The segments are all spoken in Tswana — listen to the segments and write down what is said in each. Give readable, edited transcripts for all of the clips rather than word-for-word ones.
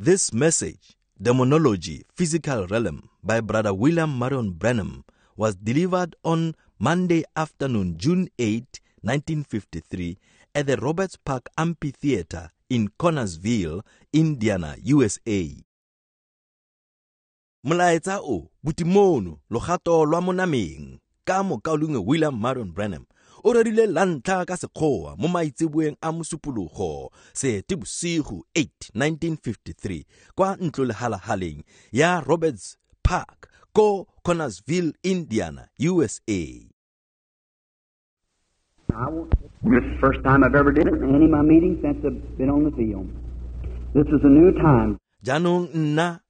This message, Demonology, Physical Realm, by Brother William Marion Branham, was delivered on Monday afternoon, June 8, 1953, at the Roberts Park Amphitheater in Connersville, Indiana, USA. Molaetsa o, Botimono, Logato lwa mo nameng, ka mokaulengwe William Marion Branham, o rerile la ntlha ka Sekgowa mo maitseboeng a Mosupologo, Seetebosigo 8, 1953, kwa ntlolehalahaleng ya Roberts Park ko Connersville, Indiana, USA. This is the first time I've ever did it in any of my meetings since I've been on the field. This is a new time. Jaanong nna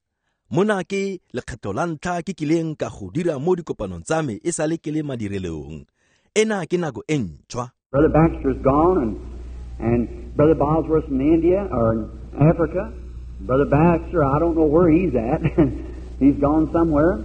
mona ke lekgetho la ntlha ke kileng ka go dira mo dikopanong tsa me e sale ke le madirelong. Ena ke nako e ntšhwa. Brother Baxter's gone, and Brother Bosworth's in India or in Africa. Brother Baxter, I don't know where he's at. He's gone somewhere,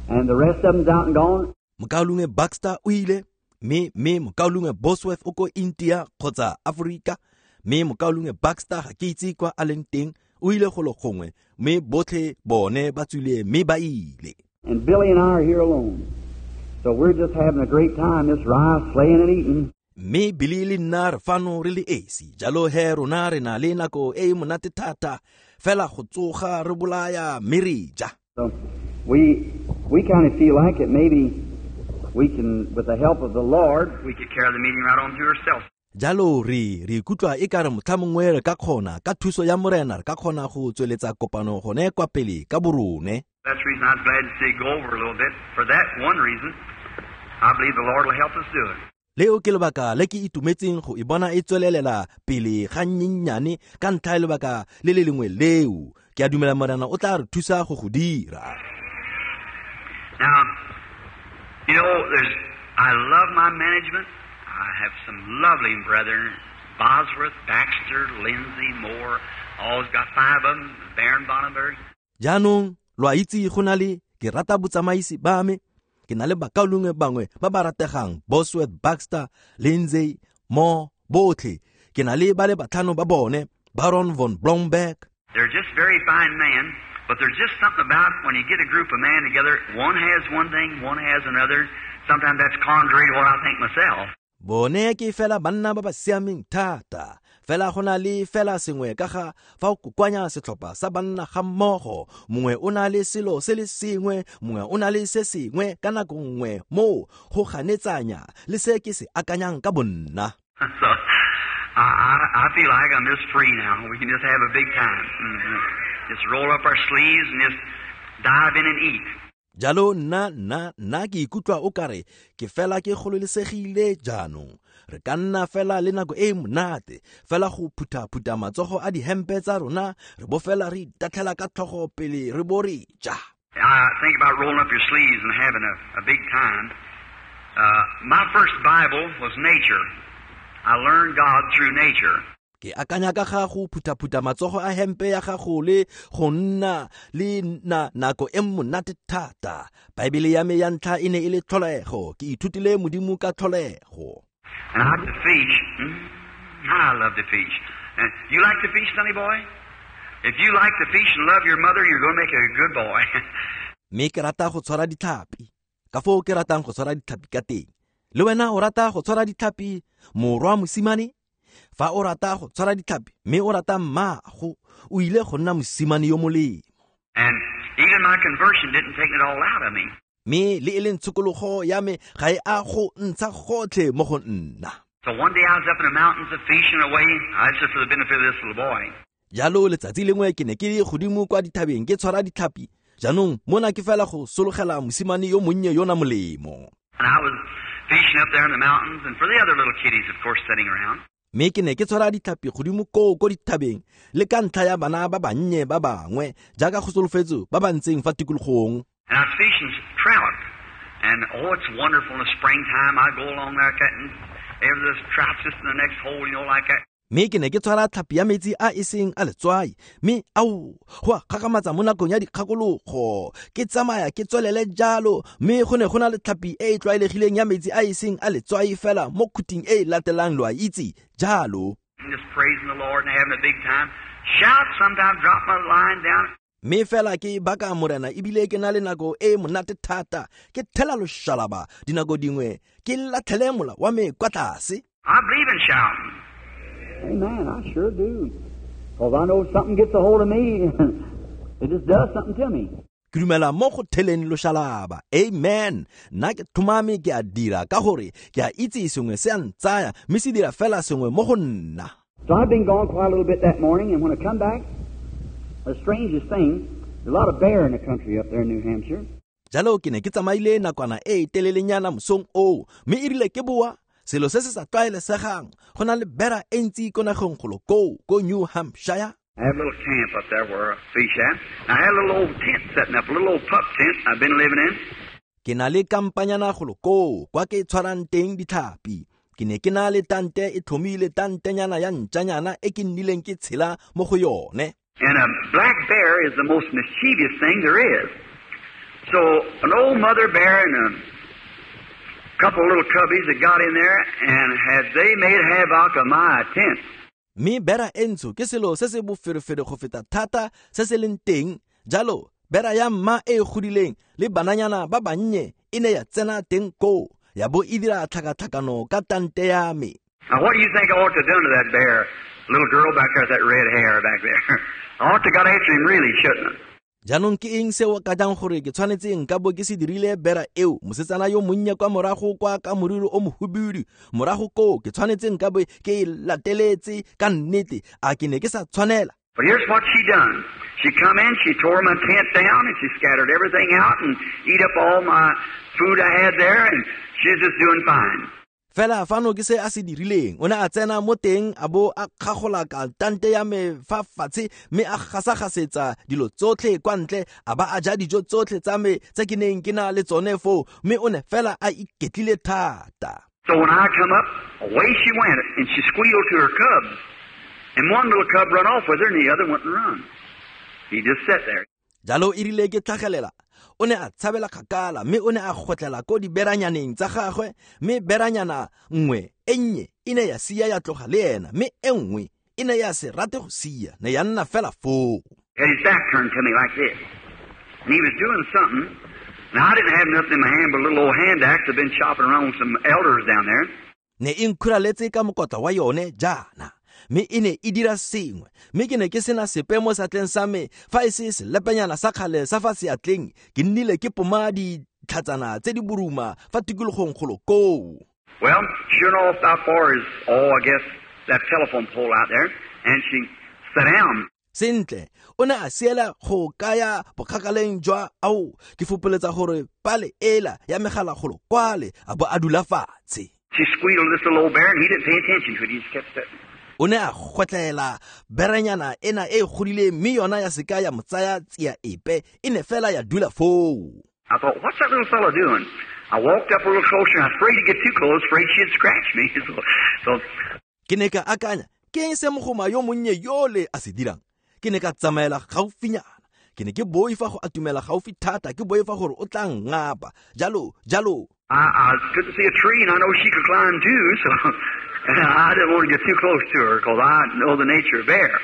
and the rest of them's out and gone. Mokaulengwe Baxter o ile, mme mokaulengwe Bosworth o ko India kgotsa Afrika, mme mokaulengwe Baxter ga ke itse kwa a leng teng, o ile golo gongwe, mme botlhe bone ba tswile mme ba ile. And Billy and I are here alone. So we're just having a great time, just rice, slaying and eating. Mme Billy le nna re fano re le esi, jalo he rona re na le nako e e monate thata, fela go tsoga re bolaya mme re ja. So we kind of feel like it maybe we can, with the help of the Lord, we could carry the meeting right on through ourselves. Jalo re ikutlwa e ka re motlha mongwe re ka kgona ka thuso ya Morena re ka kgona go tsweletsa kopano gone kwa pele ka borone. That's the reason I was glad to see it go over a little bit. For that one reason, I believe the Lord will help us do it. Leo ke lebaka le ke itumetseng go e bona e tswelelela pele ga nnyennyane ka ntlha ya lebaka le le lengwe leo. Ke a dumela Morena o tla re thusa go go dira. Now, you know, I love my management. I have some lovely brethren, Bosworth, Baxter, Lindsay, Moore, always got 5 of them, Baron Bonnenberg. Jaanong, lo a itse go na le ke rata botsamaisi ba me, ke na le bakaulengwe bangwe ba ba rategang, Bosworth, Baxter, Lindsay, Moore, botlhe. Ke na le ba le batlhano ba bone, Baron von Blomberg. They're just very fine men, but there's just something about when you get a group of men together, one has one thing, one has another. Sometimes that's contrary to what I think myself. Bone ke fela banna ba ba siameng thata, fela go na le fela sengwe ka ga fa o kokoanya setlhopha sa banna ga mmogo, mongwe o na le selo se le sengwe, mongwe o na le se sengwe ka nako nngwe moo go ganetsanya le se ke se akanyang ka bonna. So I feel like I'm just free now. We can just have a big time. Mm-hmm. Just roll up our sleeves and just dive in and eat. Jalo nna ke ikutlwa o kare ke fela ke gololesegile jaanong. Re ka nna fela le nako e monate, fela go phutha-phutha matsogo a dihempe tsa rona, re bo fela re itatlhela ka tlhogo pele re bo re ja. I think about rolling up your sleeves and having a big time. My first Bible was nature. I learned God through nature. Ke akanya ka ga go phutha-phutha matsogo a hempe ya gago le go nna le nako e monate thata. Baebele ya me ya ntlha e ne e le tlholego. Ke ithutile Modimo ka tlholego. And I like to fish. I love to fish. And you like to fish, sonny boy? If you like to fish and love your mother, you're going to make a good boy. Mme ke rata go tshwara ditlhapi. Ka foo ke ratang go tshwara ditlhapi ka teng. Le wena o rata go tshwara ditlhapi, morwa mosimane? Fa o rata go tshwara ditlhapi mme o rata mmaago, o ile go nna mosimane yo molemo. And even my conversion didn't take it all out of me. Mme le e leng tshokologo ya me ga e a go ntsha gotlhe mo go nna. So one day I was up in the mountains of fishing away. I just for the benefit of this little boy. Jalo letsatsi lengwe ke ne ke le godimo kwa dithabeng ke tshwara ditlhapi. Jaanong mona ke fela go sologela mosimane yo monnye yona molemo. And I was fishing up there in the mountains, and for the other little kiddies, of course, sitting around. Mme ke ne ke tshwara ditlhapi godimo koo ko dithabeng le ka ntlha ya bana ba bannye ba bangwe jaaka go solofetse ba ba ntseng fa tikologong. And I was fishing trout, and oh, it's wonderful in the springtime. I go along there and every this trout's just in the next hole, you know, like that. Mme ke ne ke tshwara tlhapi ya metsi a e seng a letswai, mme ao go a kgakgamatsa mo nakong ya dikgakologo. Ke tsamaya ke tswelele jalo, mme go ne go na le tlhapi e e tlwaelegileng ya metsi a e seng a letswai fela mo khuting e e latelang, lo a itse jalo. And just praising the Lord and having a big time. shout, sometimes drop my line down. Mme fela ke baka morena ebile ke na le nako e monate thata ke thela loshalaba dinako dingwe ke latlhele mola wa me kwa tlase. I believe in shouting. Amen, I sure do. Because I know something gets a hold of me, it just does something to me. Ke dumela mo go theleng loshalaba. Amen. Nna ke thomame ke a dira ka gore ke a itse sengwe se a ntsaya mme se dira fela sengwe mo go nna. So I've been gone quite a little bit that morning, and when I come back, the strangest thing, there's a lot of bear in the country up there in New Hampshire. Jalo ke ne ke tsamaile nakwana e telelenyana mosong oo, mme e rile ke boa selo se se sa tlwaelesegang go na le bera e ntsi ko nageng golo koo ko New Hampshire. I have a little camp up there where I fish at. I had a little old tent setting up, a little old pup tent I've been living in. Ke na le kampanyana golo koo kwa ke tshwarang teng ditlhapi. Ke ne ke na le tante e tlhomile tantenyana ya ntšanyana e ke nnileng ke tshela mo go yone. And a black bear is the most mischievous thing there is. So an old mother bear and a couple little cubbies that got in there, and had they made havoc of my tent. Mme bera e ntsho ke selo se se boferefere go feta thata se se leng teng. Jalo bera ya mma e godileng le bananyana ba bannye e ne ya tsena teng koo ya bo e dira tlhakatlhakano ka tante ya me. Now what do you think I ought to have done to that bear? Little girl back there with that red hair back there. I ought to got after him really, shouldn't I? Jaanong ke eng seo ka jang gore ke tshwanetse nka bo ke se dirile bera eo mosetsana yo monnye kwa morago kwa ka moriri o mohubidu morago koo ke tshwanetse nka bo ke e lateletse ka nnete a ke ne ke sa tshwanela. But here's what she done. She come in, she tore my tent down, and she scattered everything out and eat up all my food I had there, and she's just doing fine. Fela fano ke se a se dirileng. O ne a tsena mo teng a bo a kgagola ka tante ya me fa fatshe mme a gasagasetsa dilo tsotlhe kwa ntle a ba a ja dijo tsotlhe tsa me tse ke neng ke na le tsone foo mme o ne fela a iketlile thata. So when I come up, away she went, and she squealed to her cubs. And one little cub run off with her, and the other went and run. He just sat there. Jalo e rile ke tlhagelela. O ne a tshabela kgakala mme o ne a gotlela ko diberanyaneng tsa gagwe mme beranyana nngwe e nnye e ne ya sia ya tloga le ena mme e nngwe e ne ya se rate go sia ne ya nna fela foo. Had his back turned to me like this. And he was doing something. Now I didn't have nothing in my hand but a little old hand axe. I've been chopping around with some elders down there. Ne e nkhuraletse ka mokotla wa yone jaana. Mme e ne e dira sengwe mme ke ne ke sena sepe mo seatleng sa me fa e se selepenyana sa kgale sa fa seatleng ke nnile ke poma ditlhatsana tse di boruma fa tikologong golo koo. Well, sure enough, how far is, oh, I guess, that telephone pole out there, and she sat down. Sentle, o ne a siela go kaya bokgakaleng jwa ao ke fopoletsa gore pale ela ya megala golo kwale a bo a dula fatshe. She squealed this little old bear, and he didn't pay attention to it. He just kept sitting. O ne a gotlela berenyana ena e godile mme yona ya seka ya mo tsaya tsia epe e ne fela ya dula foo. I thought, what's that little fellow doing? I walked up a little closer, and I was afraid to get too close, afraid she'd scratch me. So ke ne ka akanya ke eng se mogoma yo monnye yole a se dirang. Ke ne ka tsamaela gaufinyana. Ke ne ke boifa go atumela gaufi thata ke boifa gore o tla ngapa jalo jalo. I couldn't see a tree, and I know she could climb too, so I didn't want to get too close to her because I know the nature of bear.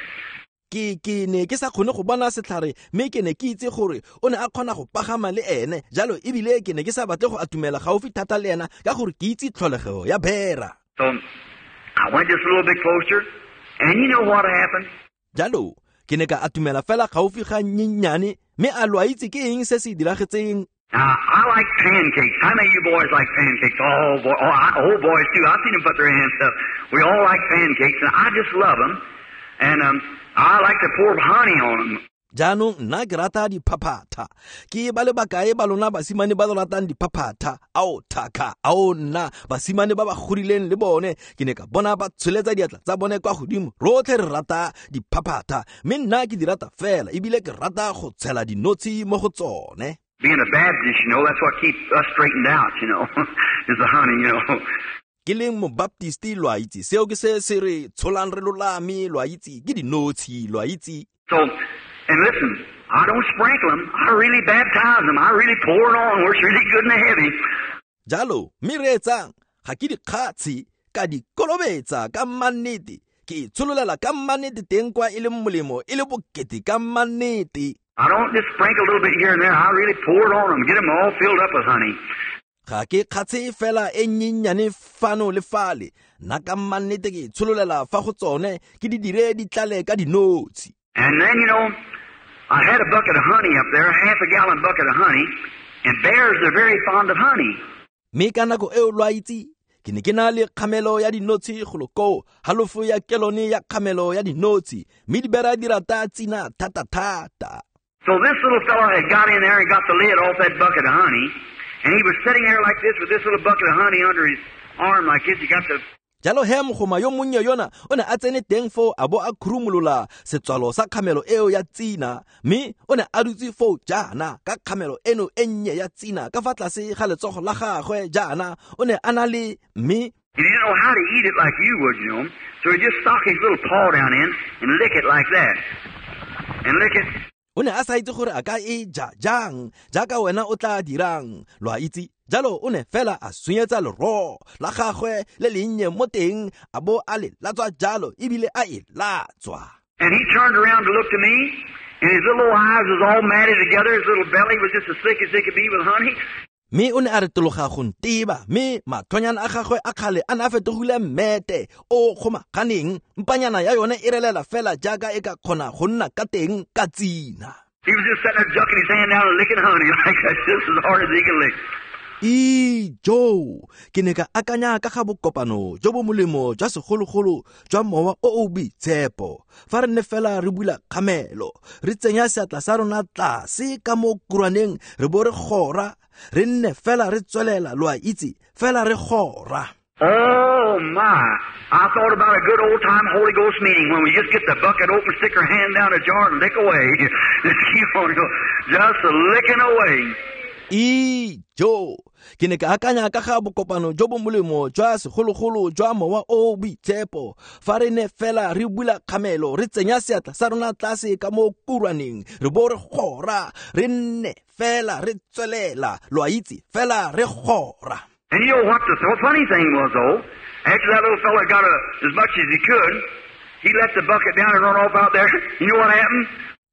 Ke ne ke sa kgone go bona setlhare mme ke ne ke itse gore o ne a kgona go pagama le ene jalo ebile ke ne ke sa batle go atumela gaufi thata le ena ka gore ke itse tlholego ya bera. So I went just a little bit closer, and you know what happened? Jalo ke ne ka atumela fela gaufi ga nnyenyane mme a lo a itse ke eng se se diragetseng. Now, I like pancakes. How many of you boys like pancakes? Oh, boy, oh, boys, too. I've seen them put their hands up. We all like pancakes, and I just love them. And I like to pour honey on them. Jaanong nna ke rata diphaphatha. Ke ba le bakae ba lona basimane ba lo ratang diphaphatha? Ao thaka, ao nna basimane ba ba godileng le bone ke ne ka bona ba tsholetsa diatla tsa bone kwa godimo. Rotlhe re rata diphaphatha mme nna ke di rata fela ebile ke rata go tshela dinotshi mo go tsone. Being a Baptist, you know, that's what keeps us straightened out, you know, is the honey, you know. Ke leng mobaptisti lo a itse seo ke se se re tsholang re lolame lo a itse ke dinotshi lo a itse. So, and listen, I don't sprinkle them. I really baptize them. I really pour it on where it's really good and heavy. Jalo, mme reetsang, ga ke dikgatshi ka di kolobetsa ka mannete. Ke e tshololela ka mannete teng kwa e leng molemo e le bokete ka mannete. I don't just sprinkle a little bit here and there. I really pour it on them, get them all filled up with honey. Ga ke kgatshe fela e nnyenyane fano le fale, nna ka mannete ke e tshololela fa go tsone, ke di dire di tlale ka dinotshi. And then, you know, I had a bucket of honey up there, a half a gallon bucket of honey, and bears are very fond of honey. Mme ka nako eo lo a itse, ke ne ke na le kgamelo ya dinotshi golo koo, halofo ya kelone ya kgamelo ya dinotshi, mme dibera di rata tsina thata-thata. So this little fellow had got in there and got the lid off that bucket of honey, and he was sitting there like this with this little bucket of honey under his arm like this. He got the Jalo he mogoma yo monnye yona o ne a tsene teng foo a bo a khurumolola setswalo sa kgamelo eo ya tsina, mme o ne a dutse foo jaana ka kgamelo eno e nnye ya tsina ka fa tlase ga letsogo la gagwe jaana, o ne a na le mme He didn't know how to eat it like you would, you know. So he just stuck his little paw down in and lick it like that. And lick it. O ne a sa itse gore a ka e ja jang jaaka wena o tla dirang, lo a itse. Jalo o ne fela a sunyetsa leroo la gagwe le lennye mo teng, a bo a le latswa jalo ebile a e latswa. And he turned around to look to me, and his little eyes was all matted together, his little belly was just as thick as it could be with honey. Mme o ne a retologa go nteba, mme mathonyana a gagwe a kgale a ne a fetogile mmete o kgomaganeng, mpanyana ya yone e relela fela jaaka e ka kgona go nna ka teng ka tsina. He was just sitting there jucking his hand down and licking honey like that, just as hard as he could lick. Ijo, ke ne ka akanya ka ga bokopano jo bo molemo jwa segologolo jwa mowa o o boitshepo. Fa re ne fela re bula kgamelo, re tsenya seatla sa rona tlase ka mo kurwaneng, re bo re gora, re nne fela re tswelela, lo a itse, fela re gora. Oh my, I thought about a good old time Holy Ghost meeting when we just get the bucket open, stick our hand down a jar and lick away. Just keep on just licking away. Ijo, ke ne ka akanya ka ga bokopano jo bo molemo jwa segologolo jwa mowa o boitshepo. Fa re ne fela re bula kgamelo, re tsenya seatla sa rona tlase ka mo kurwaneng, re bo re gora, re nne fela re tswelela, lo a itse, fela re gora. And you know what the funny thing was, though? After that little fella got as much as he could, he let the bucket down and run off out there. You know what happened?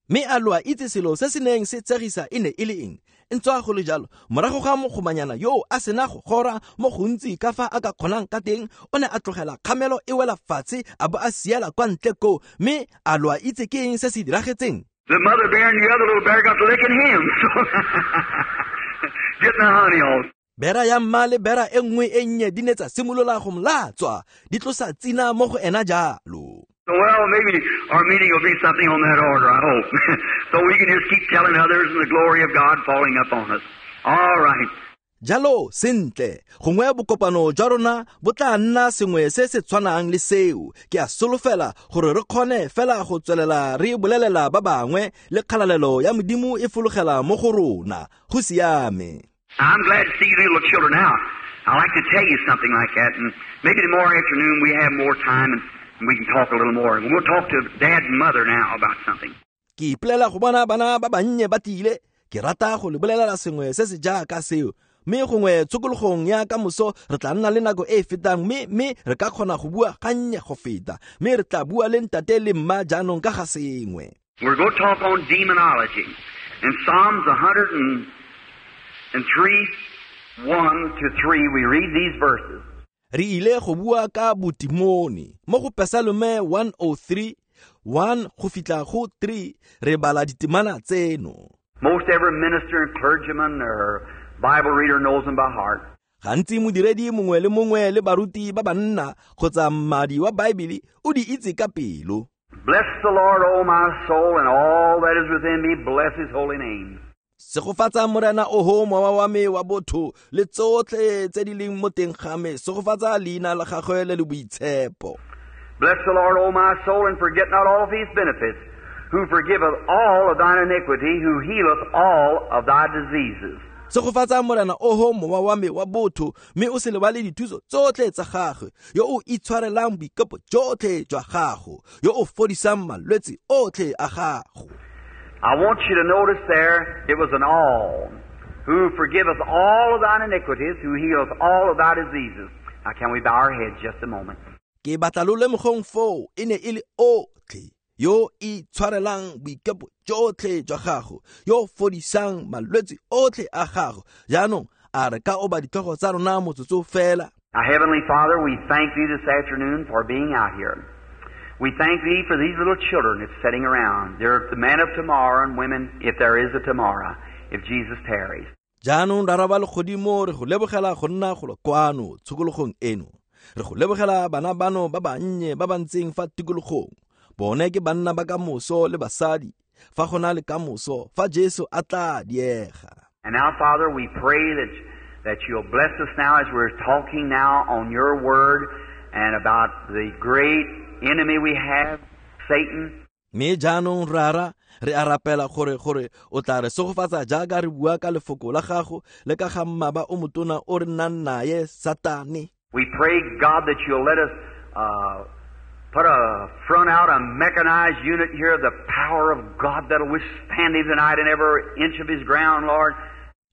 Mme a lo a itse selo se se neng se tsegisa e ne e le eng? Ntswa go le jalo, morago ga mogomanyana yo a sena go gora mo gontsi ka fa a ka kgonang ka teng, o ne a tlogela kgamelo e wela fatshe a bo a siela kwa ntle koo, mme a lo a itse ke eng se se diragetseng? The mother bear and the other little bear got to licking him. Getting the honey off. Bera ya mma le bera e nngwe e nnye di ne tsa simolola go molatswa, di tlosa tsina mo go ena jalo. Well, maybe our meeting will be something on that order, I hope. So we can just keep telling others and the glory of God falling up on us. All right. Jalo, sentle, gongwe bokopano jwa rona bo tla nna sengwe se se tshwanang le seo. Ke a solofela gore re kgone fela go tswelela re bolelela ba bangwe le kgalalelo ya Modimo e fologela mo go rona. Go siame. I'm glad to see you little children now. I like to tell you something like that, and maybe tomorrow afternoon we have more time and we can talk a little more. We'll talk to Dad and Mother now about something. Ke ipolela go bona bana ba bannye ba tile, ke rata go le bolelela sengwe se se jaaka seo. Mme gongwe tshokologong ya ka moso re tla nna le nako e e fetang, mme re ka kgona go bua gannye go feta, mme re tla bua le ntate le mma jaanong ka ga sengwe. We're going to talk on demonology. In Psalms 103, 1 to 3, we read these verses. Re ile go bua ka botimone mo go Pesalome 103, 1 go fitla go 3, re bala ditemana tseno. Most every minister and clergyman or Bible reader knows them by heart. Gantsi modiredi mongwe le mongwe le baruti ba banna kgotsa mmadi wa Bible o di itse ka pelo. Bless the Lord, O my soul, and all that is within me, bless his holy name. Segofatsa Morena oho mowa wa me wa botho le tsotlhe tse di leng mo teng ga me, segofatsa leina la gagwe le le boitshepo. Bless the Lord, O my soul, and forget not all of his benefits, who forgiveth all of thine iniquity, who healeth all of thy diseases. Segofatsa Morena oho mowa wa me wa botho, mme o se lebale dithuso tsotlhe tsa gagwe, yo o itshwarelang boikepo jotlhe jwa gago, yo o fodisang malwetse otlhe a gago. I want you to notice there, it was an all. Who forgiveth all of thine iniquities, who healeth all of thy diseases. Now can we bow our heads just a moment? Ke batla lo lemogong foo e ne e le otlhe yo itshwarelang boikepo jotlhe jwa gago, yo fodisang malwetse otlhe a gago. Jaanong a re ka oba ditlhogo tsa rona motsotso fela. Our Heavenly Father, we thank Thee this afternoon for being out here. We thank Thee for these little children that's sitting around. They're the men of tomorrow and women, if there is a tomorrow, if Jesus tarries. Jaanong Rara wa legodimo, re go lebogela go nna golo kwano tshokologong eno. Re go lebogela bana bano ba bannye ba ba ntseng fa tikologong. Bone ke banna ba kamoso le basadi, fa go na le kamoso, fa Jesu a tla diega. And now, Father, we pray that you'll bless us now as we're talking now on your word and about the great enemy we have, Satan. Mme jaanong Rara, re a rapela gore o tla re segofatsa jaaka re bua ka lefoko la gago le ka ga mmaba o motona o re nnang naye, Satane. We pray, God, that you'll let us put a front out, a mechanized unit here, the power of God that'll withstand him tonight in every inch of his ground, Lord.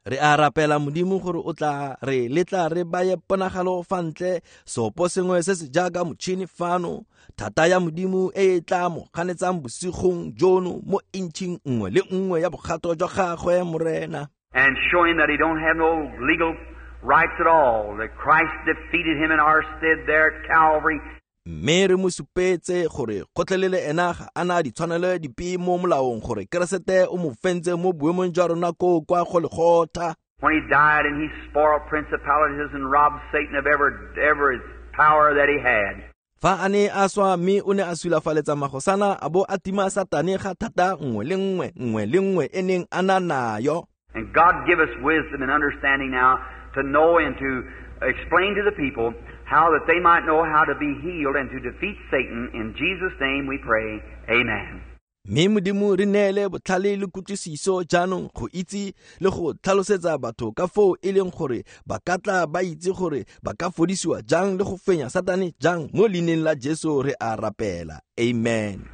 Re a rapela Modimo gore o tla re letla re baye ponagalo fa ntle, seopo sengwe se se jaaka motšhini fano, thata ya Modimo e e tla mo ganetsang bosigong jono mo intšhing nngwe le nngwe ya bogato jwa gagwe, Morena. And showing that he don't have no legal rights at all, that Christ defeated him in our stead there at Calvary. Mme re mo supetse gore gotlhelele ena ga a na ditshwanelo dipe mo molaong gore Keresete o mo fentse mo boemong jwa rona koo kwa Golgotha. When he died and he spoiled principalities and robbed Satan of every power that he had. Fa a ne a swa mme o ne a sulafaletsa magosana a bo a tima Satane ga thata nngwe le nngwe, nngwe le nngwe e neng a na nayo. And God give us wisdom and understanding now to know and to explain to the people how that they might know how to be healed and to defeat Satan. In Jesus' name we pray. Amen. Mme Modimo re neele botlhale le kutlwisiso jaanong go itse le go tlhalosetsa batho ka foo e leng gore ba ka tla ba itse gore ba ka fodisiwa jang le go fenya Satane jang. Mo leineng la Jesu re a rapela. Amen.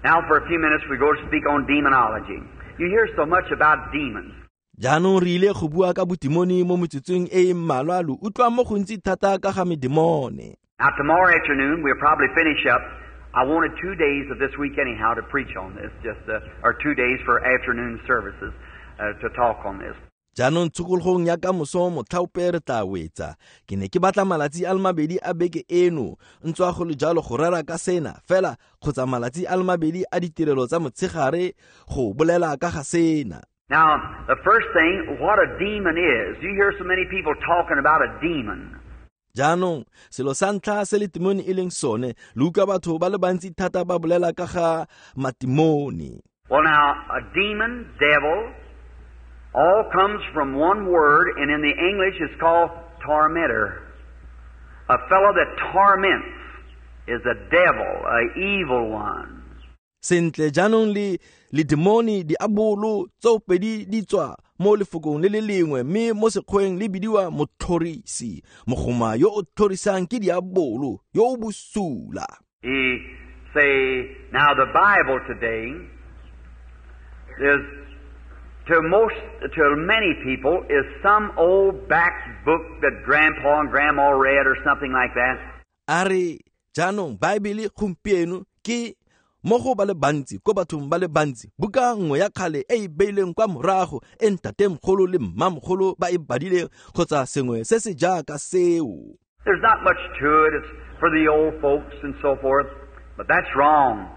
Now for a few minutes we go to speak on demonology. You hear so much about demons. Jaanong re ile go bua ka botimone mo metsotsong e e mmalwa, lo utlwa mo gontsi thata ka ga medemone. Now tomorrow afternoon we'll probably finish up. I wanted 2 days of this week anyhow to preach on this, just or 2 days for afternoon services to talk on this. Jaanong tshokologong ya kamoso motlhaope re tla wetsa. Ke ne ke batla malatsi a le mabedi a beke eno, ntswa go le jalo go rera ka sena fela, kgotsa malatsi a le mabedi a ditirelo tsa motshegare go bolela ka ga sena. Now, the first thing, what a demon is. You hear so many people talking about a demon. Jaanong, selo sa ntlha se letimone e leng sone, lo utlwa batho ba le bantsi thata ba bolela ka ga matimone. Well, now, a demon, devil, all comes from one word, and in the English it's called tormentor. A fellow that torments is a devil, an evil one. Sentle jaanong le ledemone diabolo tsopedi di tswa mo lefokong le le lengwe, mme mo sekgweng le bidiwa motlhorisi. Mogoma yo o tlhorisang ke diabolo yo o bosula. He say, now the Bible today is to many people is some old back book that grandpa and grandma read or something like that. A re jaanong Bible gompieno ke mo go ba le bantsi, ko bathong ba le bantsi, buka nngwe ya kgale e e beileng kwa morago e ntatemogolo le mmamogolo ba e badileng kgotsa sengwe se se jaaka seo. There's not much to it. It's for the old folks and so forth, but that's wrong.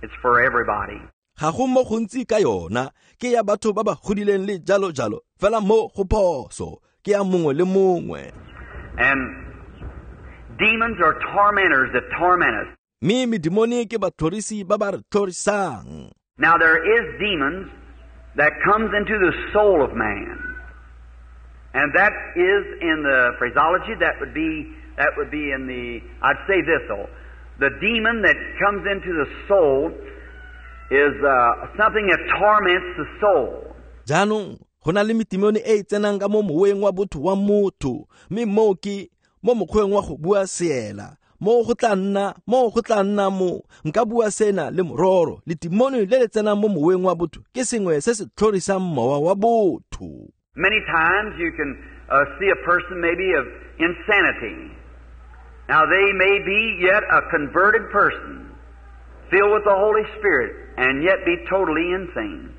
It's for everybody. Ga go mo gontsi ka yona, ke ya batho ba ba godileng le jalo jalo, fela mo go phoso, ke ya mongwe le mongwe. And demons are tormentors that torment us. Mme medemone ke batlhorisi ba ba re tlhorisang. Now there is demons that comes into the soul of man. And that is in the phraseology, that would be in the, I'd say this though. The demon that comes into the soul is something that torments the soul. Jaanong go na le metimone e e tsenang ka mo moweng wa botho wa motho, mme moo ke mo mokgweng wa go bua seela. Mo go tla nna mo nka bua sena le mororo, letimone le le tsenang mo moweng wa botho ke sengwe se se tlhorisang mowa wa botho. Many times you can see a person maybe of insanity. Now they may be yet a converted person, filled with the Holy Spirit, and yet be totally insane.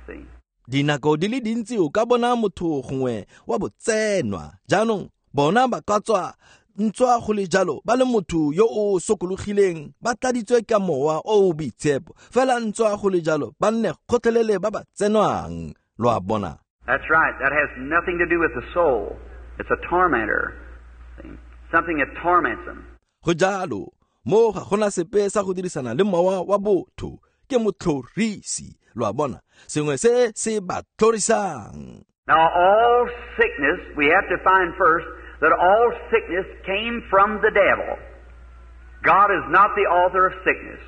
See? Dinako di le dintsi o ka bona motho gongwe wa botsenwa. Jaanong bona ba ka tswa ntswa go le jalo ba le motho yo o sokologileng, ba tladitswe ka mowa o o boitshepo, fela ntswa go le jalo ba nne kgotlhelele ba ba tsenwang. Lo a bona? That's right. That has nothing to do with the soul. It's a tormentor. See? Something that torments them. Go jalo, mo ga gona sepe sa go dirisana le mowa wa botho, ke motlhorisi. Lo a bona? Sengwe se se ba tlhorisang. Now all sickness, we have to find first that all sickness came from the devil. God is not the author of sickness.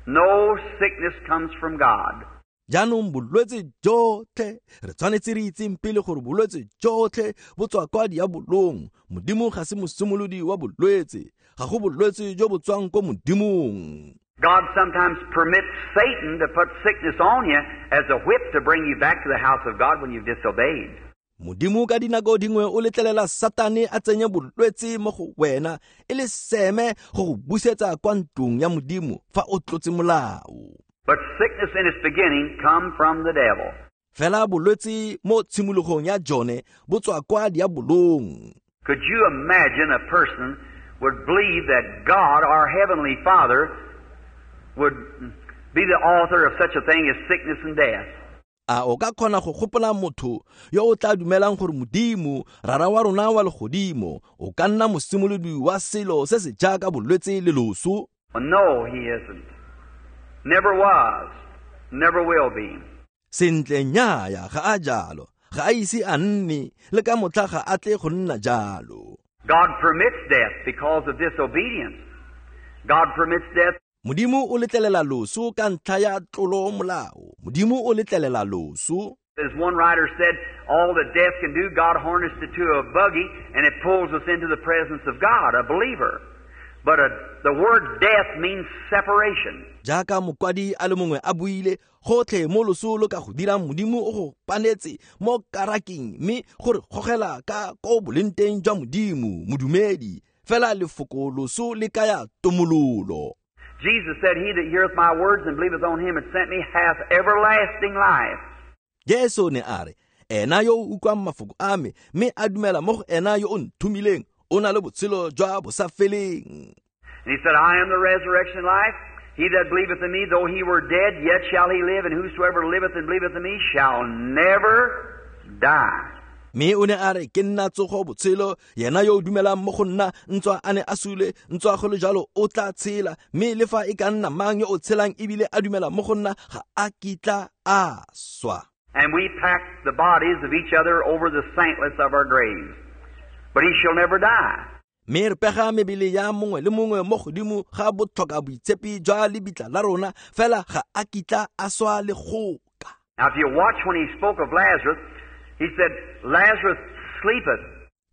No sickness comes from God. Jaanong bolwetse jotlhe, re tshwanetse re itseng pele gore bolwetse jotlhe bo tswa kwa diabolong. Modimo ga se mosimolodi wa bolwetse, ga go bolwetse jo bo tswang ko Modimong. God sometimes permits Satan to put sickness on you as a whip to bring you back to the house of God when you've disobeyed. Modimo ka dinako dingwe o letlelela Satane a tsenye bolwetse mo go wena e le seme go go busetsa kwa ntlong ya Modimo fa o tlotse molao. But sickness in its beginning come from the devil. Fela bolwetse mo tshimologong ya jone bo tswa kwa diabolong. Could you imagine a person would believe that God, our Heavenly Father, would be the author of such a thing as sickness and death? A o ka kgona go gopola motho yo o tla dumelang gore Modimo, Rara wa rona wa legodimo, o ka nna mosimolodi wa selo se se jaaka bolwetse le loso? Well, no, he isn't. Never was. Never will be. Sentle nnyaya ga a jalo, ga a ise a nne, le ka motlha ga a tle go nna jalo. God permits death because of disobedience. God permits death. Modimo o letlelela loso ka ntlha ya tlolo molao. Modimo o letlelela loso. As one writer said, all that death can do, God harnessed it to a buggy, and it pulls us into the presence of God, a believer. But the word death means separation. Jaaka mokwadi a le mongwe a buile, gotlhe mo loso lo ka go dirang Modimo o go panetse mo karaking, mme gore gogela ka ko boleng jwa Modimo, modumedi. Fela lefoko loso le kaya tomololo. Jesus said, He that heareth my words and believeth on him that sent me hath everlasting life. Jesu ne a re, ena yo o utlwang mafoko a me, mme a dumela mo go ena yo o nthomileng, o na le botshelo jwa bosafeleng. And he said, I am the resurrection and life. He that believeth in me, though he were dead, yet shall he live. And whosoever liveth and believeth in me shall never die. Mme o ne a re, ke nna tsogo botshelo, yena yo o dumelang mo go nna, ntswa a ne a sule, ntswa go le jalo o tla tshela, mme le fa e ka nna mang yo o tshelang ebile a dumela mo go nna, ga a kitla a swa. And we pack the bodies of each other over the saintless of our graves. But he shall never die. Mme re pega mebele ya mongwe le mongwe mo godimo ga botlhoka boitshepi jwa lebitla la rona, fela ga a kitla a swa le goka. Now if you watch when he spoke of Lazarus, he said, Lazarus sleepeth.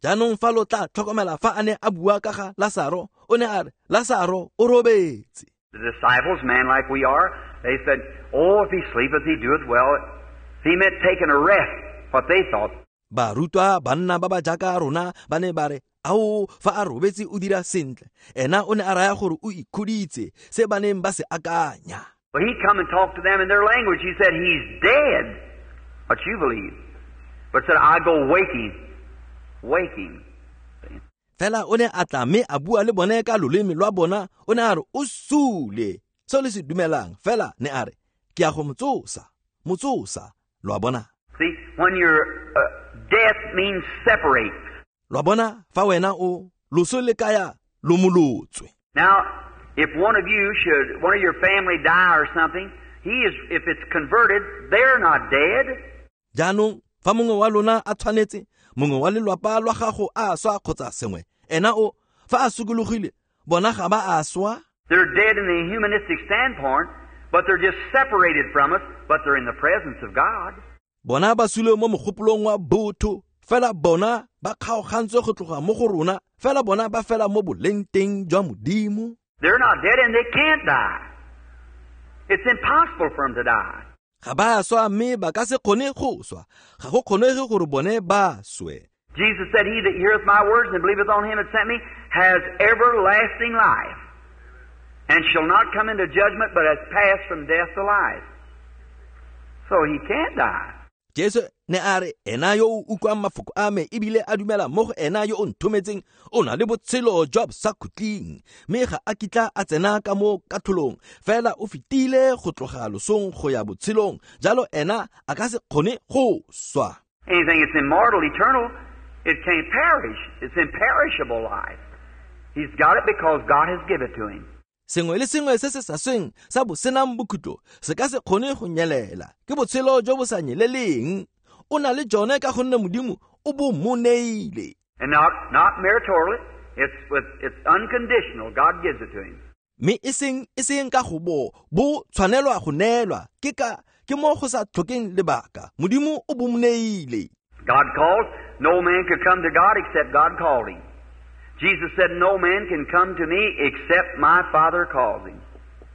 Jaanong fa lo tla tlhokomela fa a ne a bua ka ga Lasaro, o ne a re, Lasaro o robetse. The disciples, man like we are, they said, oh, if he sleepeth, he doeth well. He meant taking a rest, what they thought. Barutwa banna ba ba jaaka rona ba ne ba re, ao, fa a robetse o dira sentle. Ena o ne a raya gore o ikhuditse, se ba neng ba se akanya. But he come and talked to them in their language. He said, he's dead, what you believe. But said, I go wake him, wake him. Fela o ne a tla mme a bua le bone ka loleme lwa bona, o ne a re o sule, seo le se dumelang. Fela ne a re, ke ya go motsosa, motsosa. Lo a bona? See, when you're death means separate. Lo a bona, fa wena o loso le kaya lomolotswe. Now, if one of you should, one of your family die or something, he is, if it's converted, they're not dead. Jaanong, fa mongwe wa lona a tshwanetse, mongwe wa lelwapa lwa gago a swa kgotsa sengwe, ena o, fa a sokologile, bona ga ba a swa. They're dead in the humanistic standpoint, but they're just separated from us, but they're in the presence of God. Bona ba sule mo mogopolong wa botho, fela bona ba kgaogantswe go tloga mo go rona, fela bona ba fela mo boleng teng jwa Modimo. They're not dead and they can't die. It's impossible for them to die. Ga ba swa mme ba ka se kgone go swa. Ga go kgonege gore bone ba swe. Jesus said, He that heareth my words and believeth on him that sent me has everlasting life, and shall not come into judgment, but has passed from death to life. So he can't die. Jesu ne a re ena yo o utlwang mafoko a me ebile a dumela mo go ena yo o nthometseng o na le botshelo jwa bosakhutleng, mme ga a kitla a tsena ka mo katlholong, fela o fetile go tloga losong go ya botshelong, jalo ena a ka se kgone go swa. Anything that's immortal, eternal, it can't perish. It's imperishable life. He's got it because God has given it to him. Sengwe le sengwe se se sa sweng sa bosenang bokhutlo se ka se kgone go nyelela, ke botshelo jo bo sa nyeleleng. O na le jone ka gonne Modimo o bo mo neile. And not meritorially, it's unconditional. God gives it to him. Mme e seng ka go bo tshwanelwa go neelwa, ke mo go sa tlhokeng lebaka. Modimo o bo mo neile. God calls. No man could come to God except God called him. Jesus said, No man can come to me except my Father calls him,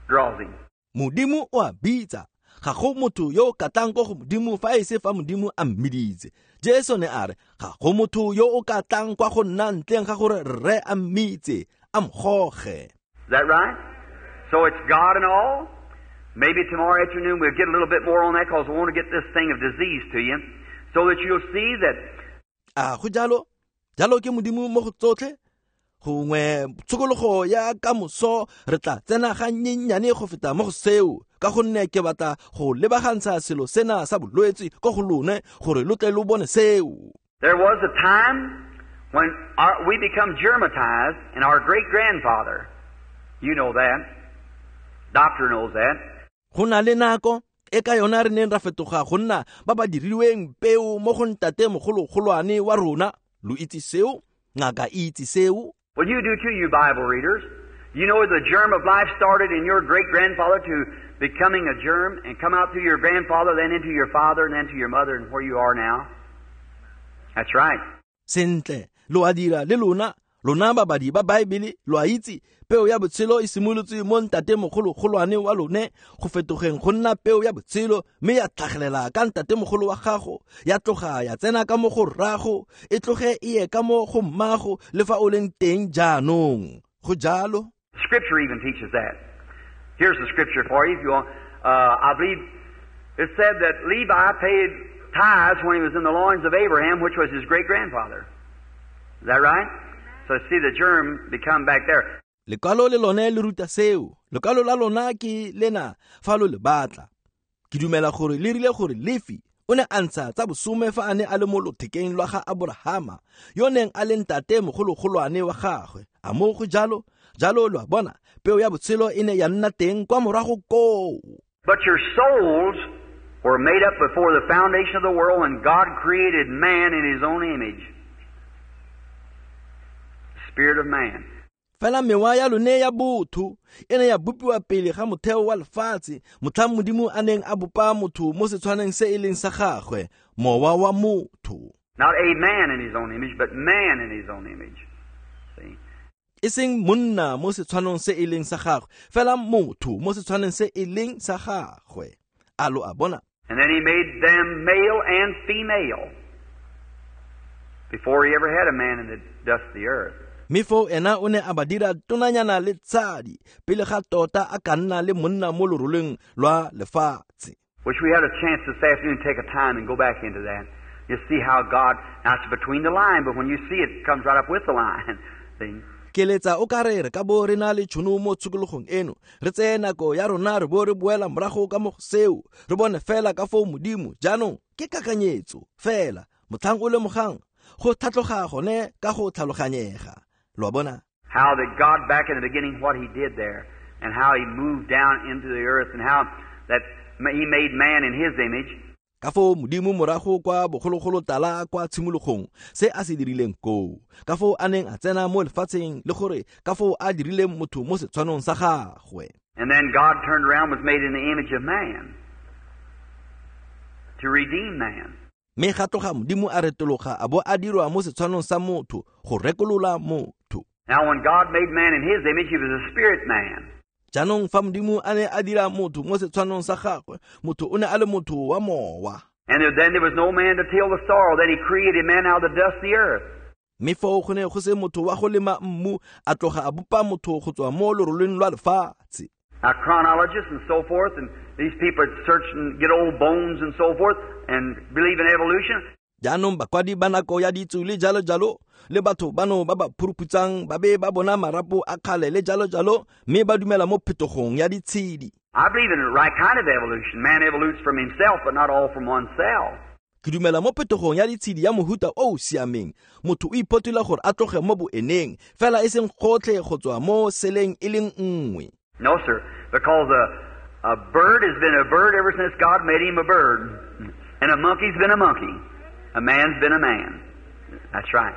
draws him. Modimo o a bitsa. Ga go motho yo o ka tlang ko go Modimo fa e se fa Modimo a mmiditse. Jesu ne a re, ga go motho yo o ka tlang kwa go nna ntleng ga gore Rre a mmitse, a mgoge. Is that right? So it's God and all. Maybe tomorrow afternoon we'll get a little bit more on that, because we want to get this thing of disease to you, so that you'll see that. A go jalo? Jalo ke Modimo mo go tsotlhe? Gongwe tshokologo ya kamoso re tla tsena ga nnyenyane go feta mo go seo, ka gonne ke batla go lebagantsha selo sena sa bolwetse ko go lone gore lo tle lo bone seo. There was a time when we become germatized, and our great-grandfather, you know that, doctor knows that. Go na le nako e ka yona re neng ra fetoga go nna ba ba dirilweng peo mo go ntate mogologolwane wa rona. Lo itse seo, ngaka e itse seo. Well, you do too, you Bible readers. You know the germ of life started in your great-grandfather to becoming a germ and come out through your grandfather, then into your father, and then to your mother, and where you are now. That's right. Sentle, lo a dira le lona, lona babadi ba Bible, lo a itse, peo ya botshelo e simolotse mo ntate mogologolwane wa lone go fetogeng go nna peo ya botshelo, mme ya tlhagelela ka ntate mogolo wa gago, ya tloga ya tsena ka mo go rrago, e tloge e ye ka mo go mmago le fa o leng teng jaanong. Go jalo. Scripture even teaches that. Here's the scripture for you if you want. I believe it said that Levi paid tithes when he was in the loins of Abraham, which was his great-grandfather. Is that right? So see the germ become back there. Lekwalo le lone le ruta seo. Lekwalo la lona ke lena fa lo le batla. Ke dumela gore le rile gore Lefi o ne a ntsha tsa bosome fa a ne a le mo lothekeng lwa ga Aborahama, yo neng a le ntate mogologolwane wa gagwe. A mo go jalo? Jalo lo a bona, peo ya botshelo e ne ya nna teng kwa morago koo. But your souls were made up before the foundation of the world when God created man in his own image. Spirit of man. Fela mewa ya lone ya botho e ne ya bopiwa pele ga motheo wa lefatshe, motlhang Modimo a neng a bopa motho mo setshwaneng se e leng sa gagwe, mowa wa motho. Not a man in his own image, but man in his own image. See? E seng monna mo setshwanong se e leng sa gagwe, fela motho mo setshwaneng se e leng sa gagwe. A lo a bona? And then he made them male and female before he ever had a man in the dust of the earth. Mme foo ena o ne a ba dira tonanyana le tshadi pele ga tota a ka nna le monna mo loroleng lwa lefatshe. Wish we had a chance this afternoon to take a time and go back into that. You see how God, now it's between the line, but when you see it, it comes right up with the line. See? Keletsa o ka re ka bo re na le tšhono mo tshokologong eno, re tseye nako ya rona re bo re boela morago ka mo go seo, re bone fela ka foo Modimo jaanong ke kakanyetso fela motlhang o lemogang go tlhatloga gone ka go tlhaloganyega. Lo a bona? How that God back in the beginning, what he did there, and how he moved down into the earth, and how that he made man in his image. Ka foo Modimo morago kwa bogologolo tala kwa tshimologong se a se dirileng koo, ka foo a neng a tsena mo lefatsheng le gore ka foo a dirileng motho mo setshwanong sa gagwe. And then God turned around, was made in the image of man to redeem man. Mme ga tloga Modimo a retologa a bo a dirwa mo setshwanong sa motho go rekolola motho. Now when God made man in his image, he was a spirit man. Jaanong fa Modimo a ne a dira motho mo setshwanong sa gagwe, motho o ne a le motho wa mowa. And then there was no man to till the soil. Then he created man out of the dust of the earth. Mme foo go ne go se motho wa go lema mmu, a tloga a bopa motho go tswa mo loroleng lwa lefatshe. Now, chronologists and so forth, and these people search and get old bones and so forth, and believe in evolution. Jaanong bakwadi ba nako ya ditso le jalo jalo, le batho bano ba ba phuruphutsang ba be ba bona marapo a kgale le jalo jalo, mme ba dumela mo phetogong ya ditshedi. I believe in the right kind of evolution. Man evolutes from himself, but not all from one cell. Ke dumela mo phetogong ya ditshedi ya mohuta o o siameng. Motho o iphotola gore a tloge mo boeneng, fela e seng gotlhe go tswa mo seleng e leng nngwe. No, sir, because a bird has been a bird ever since God made him a bird. And a monkey's been a monkey. A man's been a man. That's right.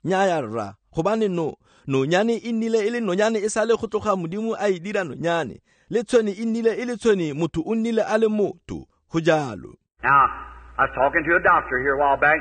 Nnyaya rra, gobane no nonyane e nnile e le nonyane e sale go tloga Modimo a e dira nonyane. Le tshwene e nnile e le tshwene, motho o nnile a le motho. Go jalo. Now, I was talking to a doctor here a while back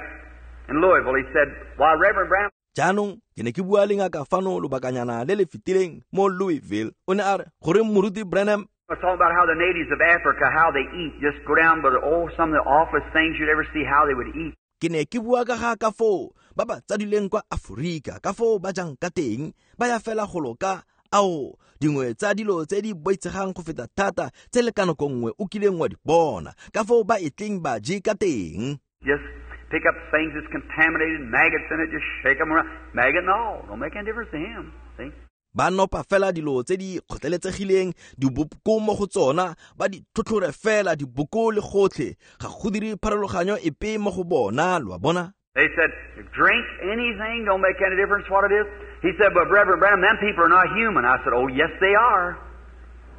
in Louisville. He said, "Why, Reverend Branham." Jaanong ke ne ke bua le ngaka fano lobakanyana le le fetileng mo Louisville. O ne a re, "Goreng Moruti Branham?" I was talking about how the natives of Africa, how they eat. Just go down by the, oh, some of the awfulest things you'd ever see, how they would eat. Ke ne ke bua ka ga ka foo ba ba tsadileng kwa Aforika, ka foo ba jang ka teng, ba ya fela golo ka ao dingwe tsa dilo tse di boitshegang go feta thata tse le ka nako nngwe o kileng wa di bona, ka foo ba e tleng ba je ka teng. Just pick up things that's contaminated, maggots in it, just shake them around, maggot and all, don't make any difference to him, see? Ba nopa fela dilo tse di kgotleletsegileng, diboko mo go tsona, ba di tlhotlhore fela diboko le gotlhe, ga go dire pharologanyo epe mo go bona, lo a bona? They said, drink anything, don't make any difference what it is. He said, but Reverend Branham, them people are not human. I said, oh, yes, they are.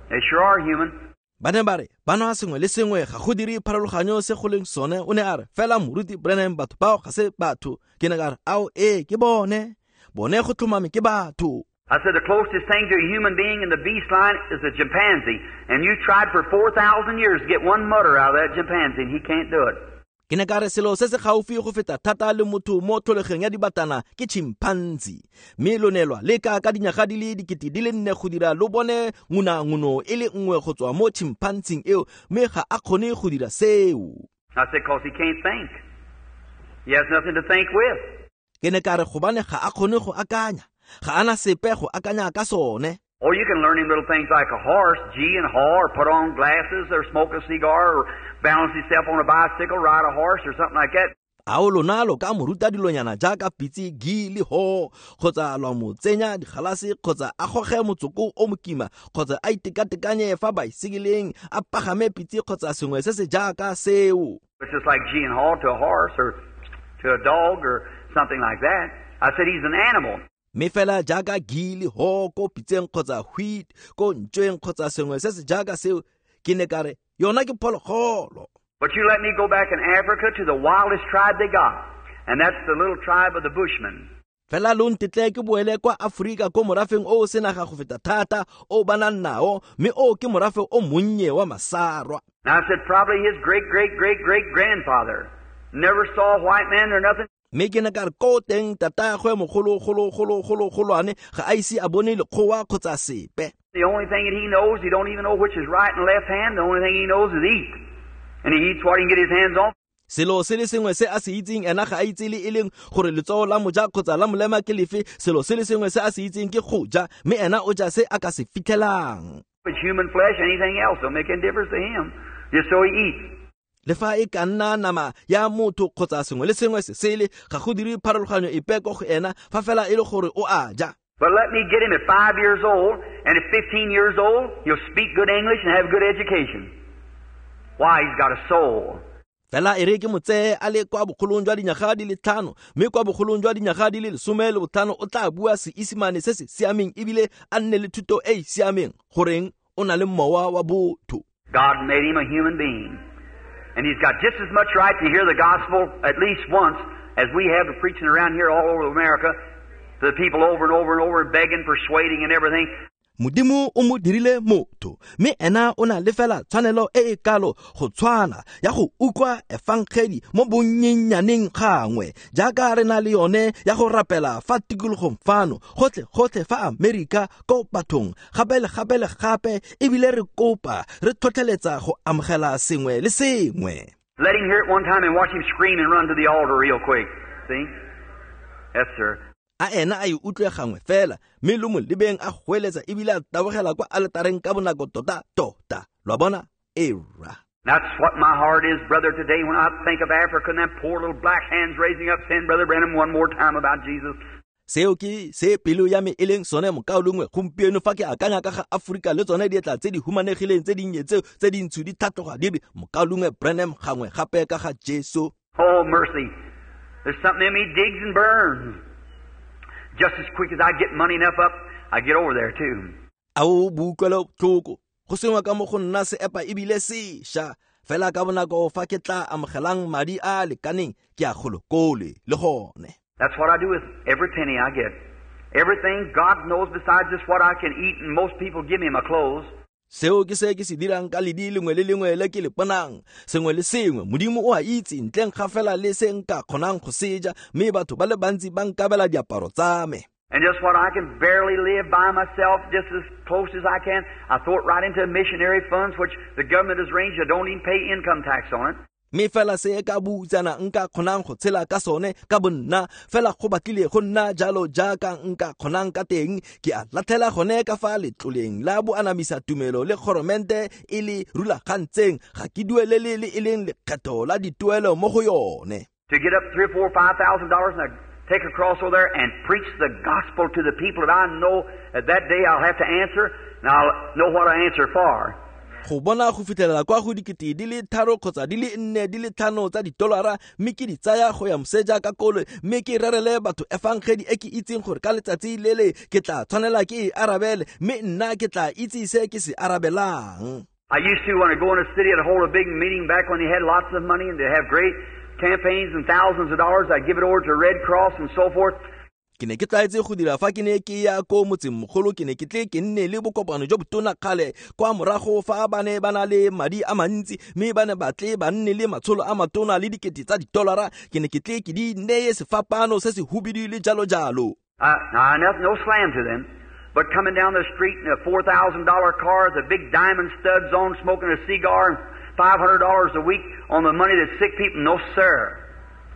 They sure are human. Ba ne ba re, ba nwa sengwe le sengwe, ga go dire pharologanyo se go leng sone. O ne a re, fela Moruti Branham, batho bao ga se batho. Ke ne ka re, ao, ee, ke bone. Bone go tlhomame ke batho. I said, the closest thing to a human being in the beast line is a chimpanzee. And you tried for 4,000 years to get one mutter out of that chimpanzee, and he can't do it. Ke ne ka re selo se se gaufi go feta thata le motho mo tlholegong ya dibatana ke chimpanzee. Mme lo ne lwa leka ka dinyaga di le 4,000 go dira lo bone ngunanguno e le nngwe go tswa mo chimpanzee eo, mme ga a kgone go dira seo. I said, 'cause he can't think. He has nothing to think with. Ke ne ka re gobane ga a kgone go akanya. Ga ana sepe go akanya ka sone. Oh, you can learn him little things like a horse, gee and haw, or put on glasses, or smoke a cigar, or balance himself on a bicycle, ride a horse, or something like that. Ao lona lo ka mo ruta dilonyana jaaka pitse, gi le ho, kgotsa lwa mo tsenya digalase, kgotsa a goge motsoko o mokima, kgotsa a itekatekanye fa baesekeleng, a pagame pitse kgotsa sengwe se se jaaka seo. It's just like gee and haw to a horse or to a dog or something like that. I said he's an animal. Mme fela jaaka gi le ho ko pitseng kgotsa wheat ko ntšweng kgotsa sengwe se se jaaka seo, ke ne ka re yona ke phologolo. But you let me go back in Africa to the wildest tribe they got, and that's the little tribe of the Bushmen. Fela lo ntetle ke boele kwa Aforika ko morafeng o o senaga go feta thata o ba nang nao, mme o ke morafe o monnye wa Masarwa. Now I said probably his great great great great grandfather never saw a white man or nothing. Mme ke ne ka re ko teng tatagwe mogolo golo golo golo golwane ga a ise a bone lekgowa kgotsa sepe. The only thing that he knows, he don't even know which is right and left hand. The only thing he knows is eat. And he eats what he can get his hands on. Selo se le sengwe se a se itseng, ena ga a itse le e leng gore letsogo la moja kgotsa la molema ke lefe. Selo se le sengwe se a se itseng ke go ja, mme ena o ja se a ka se fitlhelang. It's human flesh, anything else don't make any difference to him. Just so he eats. Le fa e ka nna nama ya motho kgotsa sengwe le sengwe se sele, ga go dire pharologanyo epe ko go ena fa fela e le gore o a ja. But let me get him at 5 years old, and at 15 years old, he'll speak good English and have good education. Why? He's got a soul. Fela e re ke mo tseye a le kwa bogolong jwa dinyaga di le 5, mme kwa bogolong jwa dinyaga di le 15 o tla bua Seesimane se se siameng ebile a nne le thuto e e siameng, goreng o na le mowa wa botho. God made him a human being. And he's got just as much right to hear the gospel at least once as we have to preaching around here all over America to the people over and over and over, begging, persuading, and everything. Modimo o mo dirile motho, mme ena o na le fela tshwanelo e e kalo go tshwana ya go utlwa efangedi mo bonnyenyaneng gangwe jaaka re na le yone ya go rapela fa tikologong fano gotlhe gotlhe fa Amerika ko bathong gape le gape le gape, ebile re kopa re tlhotlheletsa go amogela sengwe le sengwe. Let him hear it one time and watch him scream and run to the altar real quick. See? Yes, sir. A ena a e utlwe gangwe fela mme lo mo lebeng a goeletsa ebile a tabogela kwa aletareng ka bonako tota tota. Lo a bona? Era. That's what my heart is, brother, today when I think of Africa and them poor little black hands raising up saying, Brother Branham, one more time about Jesus. Seo ke se pelo ya me e leng sone mokaulengwe gompieno fa ke akanya ka ga Aforika le tsone dietla tse di humanegileng tse dinnye tseo tse dintsho di tlhatloga di re mokaulengwe Branham gangwe gape ka ga Jesu. Oh, mercy. There's something in me digs and burns. Just as quick as I get money enough up, I get over there too. A o boutlwelo botlhoko go sengwe ka mo go nna se epa ebile sesha fela ka bonako fa ke tla amogelang madi a a lekaneng ke a golokole le gone. That's what I do with every penny I get. Everything God knows besides just what I can eat, and most people give me my clothes. Seo ke se ke se dirang ka ledi lengwe le lengwe le ke le bonang. Sengwe le sengwe Modimo o a itse ntleng ga fela le se nka kgonang go seja, mme batho ba le bantsi ba nkabela diaparo tsa me. And just what I can barely live by myself, just as close as I can, I throw it right into missionary funds, which the government has arranged. I don't even pay income tax on it. Mme fela se ka butsana nka kgonang go tshela ka sone ka bonna fela go batlile go nna jalo jaaka nka kgonang ka teng ke a latlhela gone ka fa letloleng la boanamisa tumelo le goromente e le rulagantseng ga ke duelele le e leng lekgetho la dituelo mo go yone. To get up $3,000 or $4,000, $5,000 and I take a cross over there and preach the gospel to the people that I know that that day I'll have to answer, and I'll know what I answer for. Go bona go fitlhelela kwa go dikete di le 3 kgotsa di le 4 di le 5 tsa ditolara mme ke di tsaya go ya moseja ka koloi mme ke rerele batho efangedi e ke itseng gore ka letsatsi lele ke tla tshwanela ke e arabele mme nna ke tla itse se ke se arabelang. I used to, when I go in a city, I'd hold a big meeting back when they had lots of money and they have great campaigns and thousands of dollars. I'd give it over to Red Cross and so forth. Ke ne ke tlwaetse go dira fa ke ne ke ya ko motsengmogolo ke ne ke tle ke nne le bokopano jo botona kgale kwa morago fa ba ne ba na le madi a mantsi mme ba ne ba tle ba nne le matsholo a matona le dikete tsa ditolara ke ne ke tle ke di neye sefapano se se hubidu le jalo jalo. No slam to them, but coming down the street in a $4,000 car with the big diamond studs on, smoking a cigar and $500 a week on the money that sick people, no sir,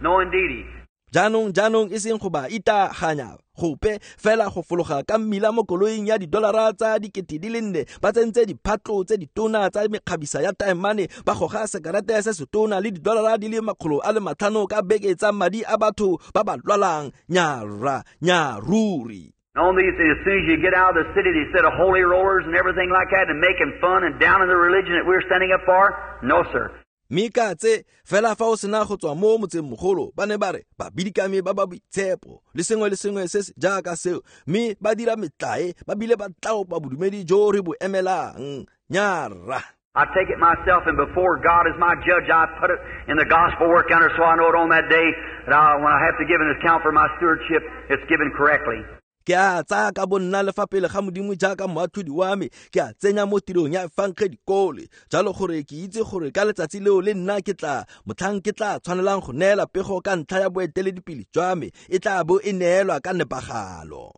no indeedy. Jaanong e seng go ba itaganya gope fela go fologa ka mmila mo koloing ya didolara tsa dikete di le 4 ba tsentse diphatlo tse ditona tsa mekgabisa ya taemane ba goga sekarete se setona le didolara di le 500 ka beke tsa madi a batho ba ba lwalang nyara nyaruri. On these, as soon as you get out of the city, they set of holy rollers and everything like that and making fun and down in the religion that we're standing up for. No, sir. Mme ka tse fela fa o sena go tswa mo motsengmogolo ba ne ba re ba bidikame ba ba boitshepo le sengwe le sengwe se se jaaka seo mme ba dira metlae ba bile ba tlaopa bodumedi jo re bo emelang nyara. I take it myself, and before God is my judge, I put it in the gospel work under, so I know it on that day that when I have to give an account for my stewardship, it's given correctly. Ke a tsaya ka bonna le fa pele ga Modimo jaaka moatlhodi wa me ke a tsenya mo tirong ya efangedi kole jalo gore ke itse gore ka letsatsi leo le nna ke tla motlhang ke tla tshwanelang go neela pego ka ntlha ya boeteledipele jwa me e tla bo e neelwa ka nepagalo.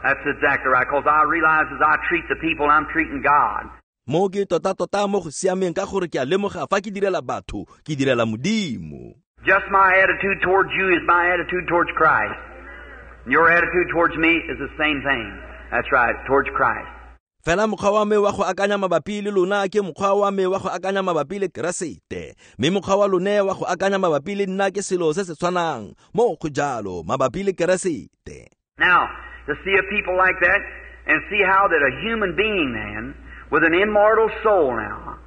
That's exactly right, because I realize as I treat the people, I'm treating God. Mo ke tota-tota mo go siameng ka gore ke a lemoga fa ke direla batho ke direla Modimo. Just my attitude towards you is my attitude towards Christ. Your attitude towards me is the same thing. That's right, towards Christ. Fela mokgwa wa me wa go akanya mabapi le lona ke mokgwa wa me wa go akanya mabapi le Keresete. Mme mokgwa wa lone wa go akanya mabapi le nna ke selo se se tshwanang mo go jalo mabapi le Keresete. Now, to see a people like that and see how that a human being then with an immortal soul now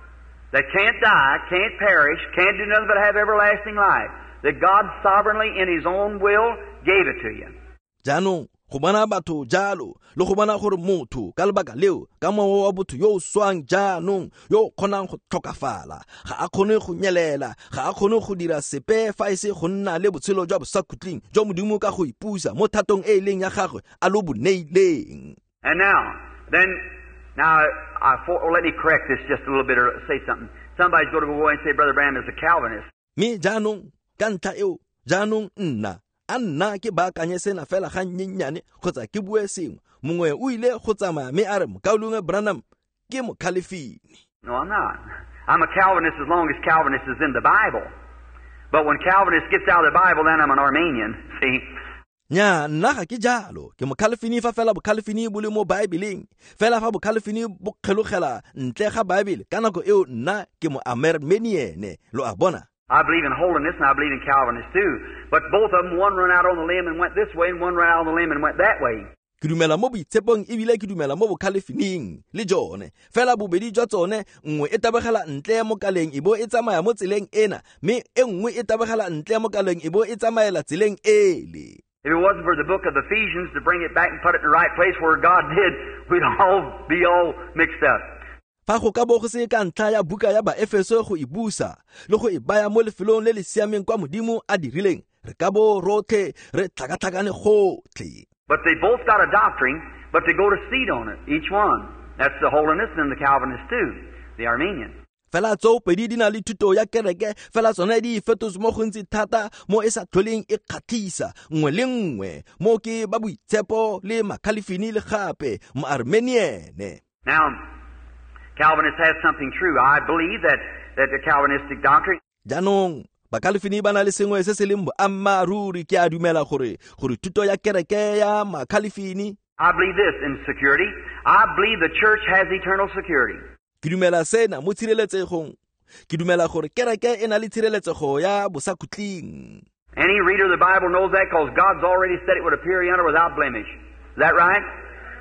that can't die, can't perish, can't do nothing but have everlasting life, that God sovereignly in His own will gave it to you. Jaanong go bona batho jalo le go bona gore motho ka lebaka leo ka mowa wa botho yo o swang jaanong yo o kgonang go tlhokafala ga a kgone go nyelela ga a kgone go dira sepe fa e se go nna le botshelo jwa bosakhutleng jwa Modimo ka go ipusa mo thatong e e leng ya gagwe a lo bo neileng. And now, then, now, let me correct this just a little bit or say something. Somebody's going to go away and say, Brother Branham is a Calvinist. Mme jaanong ka ntlha eo jaanong nna a nna ke baakanye sena fela ga nnyennyane kgotsa ke bue sengwe mongwe o ile go tsamaya mme a re mokaulengwe Branham ke mokhalefini. No, I'm not. I'm a Calvinist as long as Calvinist is in the Bible. But when Calvinist gets out of the Bible, then I'm an Arminian, see? Nya, nna ga ke jalo. Ke mokhalefini fa fela bokhalefini bo le mo Baebeleng. Fela fa bokhalefini bo kgelogela ntle ga Baebele, ka nako eo nna ke mo Armenian, lo a bona. I believe in holiness and I believe in Calvinist too. But both of them, one run out on the limb and went this way, and one run out on the limb and went that way. Ke dumela mo boitshepong ebile ke dumela mo bokhalefining le jone. Fela bobedi jwa tsone, nngwe e tabogela ntle mo kaleng e bo e tsamaya mo tseleng ena, mme e nngwe e tabogela ntle mo kaleng e bo e tsamaela tseleng ele. If it wasn't for the book of Ephesians to bring it back and put it in the right place where God did, we'd all be all mixed up. Fa go ka bo go se ka ntlha ya buka ya Baefeso go e busa le go e baya mo lefelong le le siameng kwa Modimo a dirileng, re ka bo rotlhe re tlhakatlhakane gotlhe. But they both got a doctrine, but they go to seed on it, each one. That's the holiness and the Calvinist too, the Arminian. Fela tseo pedi di na le thuto ya kereke, fela tsone di fetotse mo gontsi thata mo e sa tlholeng e kgatlhisa nngwe le nngwe, mo ke ba boitshepo le makhalefini le gape mo Armenian. Now, Calvinist has something true. I believe that the Calvinistic doctrine. Jaanong, Bakalifini ba na le sengwe se se leng boammaaruri. Ke a dumela gore thuto ya kereke ya Makalifini. I believe this in security. I believe the church has eternal security. Ke dumela sena mo tshireletsegong. Ke dumela gore kereke e na le tshireletsego ya bosakhutleng. Any reader of the Bible knows that because God's already said it would appear yonder without blemish. Is that right?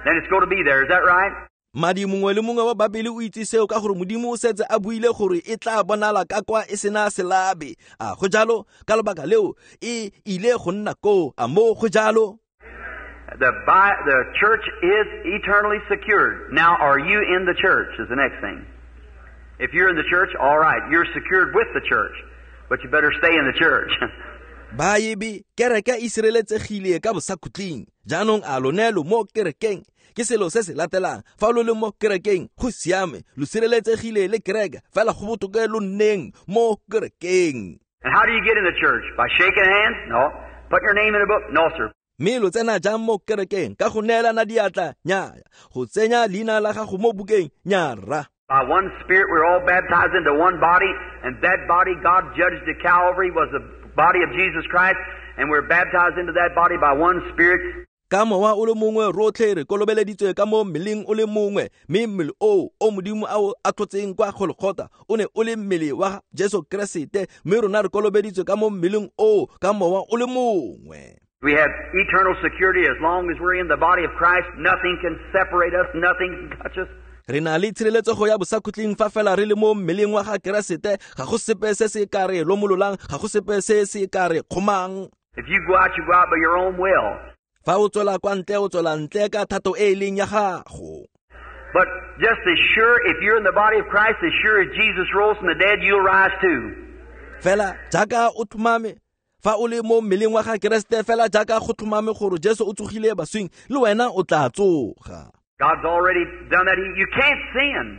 Then it's going to be there. Is that right? Madi mongwe le mongwe wa Babele o itse seo ka gore Modimo o setse a buile gore e tla bonala ka kwa e sena selabe. A go jalo? Ka lebaka leo e ile go nna koo. A mo go jalo? The church is eternally secured. Now, are you in the church is the next thing. If you're in the church, all right, you're secured with the church, but you better stay in the church. Baebe kereke e sireletsegile ka bosakhutleng. Jaanong a lone lo mo kerekeng? Ke selo se se latelang. Fa lo le mo kerekeng, go siame, lo sireletsegile le kereke, fela go botoka lo nneng mo kerekeng. And how do you get in the church? By shaking hands? No. Putting your name in a book? No, sir. Mme lo tsena jang mo kerekeng? Ka go neelana diatla? Nnyaya. Go tsenya leina la gago mo bukeng? Nnyara. By one Spirit we're all baptized into one body, and that body God judged at Calvary was the body of Jesus Christ, and we're baptized into that body by one Spirit. Ka mowa o le mongwe rotlhe re kolobeleditswe ka mo mmeleng o le mongwe, mme mmele oo o Modimo a o atlhotseng kwa Golgotha o ne o le mmele wa Jesu Keresete, mme rona re kolobeditswe ka mo mmeleng oo ka mowa o le mongwe. We have eternal security as long as we're in the body of Christ. Nothing can separate us, nothing can touch us. Re na le tshireletsego ya bosakhutleng fa fela re le mo mmeleng wa ga Keresete. Ga go sepe se se ka re lomololang, ga go sepe se se ka re kgomang. If you go out, you go out by your own will. Fa o tswela kwa ntle, o tswela ntle ka thato e e leng ya gago. But just as sure, if you're in the body of Christ, as sure as Jesus rose from the dead, you'll rise too. Fela jaaka o tlhomame, fa o le mo mmeleng wa ga Keresete, fela jaaka go tlhomame gore Jesu o tsogile baswing, le wena o tla tsoga. God's already done that. You can't sin.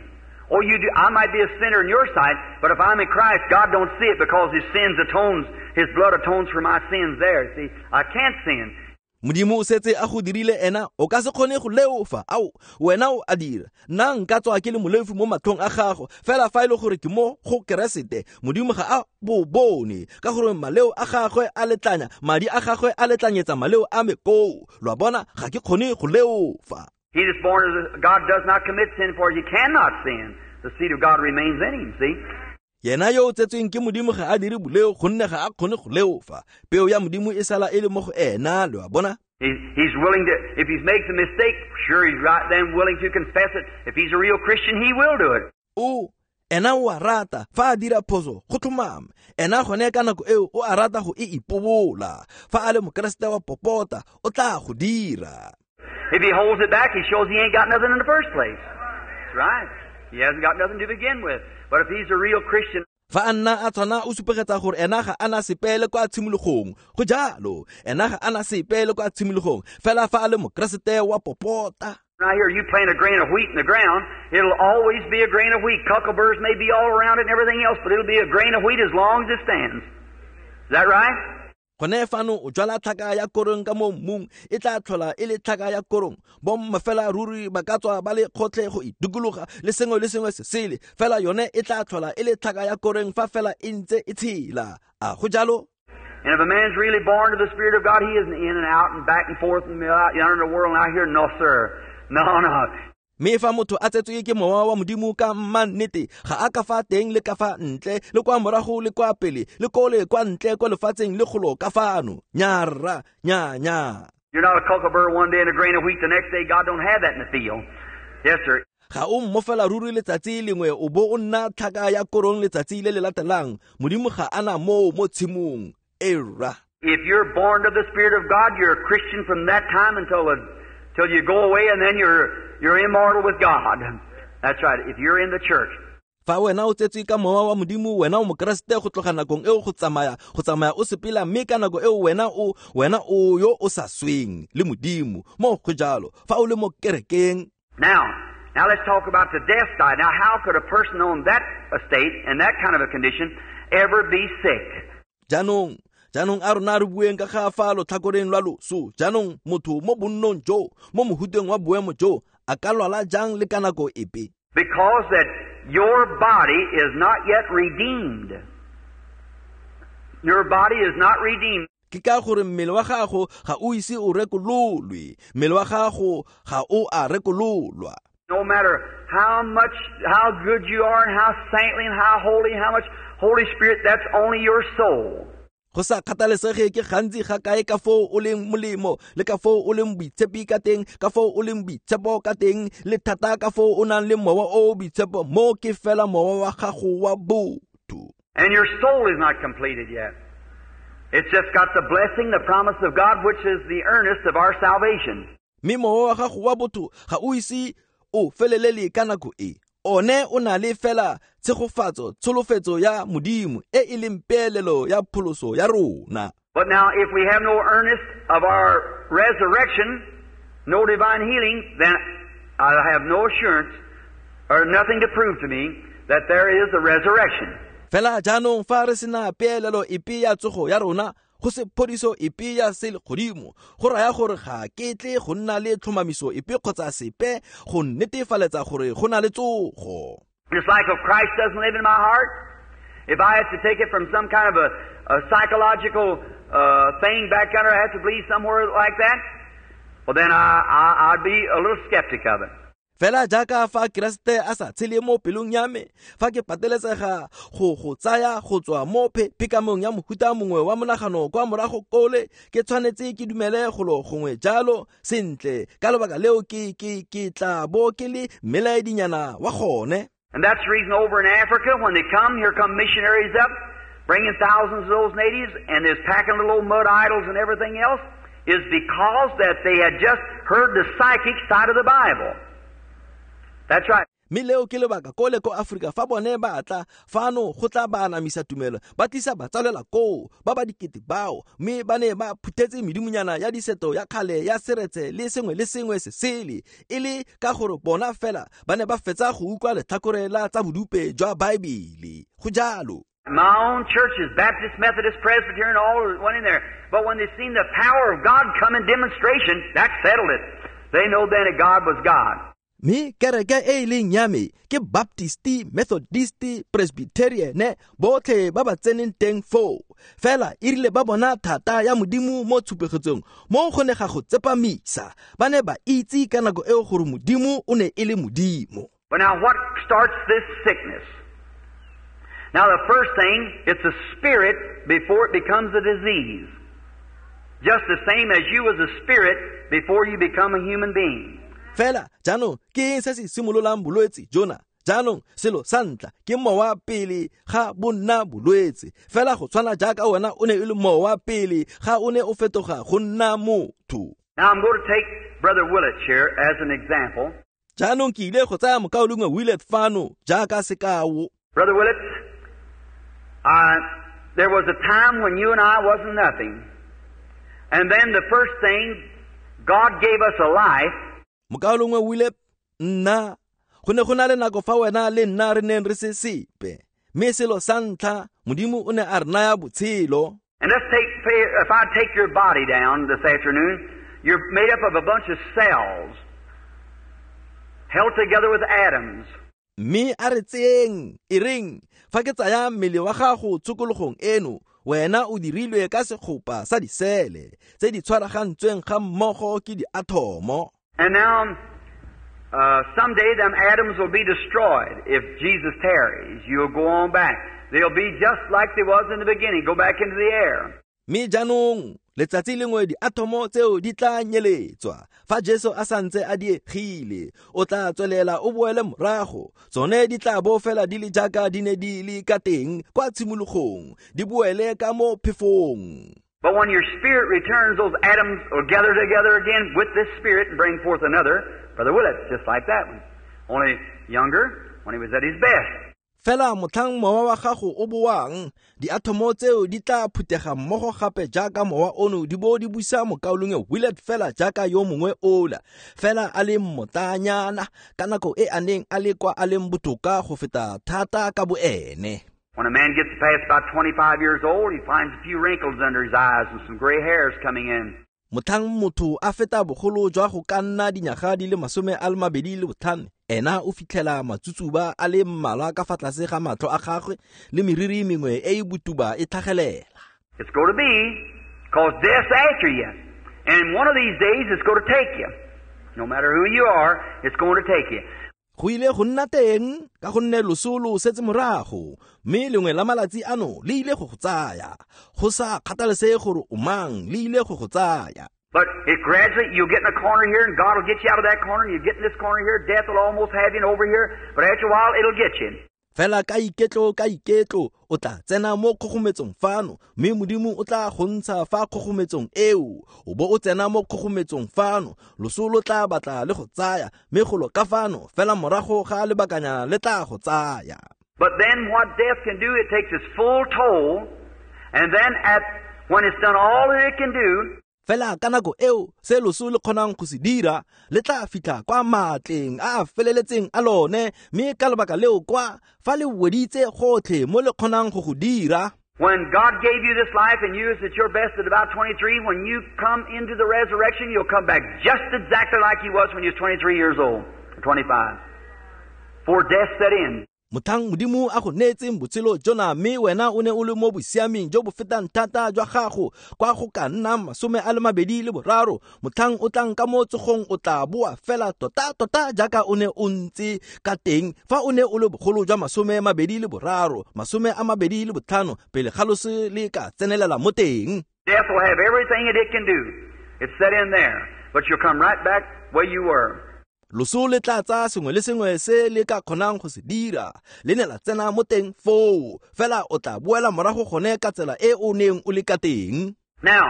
Oh, you do. I might be a sinner in your sight, but if I'm in Christ, God don't see it because His sins atones, His blood atones for my sins there. See, I can't sin. Modimo o setse a go dirile ena, o ka se kgone go leofa. Ao, wena o a dira. Nna nka tswa ke le moleofi mo matlhong a gago, fela fa e le gore ke mo go Keresete, Modimo ga a bo bone, ka gore maleo a gagwe a letlanya, madi a gagwe a letlanyetsa maleo a me koo. Lo a bona, ga ke kgone go leofa. He that's born of God does not commit sin, for he cannot sin. The seed of God remains in him, see? Yena yo o tsetsweng ke Modimo ga a dire boleo, gonne ga a kgone go leofa. Peo ya Modimo e sala e le mo go ena, lo a bona? He's willing to, if he makes a mistake, sure, he's right then willing to confess it. If he's a real Christian, he will do it. O, ena o a rata, fa a dira phoso, go tlhomame. Ena gone ka nako eo o a rata go e ipobola. Fa a le Mokeresete wa popota, o tla go dira. If he holds it back, he shows he ain't got nothing in the first place. That's right. He hasn't got nothing to begin with. But if he's a real Christian, fa a nna a tshwana o supegetsa gore ena ga ana sepe le kwa tshimologong. Go jalo, ena ga ana sepe le kwa tshimologong. Fela fa a le Mokeresete wa popota. Now here you plant a grain of wheat in the ground, it'll always be a grain of wheat. Cuckleburs may be all around it and everything else, but it'll be a grain of wheat as long as it stands. Is that right? Gone fano o jwala tlhaka ya korong ka mo mmung, e tla tlhola e le tlhaka ya korong. Bomma fela ruri ba ka tswa ba le kgotlhe go e dikologa le sengwe le sengwe se sele, fela yone e tla tlhola e le tlhaka ya korong fa fela e ntse e tshela. A go jalo? And if a man's really born to the Spirit of God, he isn't in and out and back and forth and out yonder in the world and out here. No, sir. No, no. Mme fa motho a tsetswe ke mowa wa Modimo ka mannete, ga a ka fa teng le ka fa ntle, le kwa morago le kwa pele, le kole kwa ntle kwa lefatsheng le golo ka fano. Nyarra, nya, nya. You're not a cucumber one day and a grain of wheat the next day. God don't have that in the field. Yes, sir. Ga o mmofela ruri letsatsi lengwe o bo o nna tlhaka ya korong letsatsi le le latelang. Modimo ga ana moo mo tshimong. Era. If you're born to the Spirit of God, you're a Christian from that time until till you go away, and then you're immortal with God. That's right, if you're in the church. Fa wena o tsetswe ka mowa wa Modimo, wena o mokeresete go tloga nakong eo go tsamaya o sepela, mme ka nako eo wena o yo o sa sweng le Modimo. Mo go jalo, fa o le mo kerekeng. Now let's talk about the death side. Now, how could a person on that estate and that kind of a condition ever be sick? Jaanong a rona re bueng ka ga fa lotlhakoreng lwa loso. Jaanong motho mo bonnong jo, mo mohuteng wa boemo jo, a ka lwala jang le ka nako epe? Because that your body is not yet redeemed. Your body is not redeemed. Ke ka gore mmele wa gago ga o ise o rekololwe. Mmele wa gago ga o a rekololwa. No matter how much, how good you are and how saintly and how holy, how much Holy Spirit, that's only your soul. Go sa kgathalesege ke gantsi ga kae ka foo o leng molemo, le ka foo o leng boitshepi ka teng, ka foo o leng boitshepo ka teng, le thata ka foo o nang le mowa o boitshepo, mo ke fela mowa wa gago wa botho. And your soul is not completed yet. It's just got the blessing, the promise of God, which is the earnest of our salvation. Mme mowa wa gago wa botho ga o ise o felelele ka nako e. One o na le fela tshegofatso, tsholofetso ya Modimo e e leng peelelo ya pholoso ya rona. But now if we have no earnest of our resurrection, no divine healing, then I have no assurance or nothing to prove to me that there is a resurrection. Fela jaanong fa re sena peelelo epe ya tsogo ya rona, go se phodiso epe ya selegodimo, go raya gore ga ke tle go nna le tlhomamiso epe kgotsa sepe go netefaletsa gore go na le tsogo. Just like if Christ doesn't live in my heart, if I have to take it from some kind of a psychological thing back under, I have to believe somewhere like that, well then I'd be a little skeptic of it. Fela jaaka fa Keresete a sa tshele mo pelong ya me, fa ke pateletsega go tsaya go tswa mo phekamong ya mohuta mongwe wa monagano kwa morago kole, ke tshwanetse ke dumele golo gongwe jalo sentle. Ka lebaka leo ke tla bo ke le mmelaedinyana wa gone. And that's the reason over in Africa, when they come, here come missionaries up, bringing thousands of those natives, and they're packing little old mud idols and everything else, is because that they had just heard the psychic side of the Bible. That's right. Mme leo ke lebaka kole ko Afrika fa bone ba tla fano go tla ba anamisa tumelo, ba tlisa batsalela koo ba ba dikete bao, mme ba ne ba phuthetse medimonyana ya diseto ya kgale ya seretse le sengwe le sengwe se sele, e le ka gore bona fela ba ne ba fetsa go utlwa letlhakore la tsa bodupe jwa Baebele. Go jalo. My own churches, Baptist, Methodist, Presbyterian, all went in there. But when they seen the power of God come in demonstration, that settled it. They know then that God was God. Mme kereke e e leng ya me ke Baptisti, Methodisti, Presbyterian, botlhe ba ba tseneng teng foo. Fela e rile ba bona thata ya Modimo mo tshupegetsong, mo go ne ga go tsepamisa. Ba ne ba itse ka nako eo gore Modimo o ne e le Modimo. But now what starts this sickness? Now the first thing, it's a spirit before it becomes a disease. Just the same as you was a spirit before you become a human being. Fela jaanong ke eng se se simololang bolwetse jona? Jaanong selo sa ntlha ke mowa pele ga bo nna bolwetse. Fela go tshwana jaaka wena o ne e le mowa pele ga o ne o fetoga go nna motho. Now I'm going to take Brother Willett here as an example. Jaanong ke ile go tsaya mokaulengwe Willett fano jaaka sekao. Brother Willett, there was a time when you and I wasn't nothing. And then the first thing, God gave us a life. Mokaulengwe Willett, nna go ne go na le nako fa wena le nna re neng re se sepe. Mme selo sa ntlha, Modimo o ne a re naya botshelo. And let's take, if I take your body down this afternoon, you're made up of a bunch of cells held together with atoms. Mme a re tseeng e reng fa ke tsaya mmele wa gago tshokologong eno, wena o dirilwe ka segopa sa disele tse di tshwaragantsweng ga mmogo ke diathomo. And now, someday them atoms will be destroyed if Jesus tarries. You'll go on back. They'll be just like they was in the beginning. Go back into the air. Mme jaanong letsatsi lengwe diathomo tseo di tla nyeletswa fa Jesu a santse a diegile, o tla tswelela o boele morago. Tsone di tla bo fela di le jaaka di ne di le ka teng kwa tshimologong, di boele ka mo phefong. But when your spirit returns, those atoms will gather together again with this spirit and bring forth another Brother Willett, just like that one. Only younger when he was at his best. Fela motlhang mowa wa gago o boang, diathomo tseo di tla phutega mmogo gape jaaka mowa ono di bo di busa mokaulengwe Willett fela jaaka yo mongwe ola, fela a le mmotanyana ka nako e a neng a le kwa a leng botoka go feta thata ka boene. When a man gets past about 25 years old, he finds a few wrinkles under his eyes and some gray hairs coming in. Motlhang motho a feta bogolo jwa go ka nna dinyaga di le 25, ena o fitlhela matsutsuba a le mmalwa ka fa tlase ga matlho a gagwe le meriri mengwe e e botuba e tlhagelela. It's going to be, because death's after you. And one of these days it's going to take you. No matter who you are, it's going to take you. Go ile go nna teng ka gonne loso lo setse morago, mme lengwe la malatsi ano le ile go go tsaya. Go sa kgathalesege gore o mang, le ile go go tsaya. But it gradually, you'll get in a corner here, and God will get you out of that corner, and you get in this corner here, death will almost have you over here, but after a while, it'll get you. Fela ka iketlo, o tla tsena mo kgogometsong fano, mme Modimo o tla go ntsha fa kgogometsong eo, o bo o tsena mo kgogometsong fano, loso lo tla batla le go tsaya, mme golo ka fano, fela morago ga lebakanyana le tla go tsaya. But then what death can do, it takes its full toll, and then when it's done all that it can do, fela ka nako eo se loso le kgonang go se dira le tla fitlha kwa maatleng a a feleletseng a lone, mme ka lebaka leo kwa fa le weditse gotlhe mo le kgonang go go dira. When God gave you this life and you was at your best at about 23, when you come into the resurrection, you'll come back just exactly like you was when you was 23 years old, or 25, before death set in. Motlhang Modimo a go neetseng botshelo jona, mme wena o ne o le mo bosiameng jo bo fetang thata jwa gago kwa go ka nnang 23, motlhang o tlang ka mo tsogong o tla boa fela tota-tota jaaka o ne o ntse ka teng fa o ne o le bogolo jwa 23, 25 pele ga loso le ka tsenelela mo teng. Death will have everything that it can do. It's set in there, but you'll come right back where you were. Loso le tla tsaya sengwe le sengwe se le ka kgonang go se dira, le ne la tsena mo teng foo, fela o tla boela morago gone ka tsela e o neng o le ka teng. Now,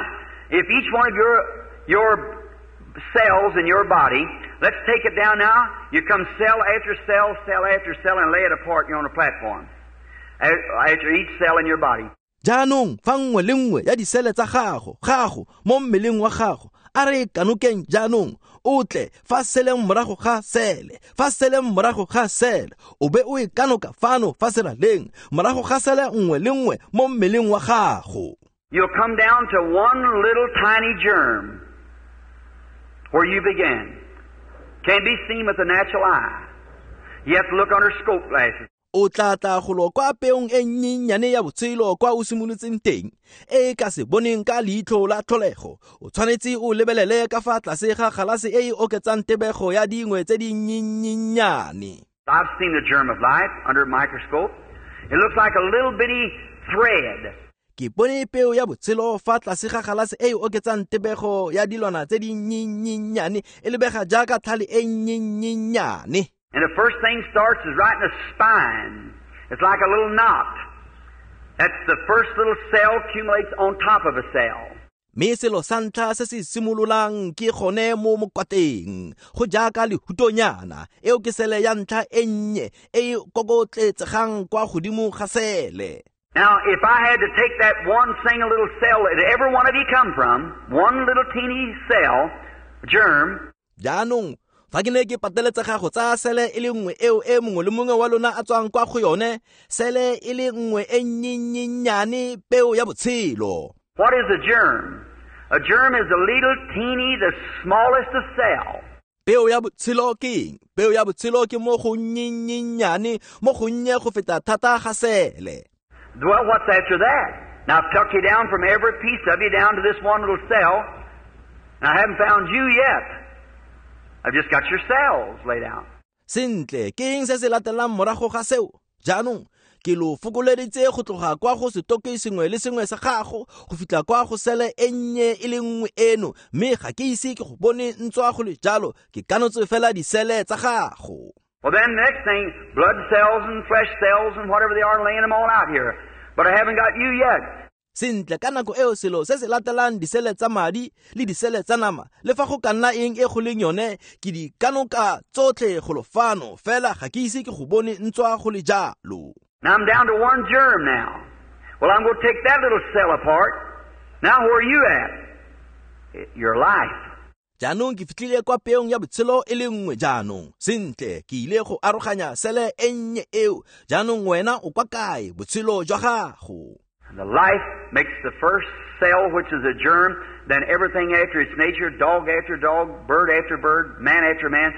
if each one of your cells in your body, let's take it down now, you come cell after cell, cell after cell, and lay it apart, you're on a platform. After each cell in your body. Jaanong fa nngwe le nngwe ya disele tsa gago mo mmeleng wa gago, a re kanokeng jaanong, o tle fa seleng morago ga sele, fa seleng morago ga sele, o be o e kanoka fano fa seraleng, morago ga sele nngwe le nngwe mo mmeleng wa gago. You'll come down to one little tiny germ where you began. Can't be seen with the natural eye. You have to look under scope glasses. O tla tla golo kwa peong e nnyenyane ya botshelo kwa o simolotseng teng, e ka se boneng ka leitlho la tlholego. O tshwanetse o lebelele ka fa tlase ga galase e e oketsang tebego ya dingwe tse di nnyennyane. I've seen the germ of life under a microscope. It looks like a little bitty thread. Ke bone peo ya botshelo fa tlase ga galase e e oketsang tebego ya dilwana tse di nnyennyane, e lebega jaaka tlhale e nnyennyane. And the first thing starts is right in the spine. It's like a little knot. That's the first little cell accumulates on top of a cell. Mme selo sa ntlha se se simololang ke gone mo mokwateng, go jaaka lehutonyana, eo ke sele ya ntlha e nnye e e kokotletsegang kwa godimo ga sele. Now, if I had to take that one single little cell that every one of you come from, one little teeny cell, germ. Jaanong fa ke ne ke pateletsega go tsaya sele e le nngwe eo e mongwe le mongwe wa lona a tswang kwa go yone, sele e le nngwe e nnyennyane peo ya botshelo. What is a germ? A germ is a little teeny, the smallest of cell. Peo ya botshelo ke eng? Peo ya botshelo ke mo go nnyennyane, mo go nnye go feta thata ga sele. Well, what's after that? Now, I've took you down from every piece of you down to this one little cell, and I haven't found you yet. I've just got your cells laid out. Sentle, ke eng se se latelang morago ga seo? Jaanong, ke lo fokoleditse go tloga kwa go setoke sengwe le sengwe sa gago go fitlha kwa go sele e nnye e le nngwe eno, mme ga ke ise ke go bone ntswa go le jalo, ke kanotse fela disele tsa gago. Well, then the next thing, blood cells and flesh cells and whatever they are, laying them all out here. But I haven't got you yet. Sentle, ka nako eo selo se se latelang disele tsa madi le disele tsa nama, le fa go ka nna eng e go leng yone, ke di kanoka tsotlhe go lo fano, fela ga ke ise ke go bone ntswa go le jalo. Now I'm down to one germ now. Well, I'm going to take that little cell apart. Now where are you at? Your life. Jaanong ke fitlhile kwa peong ya botshelo e le nngwe jaanong. Sentle, ke ile go aroganya sele e nnye eo. Jaanong wena o kwa kae? Botshelo jwa gago. And the life makes the first cell, which is a germ, then everything after its nature, dog after dog, bird after bird, man after man.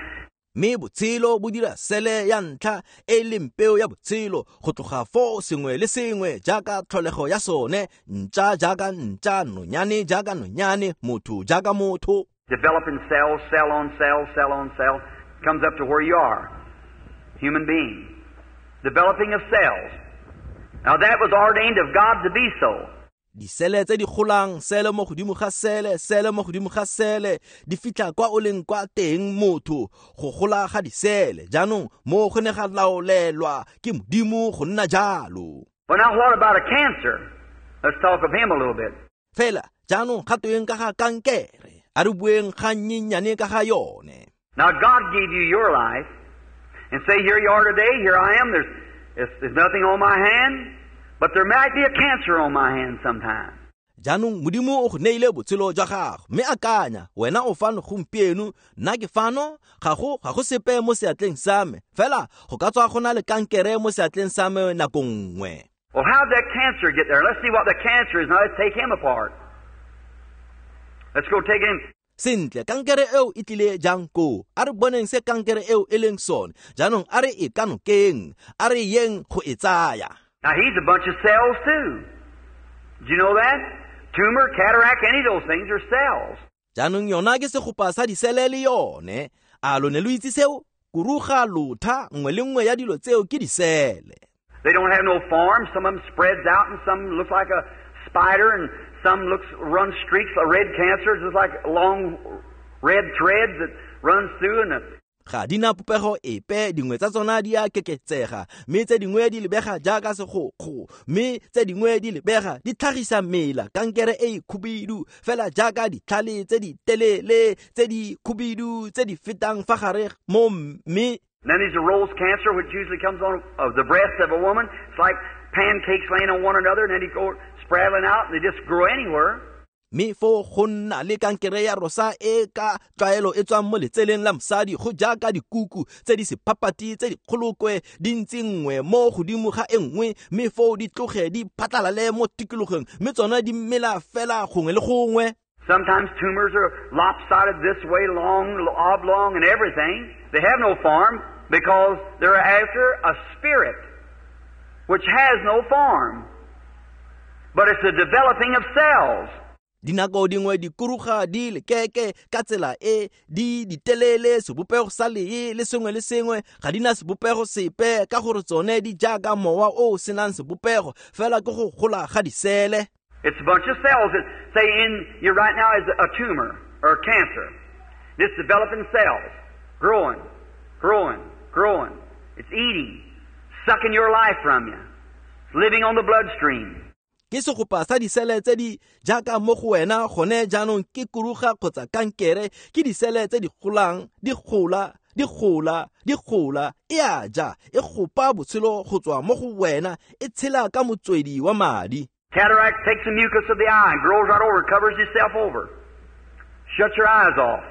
Mme botshelo bo dira sele ya ntlha e leng peo ya botshelo, go tloga foo sengwe le sengwe jaaka tlholego ya sone, ntša jaaka ntša, nonyane jaaka nonyane, motho jaaka motho. Developing cells, cell on cell, cell on cell, comes up to where you are, human being. Developing of cells. Now that was ordained of God to be so. Disele tse di golang, sele mo godimo ga sele, sele mo godimo ga sele, di fitlha kwa o leng kwa teng motho, go gola ga disele. Jaanong mo go ne ga laolelwa ke Modimo go nna jalo. Well, now what about a cancer? Let's talk of him a little bit. Fela, jaanong ga tweng ka ga kankere, a re bueng ga nnyenyane ka ga yone. Now God gave you your life, and say, here you are today, here I am, there's nothing on my hand, but there might be a cancer on my hand sometime. Jaanong Modimo o go neile botshelo jwa gago, mme akanya, wena o fano gompieno, nna ke fano, ga go sepe mo seatleng sa me, fela go ka tswa go na le kankere mo seatleng sa me nako nngwe. Well, how'd that cancer get there? Let's see what the cancer is. Now let's take him apart. Let's go take him. Sentle, kankere eo e tlile jang koo? A re boneng se kankere eo e leng sone. Jaanong a re e kanokeng, a re yeng go e tsaya. Now he's a bunch of cells too. Did you know that? Tumor, cataract, any of those things are cells. Jaanong yona ke segopa sa disele le yone. A lo ne lo itse seo? Kuruga, lotha, nngwe le nngwe ya dilo tseo ke disele. They don't have no form. Some of them spreads out and some look like a spider and some looks run streaks like red cancer, just like long red threads that runs through and the Ga di na popego epe, dingwe tsa tsona di a keketsega, mme tse dingwe di lebega jaaka segokgo, mme tse dingwe di lebega di tlhagisa mela, kankere e e khubidu, fela jaaka ditlhale tse di telele, tse di khubidu, tse di fetang fa gare mo mme. And then there's a rose cancer, which usually comes on of the breast of a woman. It's like pancakes laying on one another, and then you go spraddling out, and they just grow anywhere. Mme foo go nna le kankere ya rosa e ka tlwaelo e tswang mo letseleng la mosadi, go jaaka dikuku tse di sephapati tse di kgolokwe di ntse nngwe mo godimo ga e nngwe, mme foo di tloge di phatlalale mo tikologong, mme tsona di mela fela gongwe le gongwe. Sometimes tumors are lopsided this way, long, oblong, and everything. They have no form because they're after a spirit which has no form. But it's the developing of cells. Dinako dingwe dikuruga di lekeke ka tsela e di ditelele, sebopego sa lee le sengwe le sengwe ga di na sebopego sepe, ka gore tsone di jaaka mowa o o senang sebopego, fela ke go gola ga disele. It's a bunch of cells that say in you right now is a tumor or cancer. It's developing cells, growing, growing, growing. It's eating, sucking your life from you. It's living on the bloodstream. Ke segopa sa disele tse di jaaka mo go wena gone jaanong ke kuruga kgotsa kankere, ke disele tse di golang, di gola, di gola, di gola, e a ja, e gopa botshelo go tswa mo go wena, e tshela ka motswedi wa madi. Cataract takes the mucus of the eye and grows right over, covers itself over, shuts your eyes off.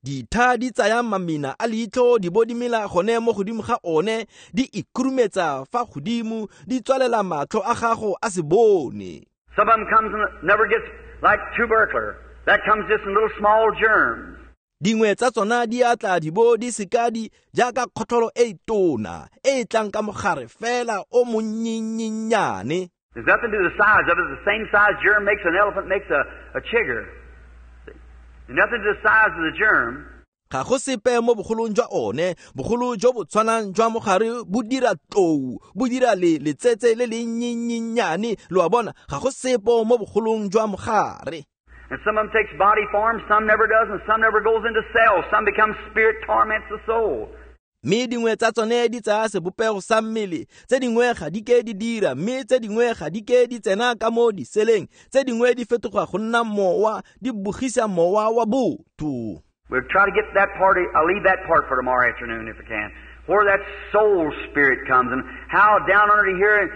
Ditha di tsaya mamina a leitlho di bo di mela gone mo godimo ga one, di ikhurumetsa fa godimo, di tswalela matlho a gago a se bone. Some of them comes and never gets like tubercular. That comes just in little small germs. Dingwe tsa tsona di a tla di bo di seka di jaaka kgotlholo e tona e tlang ka mogare fela o monnyennyane. There's nothing to the size of it. The same size germ makes an elephant, makes a chigger. There's nothing to the size of the germ. Ga go sepe mo bogolong jwa one, bogolo jo bo tshwanang jwa mogare bo dira tlou, bo dira le letsetse le le nnyennyane, lo a bona, ga go sepe mo bogolong jwa mogare. And some of them takes body form, some never does, and some never goes into cells. Some become spirit, torments the soul. Mme dingwe tsa tsone di tsaya sebopego sa mmele, tse dingwe ga di ke di dira, mme tse dingwe ga di ke di tsena ka mo diseleng, tse dingwe di fetoga go nna mowa, di bogisa mowa wa botho. We'll try to get that part, I'll leave that part for tomorrow afternoon if I can, where that soul spirit comes and how down under here.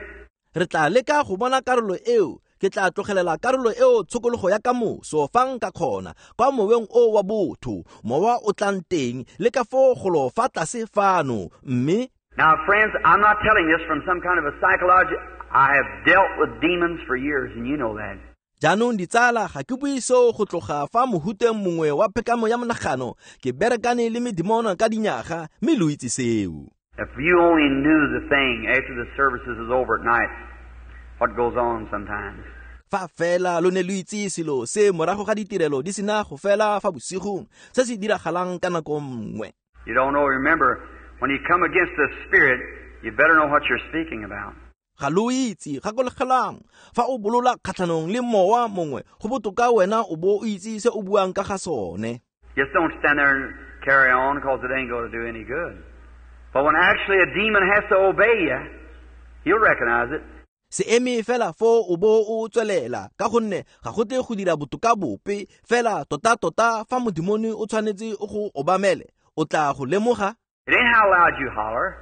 Re tla leka go bona karolo eo, ke tla tlogelela karolo eo tshokologo ya kamoso fa nka kgona, kwa moweng o wa botho, mowa o tlang teng, le ka foo golo fa tlase fano, mme. Now friends, I'm not telling this from some kind of a psychology. I have dealt with demons for years, and you know that. Jaanong ditsala, ga ke bue seo go tloga fa mohuteng mongwe wa phekamo ya monagano, ke berekane le medimono ka dinyaga, mme lo itse seo. If you only knew the thing after the services is over at night, what goes on sometimes. Fa fela lo ne lo itse selo se morago ga ditirelo di sena go fela fa bosigong, se se diragalang ka nako nngwe. You don't know, remember, when you come against the spirit, you better know what you're speaking about. Ga lo itse, gakologelang, fa o bolola kgatlhanong le mowa mongwe, go botoka wena o bo o itse se o buang ka ga sone. Just don't stand there and carry on, because it ain't going to do any good. But when actually a demon has to obey you, he'll recognize it. Se eme fela fo o bo o tswelela, ka gonne ga go tle go dira botoka bope, fela tota-tota fa modimone o tshwanetse o go obamele, o tla go lemoga. It ain't how loud you holler.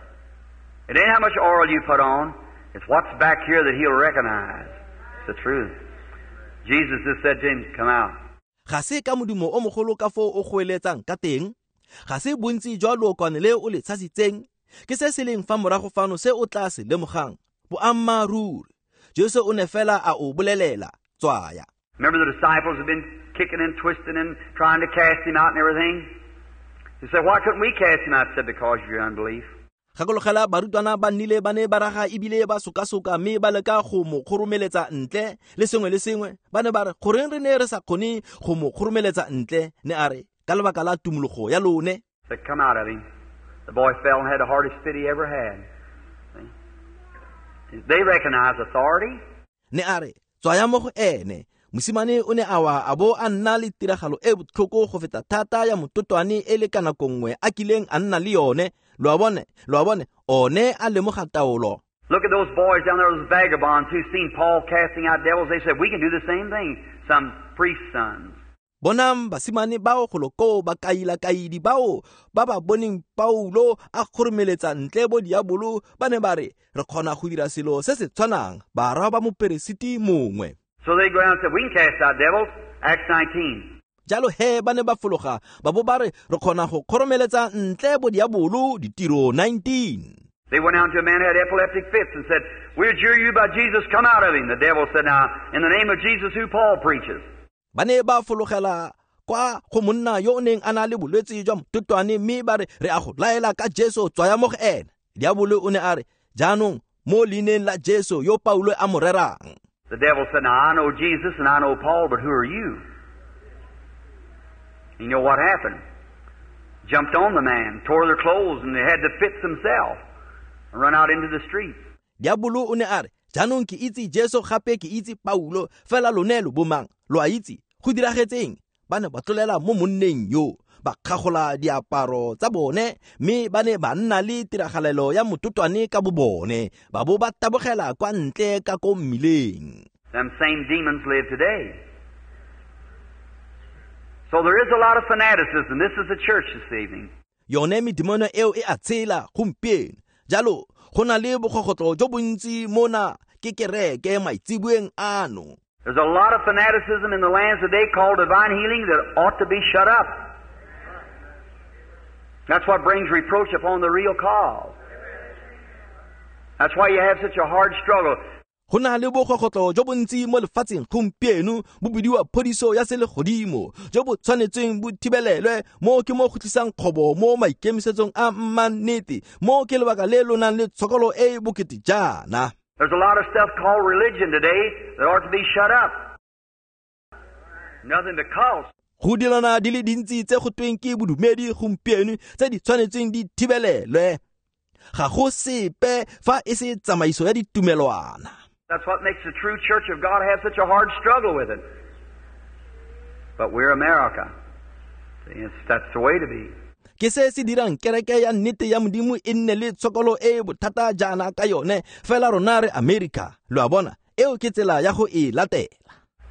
It ain't how much oil you put on. It's what's back here that he'll recognize. It's the truth. Jesus just said to him, come out. Ga se ka modumo o mogolo ka foo o goeletsang ka teng, ga se bontsi jwa lookwane le o le tshasitseng, ke se se leng fa morago fano se o tla se lemogang. Boammaaruri, Jesu o ne fela a o bolelela, tswaya. Remember the disciples have been kicking and twisting and trying to cast him out and everything? They said, why couldn't we cast him out? I said, because of your unbelief. Gakologela barutwana ba nnile ba ne ba raga ebile ba sokasoka mme ba leka go mo kgoromeletsa ntle le sengwe le sengwe. Ba ne ba re, goreng re ne re sa kgone go mo kgoromeletsa ntle? Ne a re, ka lebaka la tumologo ya lone. Said, come out of him. The boy fell and had the hardest fit he ever had. They recognize authority. Ne a re, tswaya mo go ene. Mosimane o ne a wa a bo a nna le tiragalo e botlhoko go feta thata ya mototwane e le ka nako nngwe a kileng a nna le yone. Lo a bone, one a lemoga taolo. Look at those boys down there, those vagabonds who seen Paul casting out devils. They said, we can do the same thing, some priest's sons. Bonang basimane bao golo koo ba kaila-kaidi bao ba ba boneng Paulo a kgoromeletsa ntle bo diabolo, ba ne ba re, re kgona go dira selo se se tshwanang, barwa ba moperesiti mongwe. So they go down and said, we can cast out devils, Acts 19. Jalo he ba ne ba fologa ba bo ba re, re kgona go kgoromeletsa ntle bo diabolo, ditiro 19. They went down to a man who had epileptic fits and said, we adjure you by Jesus, come out of him. The devil said, now, in the name of Jesus who Paul preaches. Ba ne ba fologela kwa go monna yo o neng a na le bolwetse jwa mototwane mme ba re, re a go laela ka Jesu, tswaya mo go ene. Diabolo o ne a re, jaanong mo leineng la Jesu yo Paulo a mo rerang. The devil said, now I know Jesus and I know Paul, but who are you? You know what happened? Jumped on the man, tore their clothes, and they had the fits themselves and run out into the streets. Diabolo o ne a re, jaanong ke itse Jesu gape ke itse Paulo, fela lone lo bomang, lo a itse, go diragetseng? Ba ne ba tlolela mo monneng yo, ba kgagola diaparo tsa bone, mme ba ne ba nna le tiragalelo ya mototwane ka bo bone, ba bo ba tabogela kwa ntle ka ko mmileng. Them same demons live today. So there is a lot of fanaticism. This is the church this evening. Yone medimono eo e a tshela gompieno. Jalo go na le bogogotlo jo bontsi mona ke kereke maitsiboeng ano. There's a lot of fanaticism in the lands today called divine healing that ought to be shut up. That's what brings reproach upon the real cause. That's why you have such a hard struggle. Go na le bogogotlo jo bontsi mo lefatsheng gompieno bo bidiwa phodiso ya selegodimo jo bo tshwanetseng bo thibelelwe mo ke mo go tlisang kgobo mo maikemisetsong a mmannete mo ke lebaka le lo nang le tshokolo e e bokete jaana. There's a lot of stuff called religion today that ought to be shut up. Nothing to cost. Go dilana di le dintsi tse go tweng ke bodumedi gompieno tse di tshwanetseng di thibelelwe. Ga go sepe fa e se tsamaiso ya ditumelwana. That's what makes the true Church of God have such a hard struggle with it. But we're America. That's the way to be. Ke se se dirang kereke ya nnete ya Modimo e nne le tshokolo e bothata jaana ka yone, fela rona re America. Lo a bona, eo ke tsela ya go e latela.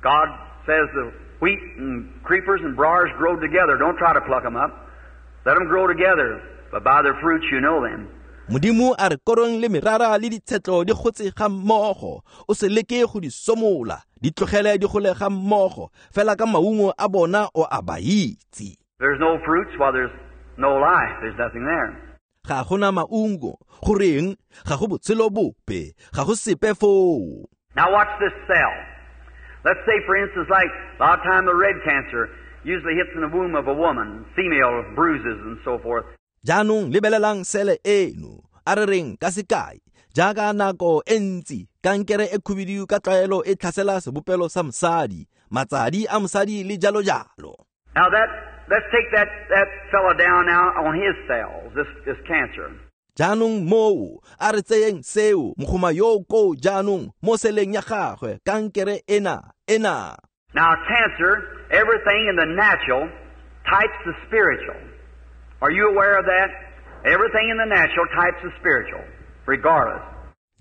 God says the wheat and creepers and briars grow together. Don't try to pluck them up. Let them grow together, but by their fruits you know them. Modimo a re korong le merara le ditshetlo di gotse ga mmogo, o se leke go di somola, di tlogele di gole ga mmogo, fela ka maungo a bona o a ba itse. There's no fruits while there's no life. There's nothing there. Ga gona maungo, goreng? Ga go botshelo bope, ga go sepe foo. Now watch this cell. Let's say, for instance, like a lot of time the red cancer usually hits in the womb of a woman, female bruises and so forth. Jaanong lebelelang sele eno, a re reng ka sekai, jaaka nako e ntsi kankere e khubidu ka tlwaelo e tlhasela sebopelo sa mosadi, matsadi a mosadi le jalo jalo. Now that, let's take that fella down now on his cells, this cancer. Jaanong moo, a re tseyeng seo, mogoma yo ko jaanong mo seleng ya gagwe, kankere ena. Now cancer, everything in the natural types the spiritual. Are you aware of that? Everything in the natural types the spiritual, regardless.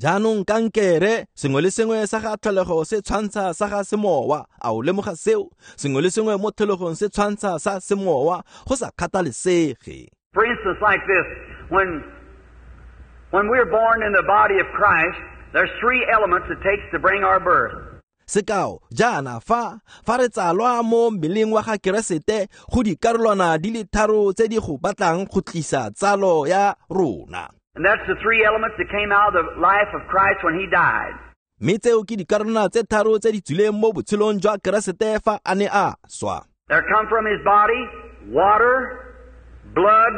Jaanong kankere, sengwe le sengwe sa ga tlholego se tshwantsha sa ga semowa. A o lemoga seo? Sengwe le sengwe mo tlholegong se tshwantsha sa semowa, go sa kgathalesege. For instance, like this, when we're born in the body of Christ, there's three elements it takes to bring our birth. Sekao, jaana fa re tsalwa mo mmeleng wa ga Keresete, go dikarolwana di le tharo tse di go batlang go tlisa tsalo ya rona. And that's the three elements that came out of the life of Christ when he died. Mme tseo ke dikarolwana tse tharo tse di tswileng mo botshelong jwa Keresete fa a ne a swa. There come from his body water, blood,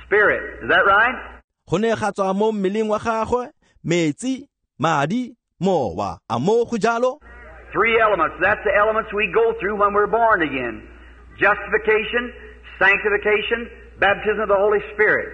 spirit. Is that right? Go ne ga tswa mo mmeleng wa gagwe metsi, madi, mowa. A mo go jalo? Three elements. That's the elements we go through when we're born again. Justification, sanctification, baptism of the Holy Spirit.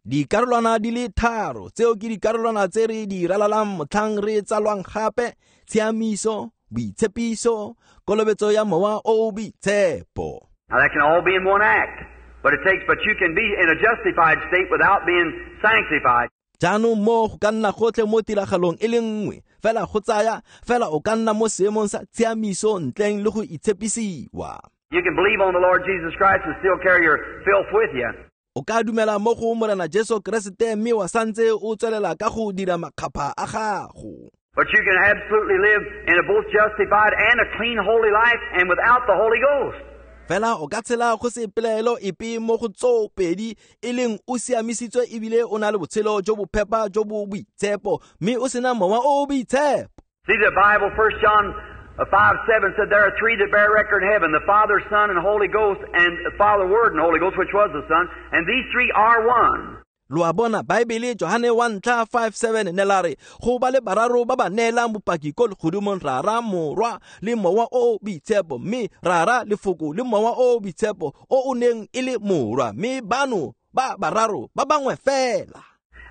Dikarolwana di le tharo, tseo ke dikarolwana tse re di ralalang motlhang re tsalwang gape, tshiamiso, boitshepiso, kolobetso ya mowa o boitshepo. Now that can all be in one act, but you can be in a justified state without being sanctified. Jaanong mo go ka nna gotlhe mo tiragalong e le nngwe, fela go tsaya, fela o ka nna mo seemong sa tshiamiso ntleng le go itshepisiwa. You can believe on the Lord Jesus Christ and still carry your filth with you. O ka dumela mo go Morena Jesu Keresete mme wa santse o tswelela ka go dira makgapha a gago. But you can absolutely live in a both justified and a clean holy life and without the Holy Ghost. Fela o ka tshela go se pelaelo epe mo go tsoo pedi, e leng o siamisitswe ebile o na le botshelo jo bo phepa jo bo boitshepo, mme o sena mowa o boitshepo. See, the Bible, 1 John 5:7 said there are three that bear record in heaven, the Father, Son, and Holy Ghost, and the Father, Word, and Holy Ghost, which was the Son, and these three are one. Lo a bona, Baebele Johane 1:5-7 ne la re go ba le bararo ba ba neelang bopaki ko legodimong, Rara, Morwa le Mowa o Boitshepo, mme Rara, Lefoko le Mowa o Boitshepo o o neng e le Morwa, mme bano ba bararo ba bangwe fela.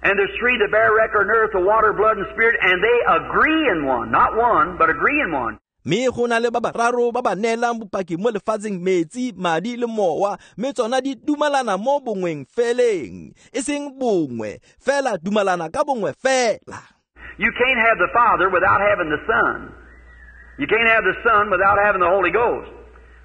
And there's three that bear record on earth, the water, blood, and spirit, and they agree in one. Not one, but agree in one. Mme go na le ba bararo ba ba neelang bopaki mo lefatsheng, metsi, madi le mowa, mme tsona di dumalana mo bongweng feleng, e seng bongwe fela, dumalana ka bongwe fela. You can't have the Father without having the Son. You can't have the Son without having the Holy Ghost.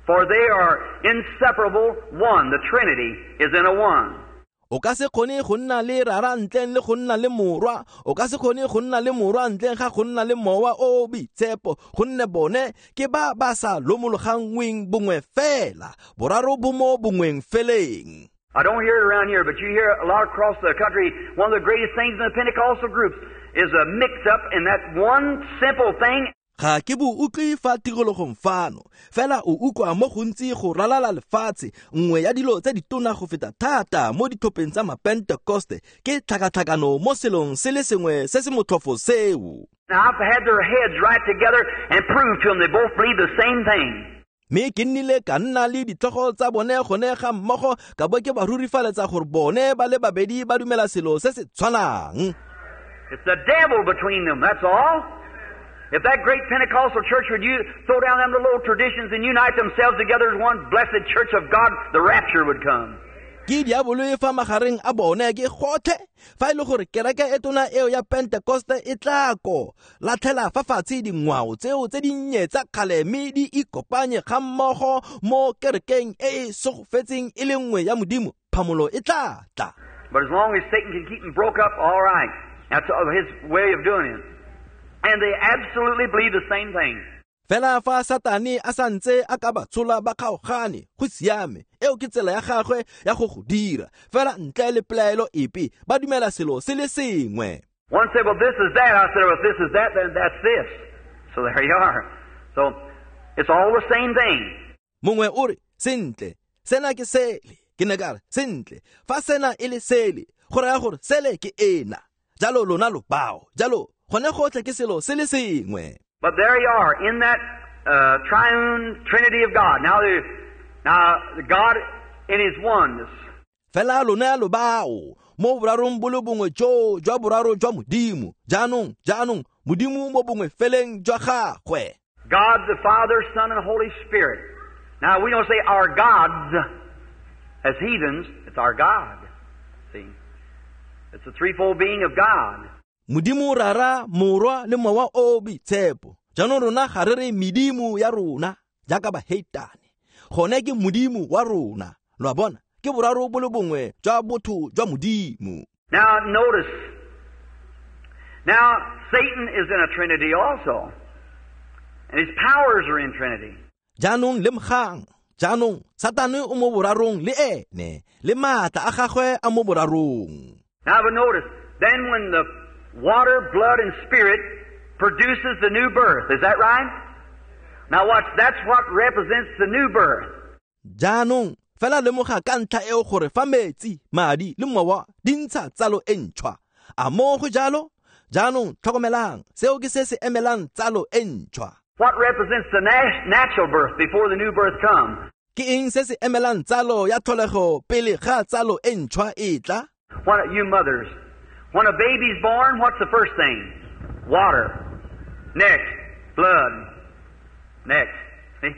For they are inseparable one. The Trinity is in a one. O ka se kgone go nna le Rara ntleng le go nna le Morwa, o ka se kgone go nna le Morwa ntleng ga go nna le Mowa o Boitshepo, gonne bone ke ba ba sa lomologangweng bongwe fela, boraro bo mo bongweng feleng. I don't hear it around here, but you hear a lot across the country. One of the greatest things in the Pentecostal groups is a mix-up in that one simple thing. Ga ke bo utlwe fa tirologong fano, fela o utlwa mo gontsi go ralala lefatshe. Nngwe ya dilo tse ditona go feta thata mo ditlhopheng tsa Mapentekoste ke tlhakatlhakano mo selong se le sengwe se se motlhofo seo. Now, I've had their heads right together and proved to them they both believe the same thing. Mme ke nnile ka nna le ditlhogo tsa bone gone ga mmogo ka bo ke ba rurifaletsa gore bone ba le babedi ba dumela selo se se tshwanang. It's the devil between them, that's all. If that great Pentecostal church would you throw down them little old traditions and unite themselves together as one blessed church of God, the rapture would come. Ke diabolo e fa magareng a bone ke gotlhe. Fa e le gore kereke e tona eo ya Pentecoste e tla ko latlhela fa fatshe dingwao tseo tse dinnye tsa kgale mme di ikopanye ga mmogo mo kerekeng e e segofetseng e le nngwe ya Modimo, phamolo e tla tla. But as long as Satan can keep them broke up, all right. That's his way of doing it. And they absolutely believe the same thing. Fela fa Satane a santse a ka ba tshola ba kgaogane, go siame. Eo ke tsela ya gagwe ya go go dira. Fela ntle le pelaelo epe, ba dumela selo se le sengwe. One said, well, this is that. I said, well, if this is that, then that's this. So there you are. So it's all the same thing. Mongwe o re, sentle, sena ke sele. Ke ne ka re, sentle, fa sena e le sele, go raya gore sele ke ena. Jalo lona lo bao. Jalo gone gotlhe ke selo se le sengwe. But there you are, in that triune Trinity of God. Now, God in His oneness. Fela lona lo bao mo borarong bo le bongwe jo jwa boraro jwa Modimo. Jaanong, jaanong, Modimo mo bongwe feleng jwa gagwe. God the Father, Son, and Holy Spirit. Now, we don't say our gods as heathens. It's our God. See? It's the threefold being of God. Modimo Rara, Morwa le Mowa o Boitshepo. Jaanong rona ga re re medimo ya rona jaaka baheitane. Gone ke Modimo wa rona. Lo a bona, ke boraro bo le bongwe jwa botho jwa Modimo. Now notice. Now Satan is in a trinity also. And his powers are in trinity. Jaanong lemogang. Jaanong Satane o mo borarong le ene, le maatla a gagwe a mo borarong. Now but notice, then when the water, blood, and spirit produces the new birth. Is that right? Now watch, that's what represents the new birth. Jaanong, fela lemoga ka ntlha eo gore fa metsi, madi le mowa di ntsha tsalo e ntšhwa. A mo go jalo? Jaanong tlhokomelang, seo ke se se emelang tsalo e ntšhwa. What represents the natural birth before the new birth comes? Ke eng se se emelang tsalo ya tlholego pele ga tsalo e ntšhwa e tla? What you mothers, when a baby's born, what's the first thing? Water. Next, blood. Next. See?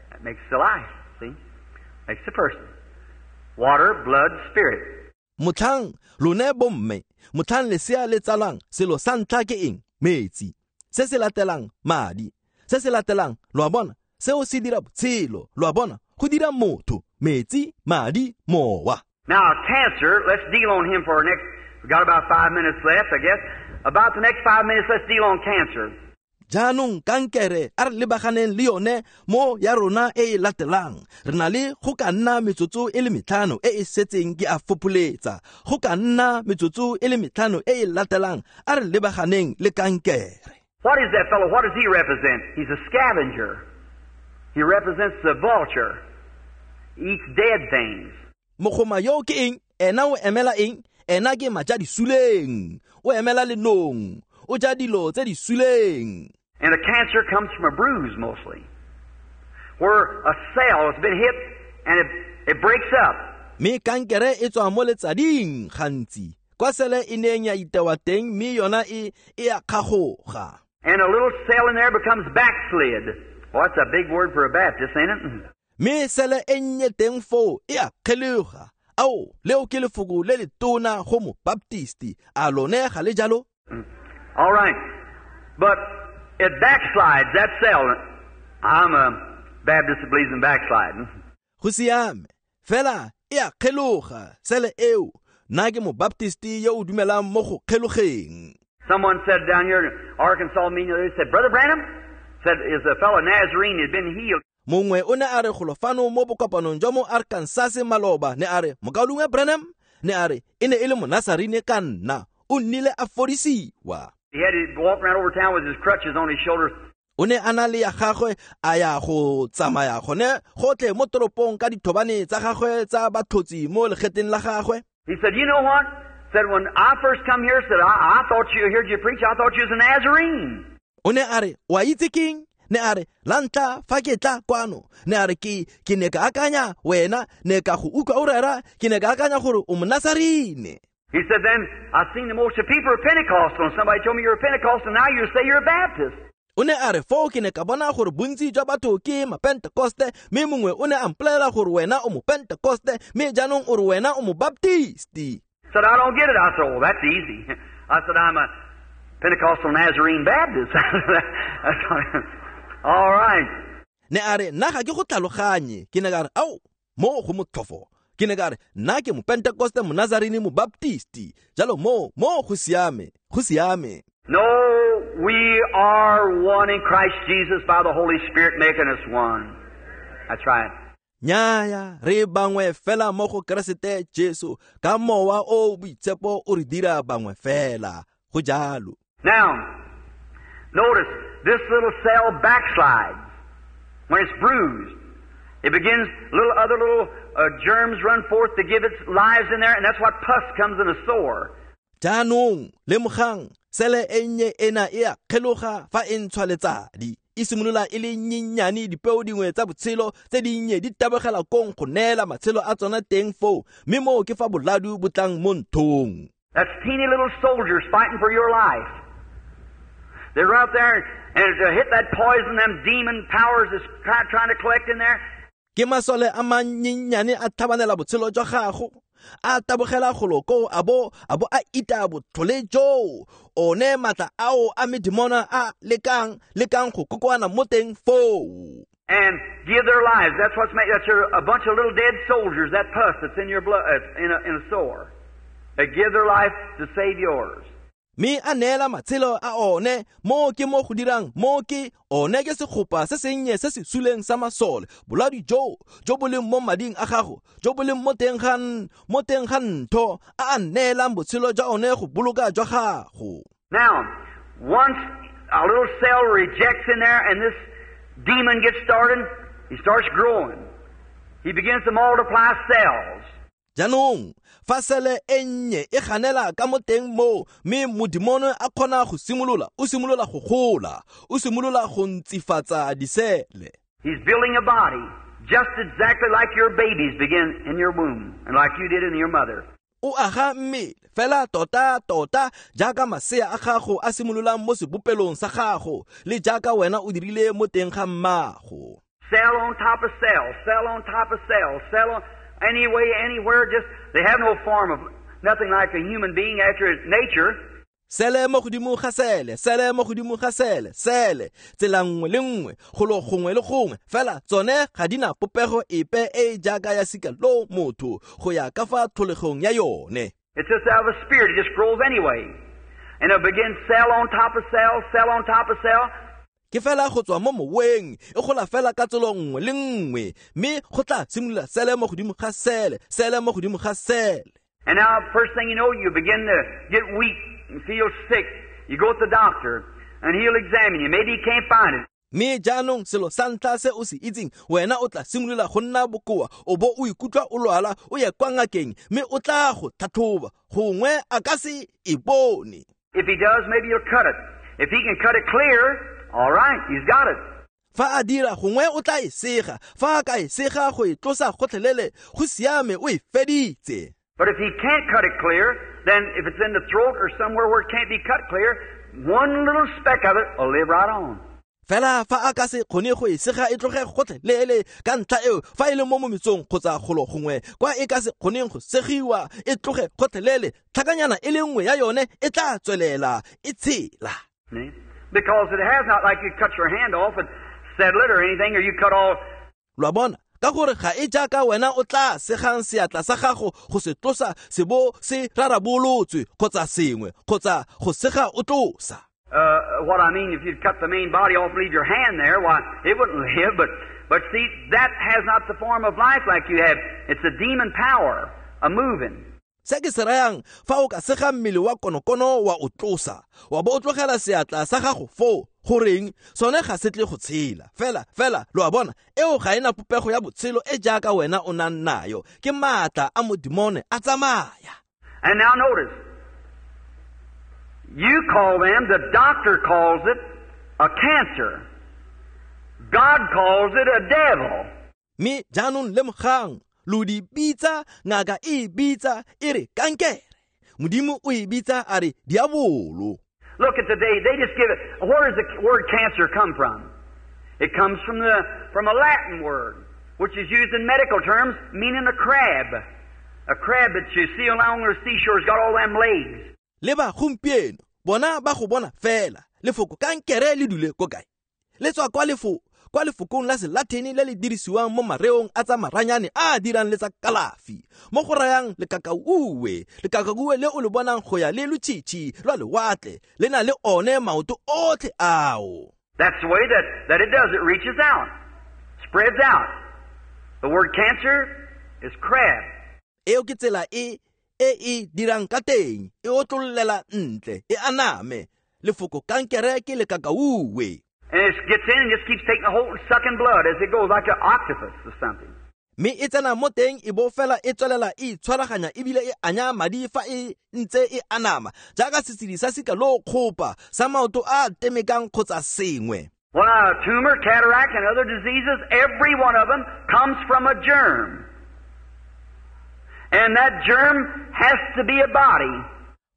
That makes the life. See? Makes the person. Water, blood, spirit. Motlhang lone bomme, motlhang lesea le tsalwang, selo sa ntlha ke eng? Metsi. Se se latelang, madi. Se se latelang, lo a bona, seo se dira botshelo, lo a bona, go dira motho, metsi, madi, mowa. Now, cancer, let's deal on him for our next. We've got about 5 minutes left, I guess. About the next 5 minutes, let's deal on cancer. Jaanong kankere a re lebaganeng le yone mo ya rona e e latelang. Re na le go ka nna metsotso e le metlhano e e setseng ke a fopholetsa. Go ka nna metsotso e le metlhano e e latelang a re lebaganeng le kankere. What is that fellow? What does he represent? He's a scavenger. He represents the vulture. He eats dead things. Mogoma yo ke eng? Ena o emela eng? Ena ke maja di suleng. O emela lenong. O ja dilo tse di suleng. And a cancer comes from a bruise mostly, where a cell has been hit and it breaks up. Me kankere e tswa mo letsading gantsi. Kwa sele e neng ya itewa teng mme yona e a kgagoga. And a little cell in there becomes backslid. Well, that's a big word for a Baptist, ain't it? Me sele e nnye teng foo e a kgeloga. Ao, leo ke lefoko le letona go mo Baptisti. A lone ga le jalo? All right. But it backslides, that cell. I'm a Baptist that believes in backsliding. Go siame. Fela e a kgeloga sele eo. Nna ke mo Baptisti yo o dumelang mo go kgelogeng. Someone said down here in Arkansas, they said, Brother Branham, said, is a fellow Nazarene had been healed. Mongwe o ne a re golofano mo bokopanong jwa mo Arkansas maloba, ne a re, Mokaulengwe Branham, ne a re, e ne e le Monasarene ka nna, o nnile a fodisiwa. He had to walk around over town with his crutches on his shoulders. O ne a na le ya gagwe a ya go tsamaya gone gotlhe mo toropong ka dithobane tsa gagwe tsa batlhotsi mo legetleng la gagwe. He said, "You know what?" Said, "When I first come here, said, I thought you heard you preach, I thought you was a Nazarene." O ne a re, "Wa itse keng?" Ne a re, "La ntlha fa ke tla kwano." Ne a re, ke ne ka akanya wena, ne ka go utlwa o rera, ke ne ka akanya gore o Monazarene. He said, "Then I seen the most of people are Pentecostal, and somebody told me you're a Pentecostal, now you say you're a Baptist." O ne a re, "Foo ke ne ka bona gore bontsi jwa batho ke mapentekoste, mme mongwe o ne a mpolelela gore wena o mopentekoste, mme jaanong o re wena o mobaptisti." Said, "I don't get it." I said, "Oh, that's easy." I said, "I'm a Pentecostal Nazarene Baptist." That's all right. Ne a re, "Nna ga ke go tlhaloganye." Ke ne ka re, "Ao, mo go motlhofo." Ke ne ka re, "Nna ke mopentekoste Monazarene mobaptisti." Jalo mo go siame, go siame. No, we are one in Christ Jesus by the Holy Spirit making us one. That's right. Nnyaya, re bangwe fela mo go Keresete Jesu ka mowa o boitshepo o re dira bangwe fela. Go jalo. Now, notice this little cell backslides when it's bruised. It begins, little other little germs run forth to give its lives in there, and that's what pus comes in a sore. Jaanong, lemogang, sele e nnye ena e a kgeloga fa e ntshwa letsadi. E simolola e le nnyenyane, dipeo dingwe tsa botshelo tse dinnye di tabogela kong go neela matshelo a tsona teng foo, mme moo ke fa boladu bo tlang mo nthong. That's teeny little soldiers fighting for your life. They're out there and to hit that poison, them demon powers that's trying to collect in there. Ke masole a mannyenyane a tlhabanela botshelo jwa gago, a tabogela golo koo a bo a ita botlhole joo, one maatla ao a medimona a lekang go kokoana mo teng foo. And give their lives. That's what's made. That's a bunch of little dead soldiers. That pus that's in your blood, in a sore. They give their life to save yours. Mme a neela matshelo a one, mo ke mo go dirang, mo ke one ke segopa se sennye se se suleng sa masole, boladi jo bo leng mo mading a gago, jo bo leng mo teng ga ntho, a a neelang botshelo jwa one go boloka jwa gago. Now, once a little cell rejects in there and this demon gets started, he starts growing. He begins to multiply cells. Jaanong, fa sele e nnye e ganela ka mo teng moo, mme modimono a kgona go simolola, o simolola go gola, o simolola go ntsifatsa disele. He's building a body, just exactly like your babies begin in your womb, and like you did in your mother. O aga mmele fela tota tota jaaka masea a gago a simololang mo sebopelong sa gago, le jaaka wena o dirile mo teng ga mmago. Cell on top of cell, cell on top of cell, cell on... Anyway, anywhere, just, they have no form of, nothing like a human being after its nature. Sele mo godimo ga sele, sele mo godimo ga sele, sele, tsela nngwe le nngwe, golo gongwe le gongwe, fela tsone ga di na popego epe e jaaka ya sika lo motho, go ya ka fa tlholegong ya yone. It's just out of a spirit, it just grows anyway. And it begins cell on top of cell, cell on top of cell. Ke fela go tswa mo moweng, e gola fela ka tselo nngwe le nngwe, mme go tla simolola sele mo godimo ga sele, sele mo godimo ga sele. And now, first thing you know, you begin to get weak and feel sick. You go to the doctor, and he'll examine you. Maybe he can't find it. Mme jaanong selo sa ntlha se o se itseng, wena o tla simolola go nna bokoa, o bo o ikutlwa o lwala, o ye kwa ngakeng, mme o tla go tlhatlhoba, gongwe a ka se e bone. If he does, maybe he'll cut it. If he can cut it clear, all right, he's got it. Fa a dira gongwe o tla e sega, fa a ka e sega go e tlosa gotlhelele, go siame o e feditse. But if he can't cut it clear, then if it's in the throat or somewhere where it can't be cut clear, one little speck of it will live right on. Fela fa a ka se kgone go e sega e tloge gotlhelele ka ntlha eo, fa e le mo mometsong kgotsa golo gongwe kwa e ka se kgoneng go segiwa e tloge gotlhelele, tlhakanyana e le nngwe ya yone e tla tswelela e tshela. Because it has not like you cut your hand off and settle it or anything, or you cut all. Lo a bona, ka gore ga e jaaka wena o tla segang seatla sa gago go se tlosa se bo se rarabolotswe kgotsa sengwe, kgotsa go sega o tlosa. What I mean, if you'd cut the main body off and leave your hand there, why, it wouldn't live. But see, that has not the form of life like you have. It's a demon power, a moving. Se ke se rayang, fa o ka sega mmele wa konokono wa o tlosa, wa bo o tlogela seatla sa gago foo, goreng sone ga se tle go tshela. Fela fela lo a bona, eo ga ena popego ya botshelo e jaaka wena o nang nayo, ke maatla a modimone a tsamaya. And now notice, you call them, the doctor calls it a cancer. God calls it a devil. Mme jaanong lemogang, lo di bitsa, ngaka e bitsa e re kankere, Modimo o e bitsa a re diabolo. Look at today, they just give it. Where does the word cancer come from? It comes from a Latin word, which is used in medical terms, meaning a crab. A crab that you see along the seashore's got all them legs. Leba gompieno, bona ba go bona fela, lefoko kankere le dule ko kae? Le tswa kwa kwa lefokong la Selatini le le dirisiwang mo mareong a tsa maranyane a a dirang le tsa kalafi, mo go rayang lekakauwe, lekakauwe le o le bonang go ya le lotšhitšhi lwa lewatle, le na le one maoto otlhe ao. That's the way that it does. It reaches out, spreads out. The word cancer is crab. Eo ke tsela e e e dirang ka teng, e otlollela ntle, e aname. Lefoko kankere ke lekakauwe. And it gets in and just keeps taking a hold and sucking blood as it goes, like an octopus or something. Mme e tsena mo teng e bo fela e tswelela e itshwaraganya ebile e anya madi fa e ntse e anama, jaaka setshedi sa sika lo kgopa sa maoto a temekang kgotsa sengwe. Well, a tumor, cataract, and other diseases, every one of them comes from a germ. And that germ has to be a body.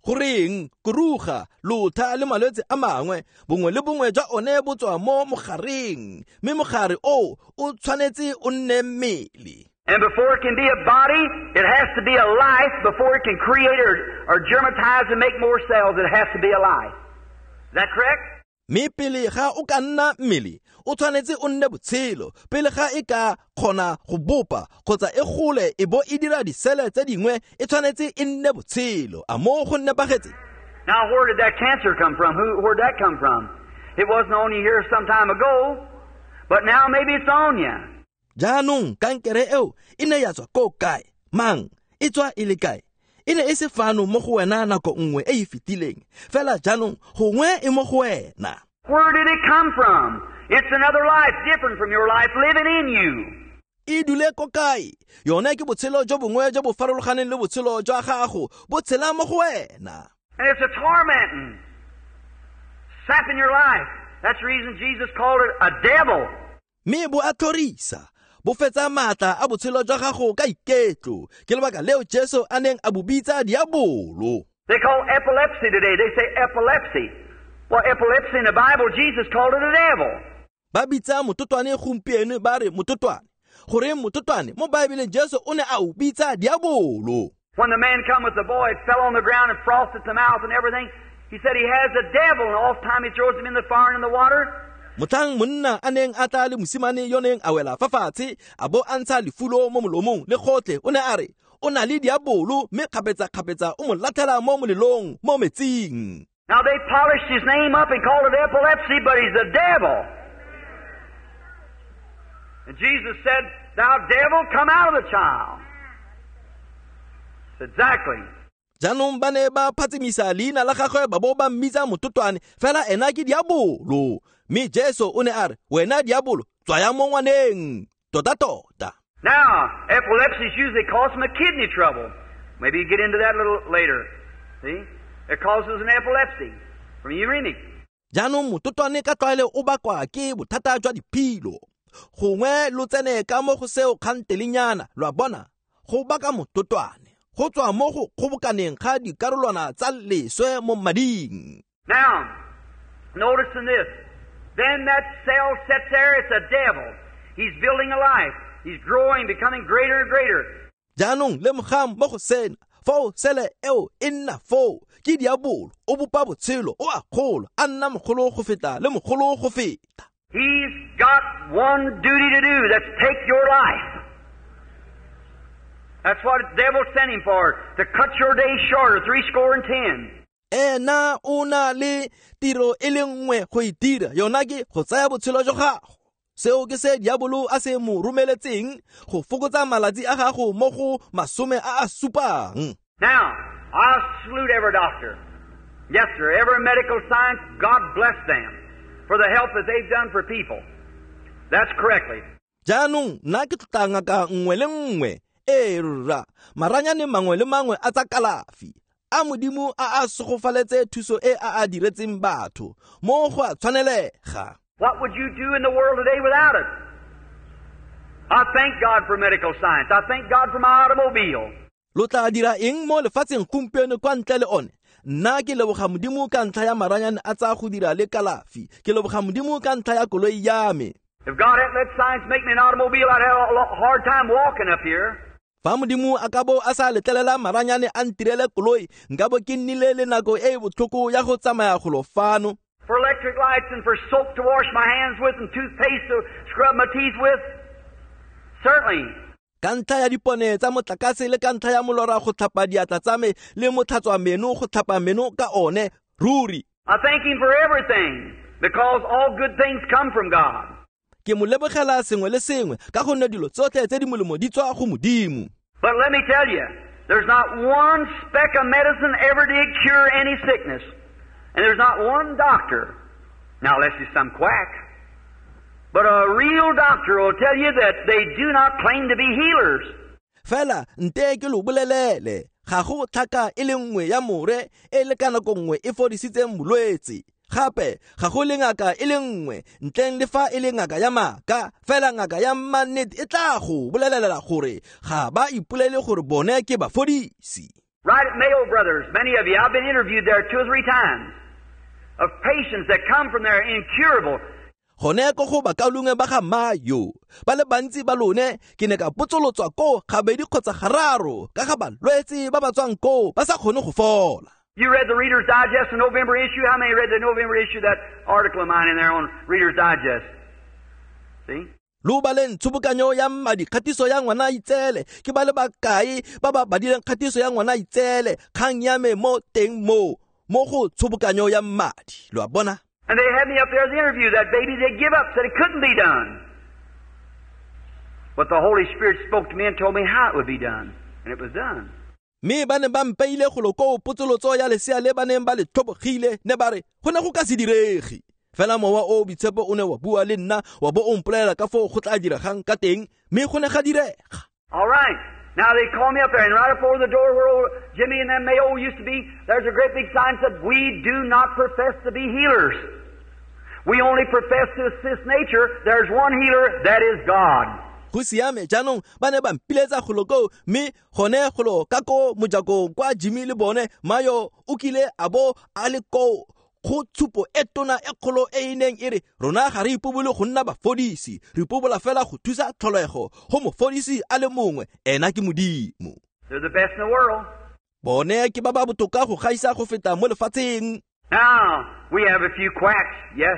Goreng kuruga lotha le malwetse a mangwe, bongwe le bongwe jwa one bo tswa mo mogareng, mme mogare o o tshwanetse o nne mmele. And before it can be a body, it has to be a life. Before it can create or germatize and make more cells, it has to be a life. Is that correct? Mme pele ga o ka nna mmele, o tshwanetse o nne botshelo. Pele ga e ka kgona go bopa kgotsa e gole e bo e dira disele tse dingwe, e tshwanetse e nne botshelo. A mo go nepagetse? Now, where did that cancer come from? Where'd that come from? It wasn't on you here some time ago, but now maybe it's on you. Jaanong kankere eo e ne ya tswa ko kae? Mang? E tswa e le kae? E ne e se fano mo go wena nako nngwe e e fetileng, fela jaanong gongwe e mo go wena. Where did it come from? It's another life different from your life living in you. E dule ko kae? Yone ke botshelo jo bongwe jo bo farologaneng le botshelo jwa gago, bo tshela mo go wena. And it's a tormenting, sapping your life. That's the reason Jesus called it a devil. Mme bo a tlhorisa, bo fetsa maatla a botshelo jwa gago ka iketlo. Ke lebaka leo Jesu a neng a bo bitsa diabolo. They call epilepsy today. They say epilepsy. Well, epilepsy in the Bible, Jesus called it a devil. Ba bitsa mototwane gompieno ba re mototwane. Goreng mototwane mo Baebeleng Jesu o ne a o bitsa diabolo. When the man come with the boy, it fell on the ground and frothed at the mouth and everything. He said he has a devil, and oft time he throws him in the fire and in the water. Motlhang monna a neng a tla le mosimane yo neng a wela fa fatshe, a bo a ntsha lefulo mo molomong le gotlhe, o ne a re o na le diabolo, mme kgapetsa-kgapetsa o mo latlhela mo molelong mo metsing. Now they polished his name up and called it epilepsy, but he's the devil. And Jesus said, "Thou devil, come out of the child." Exactly. Jaanong ba ne ba phatsimisa leina la gagwe ba bo ba mmitsa mototwane, fela ena ke diabolo. Mme Jesu o ne a re, wena diabolo, tswaya mo ngwaneng. Tota-tota. Now, epilepsy is usually caused from a kidney trouble. Maybe you get into that a little later. See? It causes an epilepsy from uremic. Jaanong mototwane ka tlwaelo o bakwa ke bothata jwa diphilo. Gongwe lo tsene ka mo go seo kgantelenyana, lo a bona, go baka mototwane. Go tswa mo go kgobokaneng ga dikarolwana tsa leswe mo mading. Now, notice in this, then that cell sits there, it's a devil. He's building a life. He's growing, becoming greater and greater. Jaanong lemogang mo go sena, foo sele eo e nna foo, ke diabolo, o bopa botshelo, o a gola, a nna mogolo go feta le mogolo go feta. He's got one duty to do, that's take your life. That's what the devil sent him for, to cut your days shorter, 70. Ena o na le tiro e le nngwe go e dira, yona ke go tsaya botshelo jwa gago. Seo ke se diabolo a se mo romeletseng, go fokotsa malatsi a gago mo go 70. Now, I salute every doctor. Yes, sir, every medical science, God bless them for the help that they've done for people. That's correctly. Jaanong nna ke tlotla ngaka nngwe le nngwe, ee rra, maranyane mangwe le mangwe a tsa kalafi a Modimo a a segofaletse thuso e a a diretseng batho mo go a tshwanelega. What would you do in the world today without it? I thank God for medical science. I thank God for my automobile. Lo tla dira eng mo lefatsheng gompieno kwa ntle le one? Nna ke leboga Modimo ka ntlha ya maranyane a tsa go dira le kalafi. Ke leboga Modimo ka ntlha ya koloi ya me. If God hadn't let science make me an automobile, I'd have a hard time walking up here. Fa Modimo a ka bo a sa letlelela maranyane a ntirele koloi, nka bo ke nnile le nako e e botlhoko ya go tsamaya golo fano. For electric lights and for soap to wash my hands with and toothpaste to scrub my teeth with. Certainly. Ka ntlha ya dipone tsa motlakase le ka ntlha ya molora go tlhapa diatla tsa me le motlhatswa meno go tlhapa meno ka one, ruri. I thank Him for everything, because all good things come from God. Ke mo lebogela sengwe le sengwe ka gonne dilo tsotlhe tse di molemo di tswa go Modimo. But let me tell you, there's not one speck of medicine ever did cure any sickness. And there's not one doctor, now unless he's some quack, but a real doctor will tell you that they do not claim to be healers. Fela nte ke lo bolelele, ga go tlhaka e le nngwe ya more e le ka nako nngwe e fodisitseng bolwetse. Gape ga go le ngaka e le nngwe ntleng le fa e le ngaka ya maaka, fela ngaka ya mannete e tla go bolelela gore ga ba ipolele gore bone ke bafodisi. Right at Mayo Brothers, many of you, I've been interviewed there 2 or 3 times of patients that come from there incurable. Gone ko go bakaulengwe ba ga Mayo, ba le bantsi ba lone ke ne ka potsolotswa koo gabedi kgotsa gararo ka ga balwetse ba ba tswang koo ba sa kgone go fola. You read the Reader's Digest, the November issue? How many read the November issue, that article of mine in there on Reader's Digest? See? Lo baleng tshobokanyo ya mmadi kgatiso ya ngwana itsele, ke ba le bakae ba ba badileng kgatiso ya ngwana itsele, kgang ya me mo teng mo go tshobokanyo ya mmadi, lo a bona? And they had me up there as the interview. That baby they give up, said it couldn't be done. But the Holy Spirit spoke to me and told me how it would be done. And it was done. Mme ba ne ba mpeile golo koo potsolotso ya lesea le ba neng ba le tlhobogile, ne ba re go ne go ka se direge. Fela mowa o boitshepo o ne wa bua le nna wa bo o mpolelela ka foo go tla diregang ka teng, mme go ne ga direga. All right. Now they called me up there, and right up over the door where old Jimmy and them Mayo used to be, there's a great big sign that said, "We do not profess to be healers. We only profess to assist nature. There's one healer, that is God." Go siame jaanong ba ne ba mpiletsa golo koo, mme gone golo ka ko mojakong kwa Jimmy le bone Mayo o kile a bo a le koo go tshupo e tona e kgolo e e neng e re rona ga re ipobole go nna bafodisi, re ipobola fela go thusa tlholego go mofodisi a le mongwe, ena ke Modimo. They're the best in the world. Bone ke ba ba botoka go gaisa go feta mo lefatsheng. Now, we have a few quacks, yes.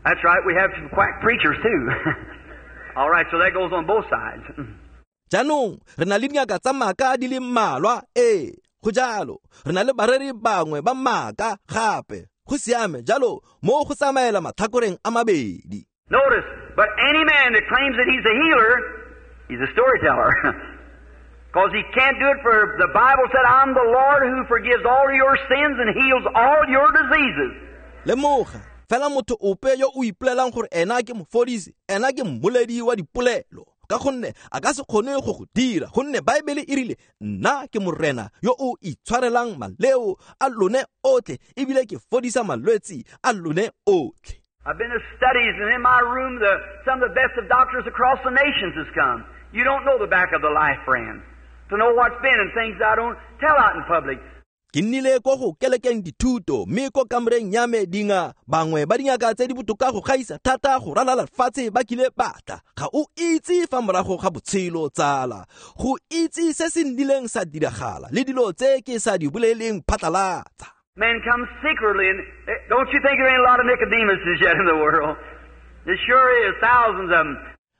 That's right, we have some quack preachers too. All right, so that goes on both sides. Jaanong re na le dingaka tsa maaka di le mmalwa, ee, go jalo. Re na le bareri bangwe ba maaka gape, go siame jalo mo go tsamaela matlhakoreng a mabedi. Notice, but any man that claims that he's a healer, he's a storyteller. Because he can't do it, for the Bible said, "I'm the Lord who forgives all your sins and heals all your diseases." Lemoga, fela motho ope yo o ipolelang gore ena ke mofodisi, ena ke mmoledi wa dipolelo, ka gonne a ka se kgone go go dira, gonne Baebele e rile nna ke Morena yo o itshwarelang maleo a lone otlhe ebile ke fodisa malwetse a lone otlhe. I've been to studies, and in my room some of the best of doctors across the nations has come. You don't know the back of the life, friend, to know what's been and things I don't tell out in public. Ke nnile ko go kelekeng dithuto, mme ko kamoreng ya me dinga bangwe ba dingaka tse di botoka go gaisa thata go ralala lefatshe ba kile batla. Ga o itse fa morago ga botshelo tsala, go itse se se nnileng sa diragala le dilo tse ke sa di boleleng phatlalatsa. Men come secretly, and don't you think there ain't a lot of Nicodemuses yet in the world? There sure is, thousands of them.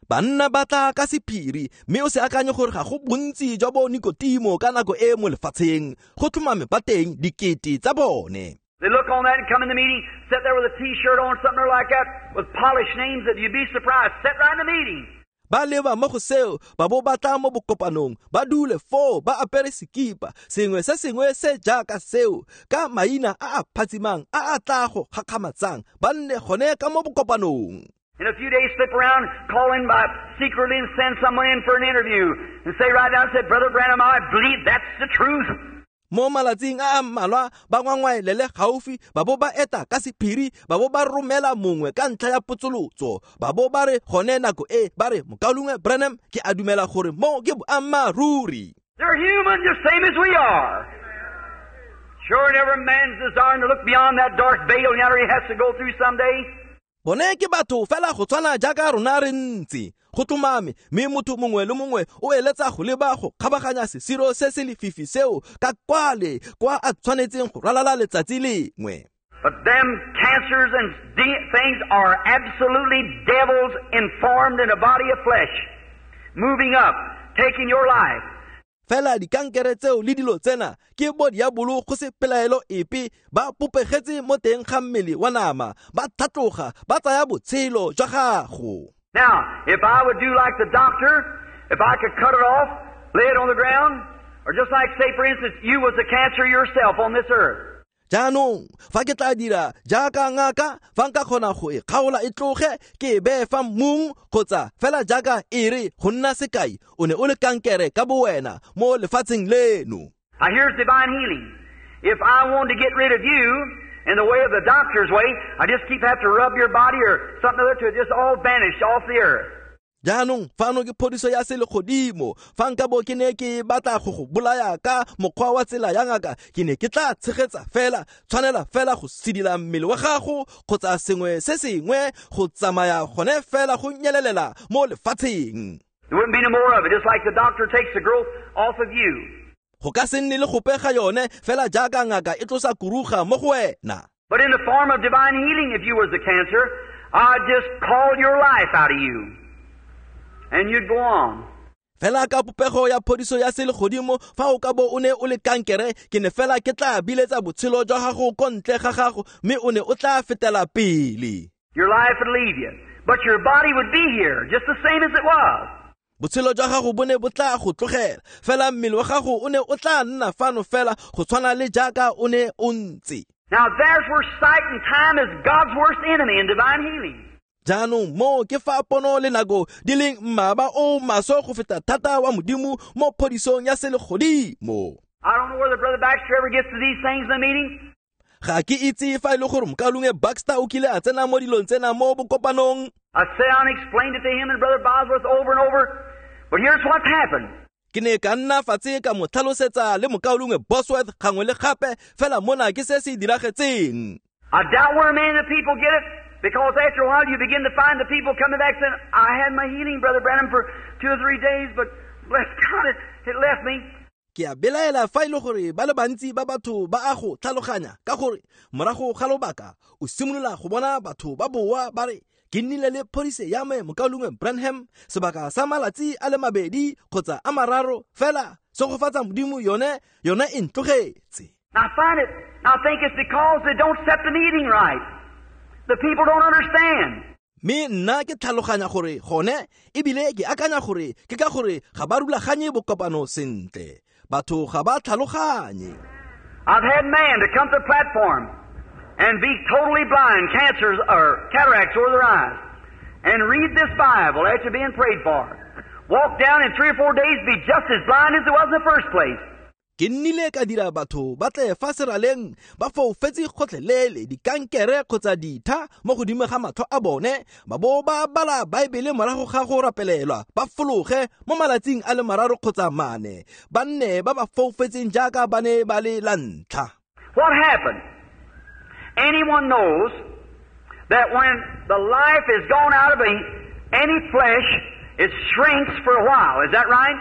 Banna ba tla ka sephiri, mme o se akanye gore ga go bontsi jwa bo Nikotimo ka nako e mo lefatsheng, go tlhomame ba teng dikete tsa bone. They look on that and come in the meeting, sit there with a T-shirt on, something like that, with polished names that you'd be surprised. Sit right in the meeting. Ba leba mo go seo, ba bo ba tla mo bokopanong, ba dule foo ba apere sekipa, sengwe se sengwe se jaaka seo, ka maina a a phatsimang a a tla go gakgamatsang, ba nne gone ka mo bokopanong. In a few days, slip around, call in by secretly and send someone in for an interview and say right down, say, Brother Branham, I believe that's the truth. Mo malatsing a a mmalwa ba ngwangwaelele gaufi, ba bo ba eta ka sephiri, ba bo ba romela mongwe ka ntlha ya potsolotso, ba bo ba re gone nako e ba re, Mokaulengwe Branham, ke a dumela gore mo ke boammaaruri. They're human just same as we are. Sure, and every man's desiring to look beyond that dark veil yonder he has to go through someday. Bone ke batho fela go tshwana jaaka rona re ntse. Go tlhomame, mme motho mongwe le mongwe o eletsa go leba go kgabaganya sesiro se se lefifi seo ka kwale kwa a tshwanetseng go ralala letsatsi lengwe. But them cancers and things are absolutely devils informed in a body of flesh, moving up, taking your life. Fela dikankere tseo le dilo tsena ke bo diabolo go se pelaelo epe, ba popegetse mo teng ga mmele wa nama, ba tlhatloga, ba tsaya botshelo jwa gago. Now, if I would do like the doctor, if I could cut it off, lay it on the ground, or just like, say, for instance, you was a cancer yourself on this earth. Jaanong, fa ke tla dira jaaka ngaka, fa nka kgona go e kgaola e tloge, ke e beye fa mmung, kgotsa fela jaaka e re go nna sekai, o ne o le kankere ka bowena mo lefatsheng leno. Now here's divine healing. If I wanted to get rid of you in the way of the doctor's way, I just keep have to rub your body or something other to it just all vanish off the earth. Jaanong fano ke phodiso ya selegodimo. Fa nka bo ke ne ke batla go go bolaya ka mokgwa wa tsela ya ngaka, ke ne ke tla tshegetsa fela, tshwanela fela go sidila mmele wa gago kgotsa sengwe se sengwe go tsamaya gone fela go nyelelela mo lefatsheng. There wouldn't be no more of it, just like the doctor takes the growth off of you. Go ka se nne le gope ga yone fela jaaka ngaka e tlosa kuruga mo go wena. But in the form of divine healing, if you was the cancer, I'd just call your life out of you. And you'd go on. Fela ka popego ya phodiso ya selegodimo, fa o ka bo o ne o le kankere, ke ne fela ke tla biletsa botshelo jwa gago ko ntle ga gago, mme o ne o tla fetela pele. Your life would leave you, but your body would be here, just the same as it was. Botshelo jwa gago bo ne bo tla go tlogela, fela mmele wa gago o ne o tla nna fano fela go tshwana le jaaka o ne o ntse. Now there's where sight and time is God's worst enemy in divine healing. Jaanong mo ke fa pono le nako di leng mmaba o maswe go feta thata wa Modimo mo phodisong ya selegodimo. I don't know whether Brother Baxter ever gets to these things in the meeting. Ga ke itse fa e le gore Mokaulengwe Baxter o kile a tsena mo dilong tsena mo bokopanong. I sat down and explained it to him and Brother Bosworth over and over. But here's what's happened. Ke ne ka nna fatshe ka mo tlhalosetsa le Mokaulengwe Bosworth gangwe le gape, fela mona ke se se diragetseng. I doubt where many of the people get it, because after a while you begin to find the people coming back saying, I had my healing, Brother Branham, for 2 or 3 days, but bless God, it left me. Ke a belaela fa e le gore ba le bantsi ba batho ba a go tlhaloganya, ka gore morago ga lobaka o simolola go bona batho ba boa ba re, ke nnile le phodise ya me Mokaulengwe Branham sebaka sa malatsi a le mabedi kgotsa a mararo, fela segofatsa Modimo yone e ntlogetse. I find it, I think it's because they don't set the meeting right. The people don't understand. Mme nna ke tlhaloganya gore gone, ebile ke akanya gore ke ka gore ga ba rulaganye bokopano sentle. Batho ga ba tlhaloganye. I've had man to come to the platform and be totally blind, cancers or cataracts over their eyes, and read this Bible after being prayed for. Walk down in 3 or 4 days, be just as blind as it was in the first place. Ke nnile ka dira batho ba tle fa seraleng ba foufetse gotlhelele dikankere kgotsa ditha mo godimo ga matlho a bone, ba bo ba bala Baebele morago ga go rapelelwa, ba fologe mo malatsing a le 3 kgotsa 4, ba nne ba ba foufetseng jaaka ba ne ba le la ntlha. What happened? Anyone knows that when the life is gone out of any flesh, it shrinks for a while. Is that right?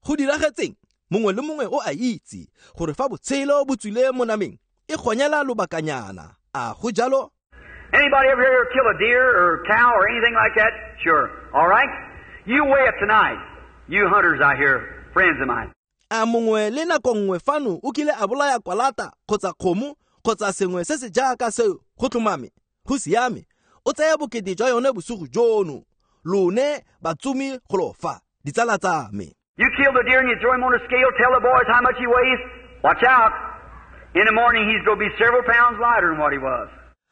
Go diragetseng? Mongwe le mongwe o a itse gore fa botshelo bo tswile mo nameng e gonyela lobakanyana. A go jalo? Anybody ever here kill a deer or cow or anything like that? Sure. All right? You weigh it tonight. You hunters out here, friends of mine. A mongwe le nako nngwe fano o kile a bolaya kwalata kgotsa kgomo kgotsa sengwe se se jaaka seo, go tlhomame, go siame. O tsaya bokete jwa yone bosigo jono. Lone batsomi golo fa, ditsala tsa me. You kill the deer and you throw him on a scale, tell the boys how much he weighs. Watch out. In the morning he's going to be several pounds lighter than what he was.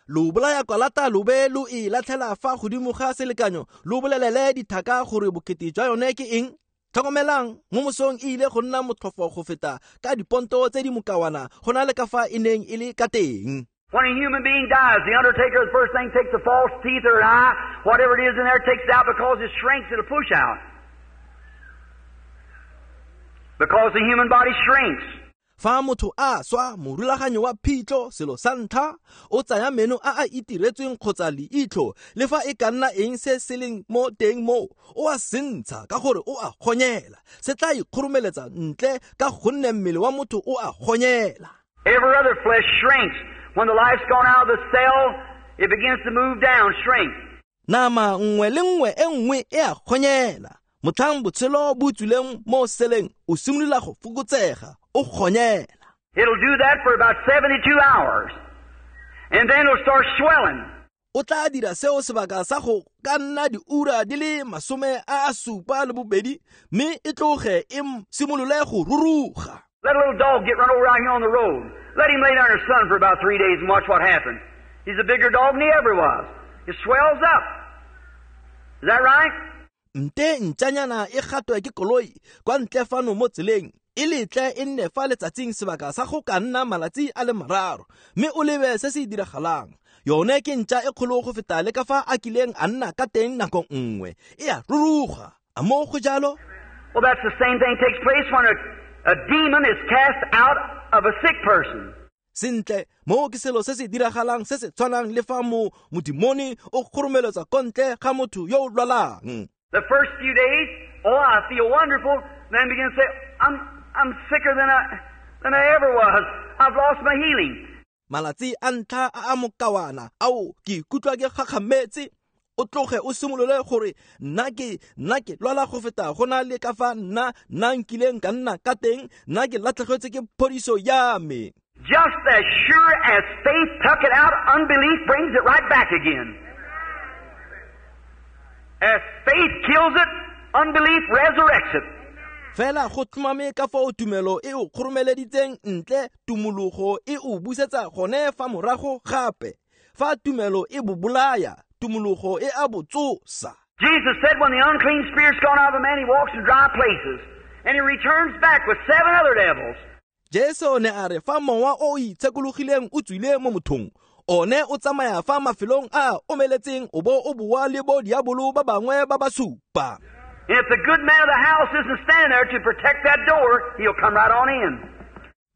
Lo bolaya kwalata lo be lo e latlhela fa godimo ga selekanyo, lo bolelele dithaka gore bokete jwa yone ke eng. Tlhokomelang, mo mosong e ile go nna motlhofo go feta ka diponto tse di mokawana go na le ka fa e neng e le ka teng. When a human being dies, the undertaker, the first thing, takes the false teeth or an eye, whatever it is in there, takes it out because it shrinks, it'll push out. Because the human body shrinks. Fa motho a swa, morulaganyo wa phitlho, selo sa ntlha, o tsaya meno a a itiretsweng kgotsa leitlho, le fa e ka nna eng se se leng mo teng moo, o a sentsha ka gore o a gonyela. Se tla ikgoromeletsa ntle ka gonne mmele wa motho o a gonyela. Every other flesh shrinks. When the life's gone out of the cell, it begins to move down, shrink. Nama nngwe le nngwe e nngwe e a gonyela. Motlhang botshelo bo tswileng mo seleng, o simolola go fokotsega, o gonyela. It'll do that for about 72 hours. And then it'll start swelling. O tla dira seo sebaka sa go ka nna diura di le 72, mme e tloge e simolole go ruruga. Let a little dog get run over out here on the road. Let him lay down in the sun for about 3 days and watch what happens. He's a bigger dog than he ever was. It swells up. Is that right? Nte ntšanyana e gatwe ke koloi kwa ntle fano mo tseleng, e letle e nne fa letsatsing sebaka sa go ka nna malatsi a le 3, mme o lebe se se diragalang. Yone ke ntša e kgolo go feta le ka fa a kileng a nna ka teng nako nngwe, e a ruruga. A mo go jalo? Well, that's the same thing takes place when a demon is cast out of a sick person. Sentle, mo ke selo se se diragalang se se tshwanang le fa mo modimone o kgoromeletsa kontle ga motho yo o lwalang. The first few days, oh, I feel wonderful. Then begin to say, I'm sicker than I ever was. I've lost my healing. Malatsi a ntlha a a mokawana, ao ke ikutlwa ke gakgametse. O tloge o simolole gore nna ke lwala go feta go na le ka fa nna nkileng ka nna ka teng, nna ke latlhegetswe ke phodiso ya me. Just as sure as faith took it out, unbelief brings it right back again. As faith kills it, unbelief resurrects it. Fela go tlhomame ka fao tumelo e o kgoromeleditseng ntle, tumologo e o busetsa gone fa morago gape. Fa tumelo e bobolaya, tumologo e a botsosa. Jesus said when the unclean spirit's gone out of a man, he walks in dry places, and he returns back with 7 other devils. Jesu ne a re fa mowa o itshekologileng o tswile mo mothong, one o tsamaya fa mafelong a omeletseng o bo o boa le bo diabolo ba bangwe ba ba supa. If the good man of the house isn't standing there to protect that door, he'll come right on in.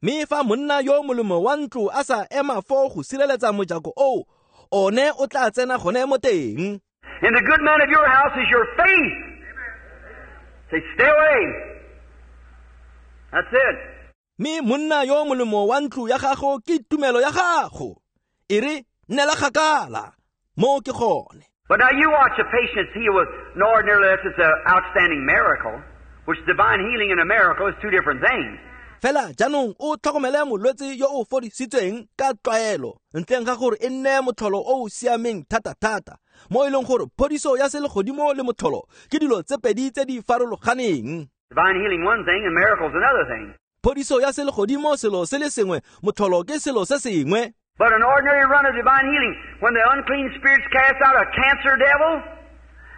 Mme fa monna yo molemo wa ntlo a sa ema foo go sireletsa mojako oo, one o tla tsena gone mo teng. And the good man of your house is your faith. Say, stay away. That's it. Mme monna yo molemo wa ntlo ya gago ke tumelo ya gago. E re nnela kgakala, mo ke gone. But now you watch a patient heal with no ordinarily that's it's an outstanding miracle, which divine healing and a miracle is two different things. Fela jaanong o tlhokomele molwetse yo o fodisitsweng ka tlwaelo, ntleng ga gore e nne motlholo o o siameng thata-thata, mo e leng gore phodiso ya selegodimo le motlholo ke dilo tse pedi tse di farologaneng. Divine healing one thing and miracles another thing. Phodiso ya selegodimo selo se le sengwe, motlholo ke selo se sengwe. But an ordinary run of divine healing, when the unclean spirits cast out a cancer devil,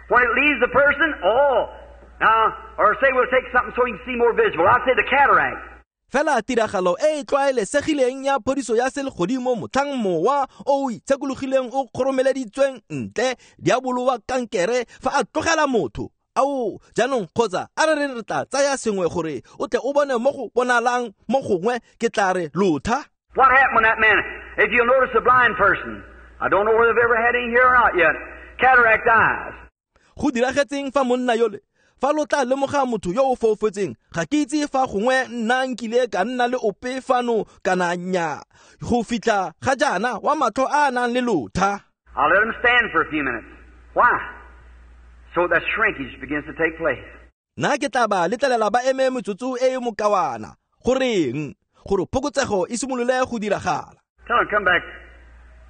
when it leaves the person, oh, now, or say we'll take something so you can see more visible. I'll say the cataract. Fela tiragalo e e tlwaelesegileng ya phodiso ya selegodimo motlhang mowa o o itshekologileng o kgoromeleditsweng ntle diabolo wa kankere fa a tlogela motho. Ao, jaanong kgotsa a re re tla tsaya sengwe gore o tle o bone mo go bonalang mo gongwe, ke tla re lotha. What happened when that man, if you'll notice a blind person, I don't know whether they've ever had any here or not yet, cataract eyes. Go diragetseng fa monna yole, fa lo tla lemoga motho yo o foufetseng, ga ke itse fa gongwe nna nkile ka nna le ope fano kana nnyaa, go fitlha ga jaana wa matlho a a nang le lotha. I'll let him stand for a few minutes. Why? So that shrinkage begins to take place. Nna ke tla ba letlelela ba eme metsotso e e mokawana. Goreng? Gore phokotsego e simolole go diragala. Tell them, come back,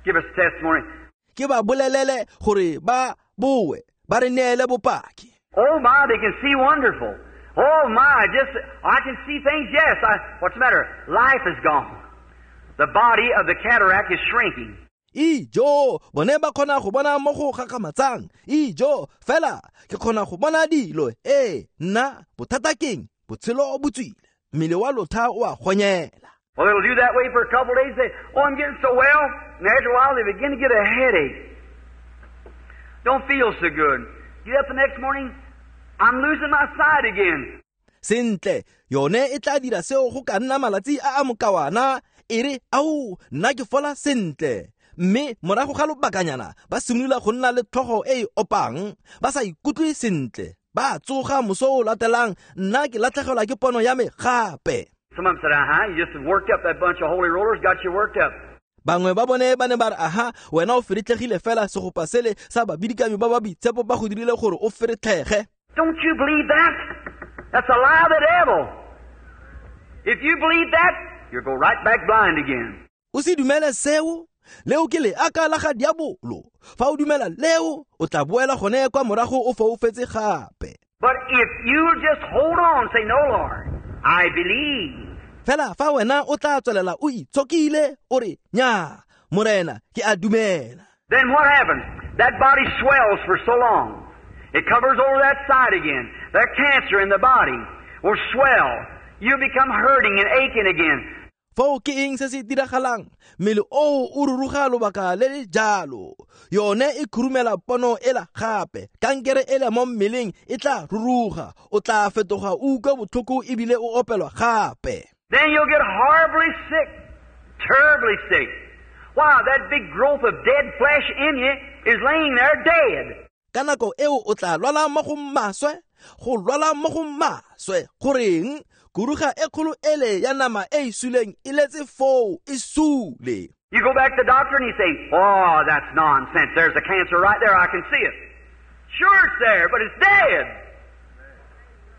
give us testimony. Ke ba bolelele gore ba boe, Ba re neele bopaki. Oh my, they can see wonderful. Oh my, just I can see things, yes. What's the matter? Life is gone. The body of the cataract is shrinking. Ijo, bone ba kgona go bona mo go gakgamatsang. Ijo, fela ke kgona go bona dilo. Ee, nna bothata keng? Botshelo bo tswile. Mmele wa lotha o a gonyela. Well, it'll do that way for a couple of days. Say, oh, I'm getting so well. And after a while, they begin to get a headache. Don't feel so good. Get up the next morning, I'm losing my sight again. Sentle, yone e tla dira seo go ka nna malatsi a a mokawana. E re, ao, nna ke fola sentle. Mme morago ga lobakanyana ba simolola go nna le tlhogo e e opang, ba sa ikutlwe sentle. Ba tsoga moso o latelang, nna ke latlhegelwa ke pono ya me gape. Some of them said, uh-huh, you just worked up that bunch of holy rollers, got you worked up. Bangwe ba bone ba ne ba re, aha, wena o feretlhegile fela segopa sele sa babidikami ba ba boitshepo ba go dirile gore o feretlhege. Don't you believe that? That's a lie of the devil. If you believe that, you'll go right back blind again. O se dumele seo? Leo ke leaka la ga diabolo. Fa o dumela leo, o tla boela gone kwa morago o foufetse gape. But if you just hold on, say, no, Lord, I believe. Fela fa wena o tla tswelela o itshokile, o re, nya, Morena, ke a dumela. Then what happens? That body swells for so long. It covers over that side again. That cancer in the body will swell. You become hurting and aching again. Foo ke eng se se diragalang? Mmele oo o ruruga lobaka le le jalo. Yone e khurumela pono ela gape. Kankere ele mo mmeleng e tla ruruga. O tla fetoga o utlwa botlhoko ebile o opelwa gape. Then you'll get horribly sick, terribly sick. Why, that big growth of dead flesh in you is laying there dead. Ka nako eo o tla lwala mo go maswe, go lwala mo go maswe. Goreng? Kuruga e kgolo ele ya nama e e suleng e letse foo e sule. You go back to the doctor and you say, oh, that's nonsense. There's a cancer right there. I can see it. Sure it's there, but it's dead.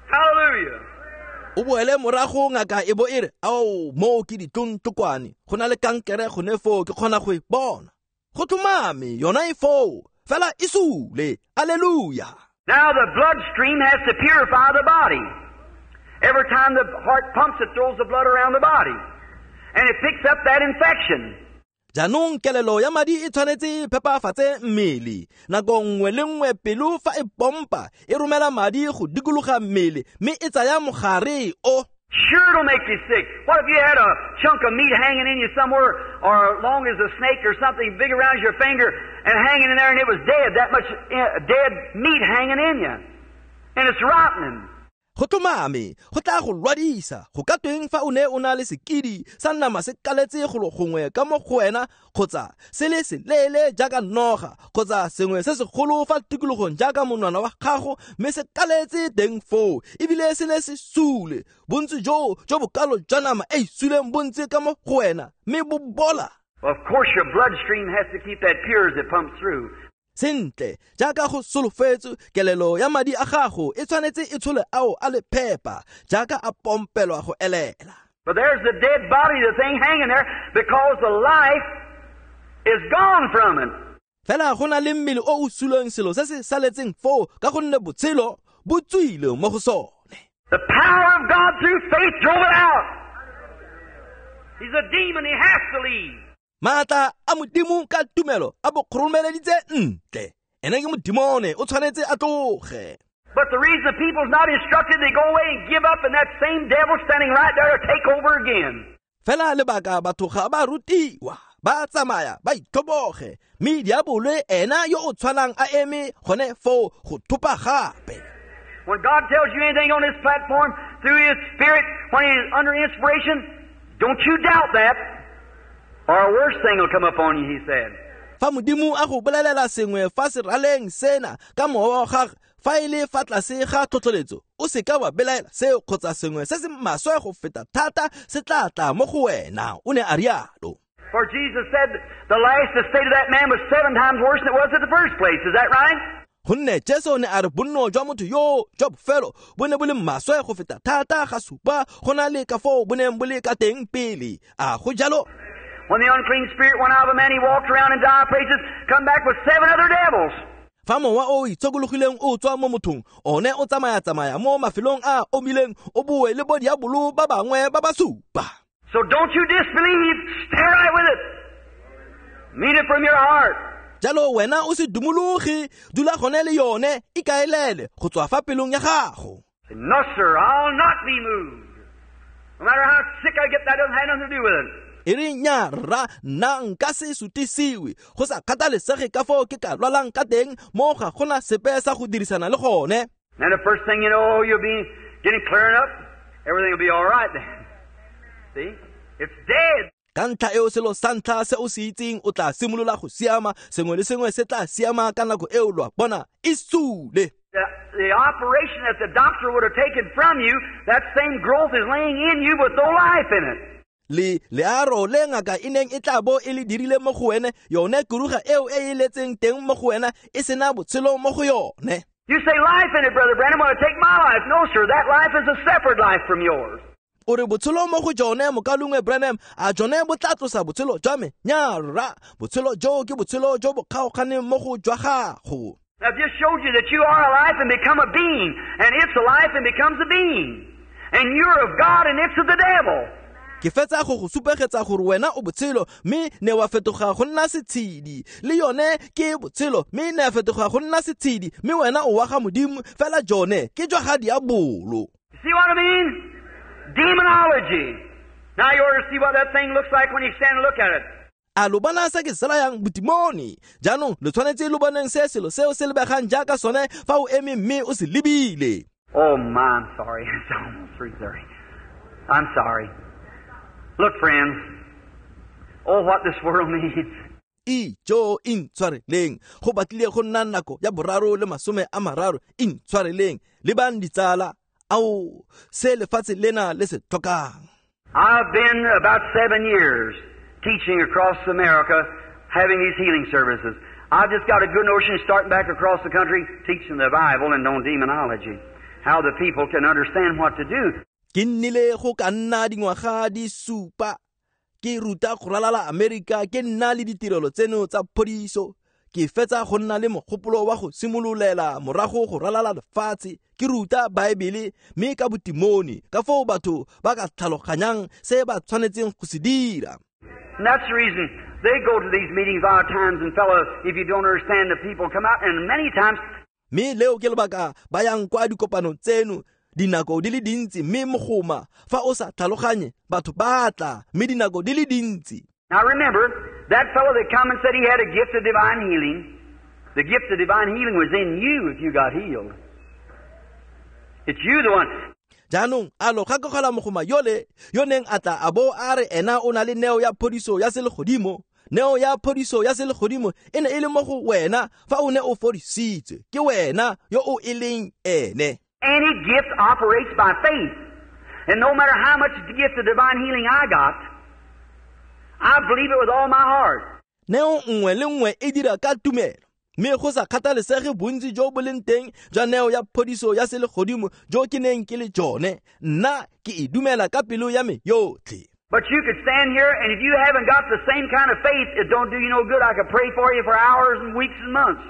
Hallelujah. O boele morago ngaka e bo e re, ao, moo ke ditlontlokwane. Go na le kankere gone foo, ke kgona go e bona. Go tlhomame, yona e foo, fela e sule. Hallelujah. Now the bloodstream has to purify the body. Every time the heart pumps, it throws the blood around the body. And it picks up that infection. Jaanong kelelo ya madi e tshwanetse e phepafatse mmele. Nako nngwe le nngwe pelo fa e pompa, e romela madi go dikologa mmele, mme e tsaya mogare o. Sure, it'll make you sick. What if you had a chunk of meat hanging in you somewhere, or long as a snake or something big around your finger and hanging in there, and it was dead, that much dead meat hanging in you. And it's rotting. Go tlhomame, go tla go lwadisa. Go ka tweng fa o ne o na le sekidi sa nama se kaletse golo gongwe ka mo go wena, kgotsa se le seleele jaaka noga, kgotsa sengwe se segolo fa tikologong jaaka monwana wa gago, mme se kaletse teng foo, ebile se le se sule. Bontsi joo jo bokalo jwa nama e e suleng bo ntse ka mo go wena, mme bo bola. Of course your bloodstream has to keep that pure as it pumps through. Sentle, jaaka go solofetswe, kelelo ya madi a gago e tshwanetse e tshole ao a le phepa, jaaka a pompelwa go elela. But there's the dead body, the thing hanging there, because the life is gone from it. Fela go na le mmele o o suleng selo se se saletseng foo, ka gonne botshelo bo tswile mo go sone. The power of God through faith drove it out. He's a demon, he has to leave. Maatla a Modimo ka tumelo a bo kgoromeleditse ntle. Ene ke modimone, o tshwanetse a tloge. But the reason the people's not instructed, they go away and give up, and that same devil standing right there to take over again. Fela lebaka batho ga ba rutiwa, ba tsamaya, ba itlhoboge, mme diabolo ena yo o tshwanang a eme gone foo go thopa gape. When God tells you anything on this platform through His Spirit, when He's under inspiration, don't you doubt that, or a worse thing will come up on you, He said. Fa Modimo a go bolelela sengwe fa seraleng sena ka mowa wa gagwe, fa e le fa tlase ga tlhotlheletso, o seka wa belaela seo kgotsa sengwe se se maswe go feta thata se tla tla mo go wena, o ne a rialo. For Jesus said the last estate of that man was 7 times worse than it was at the first place. Is that right? Gonne Jesu ne a re bonno jwa motho yo jwa bofelo bo ne bo le maswe go feta thata ga supa go na le ka foo bo neng bo le ka teng pele. A go jalo? When the unclean spirit went out of a man, he walked around in dry places, come back with 7 other devils. Fa mowa o itshokologileng o tswa mo mothong, one o tsamaya-tsamaya mo mafelong a omileng, o boe le bo diabolo ba bangwe ba ba supa. So don't you disbelieve, stay right with it. Mean it from your heart. Jalo wena o se dumologe, dula gone le yone, ikaelele go tswa fa pelong ya gago. Say, no, sir, I'll not be moved. No matter how sick I get, that doesn't have nothing to do with it. E re nya rra, nna nka se sutisiwe, go sa kgathalesege ka foo ke ka lwalang ka teng, mo ga gona sepe sa go dirisana le gone. And the first thing you know, you'll be getting clearing up. Everything will be all right then. See? It's dead. Ka ntlha eo selo sa ntlha se o se itseng, o tla simolola go siama, sengwe le sengwe se tla siama ka nako eo, lo a bona, e sule. The operation that the doctor would have taken from you, that same growth is laying in you with no life in it. Le learo le ngaka e neng e tla bo e le dirile mo go wene, yone kuruga eo e e letseng teng mo go wena e sena botshelo mo go yone. You say life in it, Brother Branham, want to take my life. No, sir, that life is a separate life from yours. O re botshelo mo go jone, mokalungwe Branham, a jone bo tla tlosa botshelo jwa me? Nya rra, botshelo jo ke botshelo jo bo kgaoganeng mo go jwa gago. I've just showed you that you are alive and become a being, and it's alive and becomes a being. And you're of God and it's of the devil. Ke fetsa go go supegetsa gore wena o botshelo, mme ne wa fetoga go nna setshedi. Le yone ke botshelo, mme ne a fetoga go nna setshedi, mme wena o wa ga Modimo, fela jone ke jwa ga diabolo. See what I mean? Demonology. Now you ought to see what that thing looks like when you stand and look at it. A lo bona se ke se rayang botimone? Jaanong lo tshwanetse lo boneng se selo seo se lebegang jaaka sone fa o eme mme o se lebile. Oh my, I'm sorry. It's almost 3:30. I'm sorry. Look, friends. Oh, what this world needs. Ijo intshwareleng, go batlile go nna nako ya 3:30. Intshwareleng, lebang ditsala, ao se lefatshe lena le se tlhokang. I've been about 7 years teaching across America, having these healing services. I've just got a good notion starting back across the country teaching the Bible and on demonology, how the people can understand what to do. Ke nnile go ka nna dingwaga di supa ke ruta go ralala Amerika, ke nna le ditirelo tseno tsa phodiso. Ke fetsa go nna le mogopolo wa go simololela morago go ralala lefatshe, ke ruta Baebele mme ka botimone, ka foo batho ba ka tlhaloganyang se ba tshwanetseng go se dira. And that's the reason they go to these meetings a lot of times, and fellows, if you don't understand, the people come out, and many times. Mme leo ke lebaka ba yang kwa dikopanong tseno dinako di le dintsi, mme mogoma fa o sa tlhaloganye batho ba tla, mme dinako di le dintsi. Now remember, that fellow that come and said he had a gift of divine healing, the gift of divine healing was in you if you got healed. It's you the one. Jaanong a lo gakogela mogoma yole yo neng a tla a bo a re ena o na le neo ya phodiso ya selegodimo. Neo ya phodiso ya selegodimo e ne e le mo go wena fa o ne o fodisitswe, ke wena yo o e leng ene. Any gift operates by faith. And no matter how much the gift of divine healing I got, I believe it with all my heart. Neo nngwe le nngwe e dira ka tumelo, mme go sa kgathalesege bontsi jo bo leng teng jwa neo ya phodiso ya selegodimo jo ke neng ke le jone, nna ke e dumela ka pelo ya me yotlhe. But you could stand here, and if you haven't got the same kind of faith, it don't do you no good. I could pray for you for hours and weeks and months.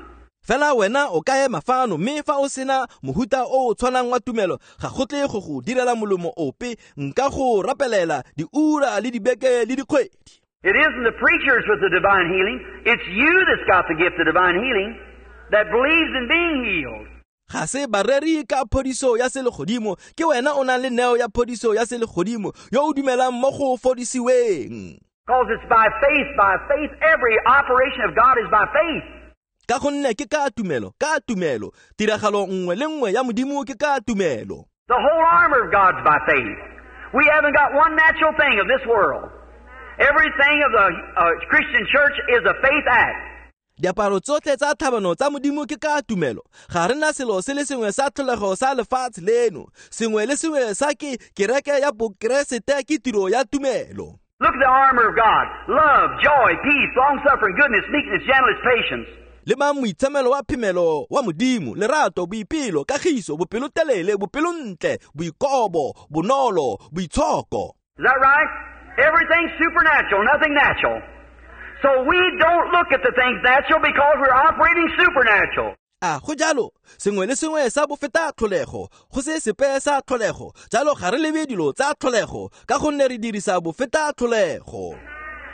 Fela wena o ka ema fano, mme fa o sena mohuta o o tshwanang wa tumelo, ga go tle go go direla molomo ope, nka go rapelela diura le dibeke le dikgwedi. It isn't the preachers with the divine healing. It's you that's got the gift of divine healing that believes in being healed. Ga se bareri ka phodiso ya selegodimo, ke wena o nang le neo ya phodiso ya selegodimo yo o dumelang mo go fodisiweng. Because it's by faith, every operation of God is by faith. Ka gonne ke ka tumelo, ka tumelo, tiragalo nngwe le nngwe ya Modimo ke ka tumelo. The whole armor of God's by faith. We haven't got one natural thing of this world. Everything of the Christian church is a faith act. Diaparo tsotlhe tsa tlhabano tsa Modimo ke ka tumelo. Ga re na selo se le sengwe sa tlholego sa lefatshe leno. Sengwe le sengwe sa ke kereke ya Bokeresete ke tiro ya tumelo. Look at the armor of God. Love, joy, peace, long-suffering, goodness, meekness, gentleness, patience. Le mang moitshamelo wa phemelo wa Modimo, lerato, boipelo, kagiso, bopelotelele, bopelontle, boikobo, bonolo, boitshoko. Is that right? Everything's supernatural, nothing natural. So we don't look at the things natural because we're operating supernatural. A go jalo, sengwe le sengwe sa bofeta tlholego, go se sepe sa tlholego, jalo ga re lebe dilo tsa tlholego, ka gonne re dirisa bofeta tlholego.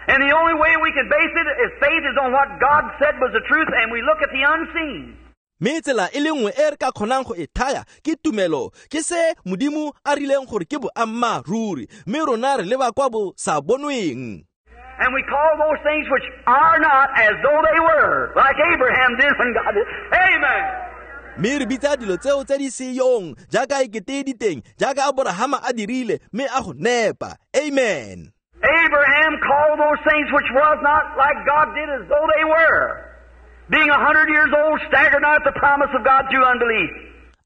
And the only way we can base it is faith is on what God said was the truth, and we look at the unseen. Mme tsela e le nngwe e re ka kgonang go e thaya ke tumelo, ke se Modimo a rileng gore ke boammaaruri, mme rona re leba kwa bo sa bonweng. And we call those things which are not as though they were, like Abraham did when God did. Amen. Mme re bitsa dilo tseo tse di seyong jaaka ekete di teng, jaaka Aborahama a dirile, mme a go nepa. Amen. Abraham called those things which was not like God did as though they were. Being 100 years old, staggered not at the promise of God through unbelief.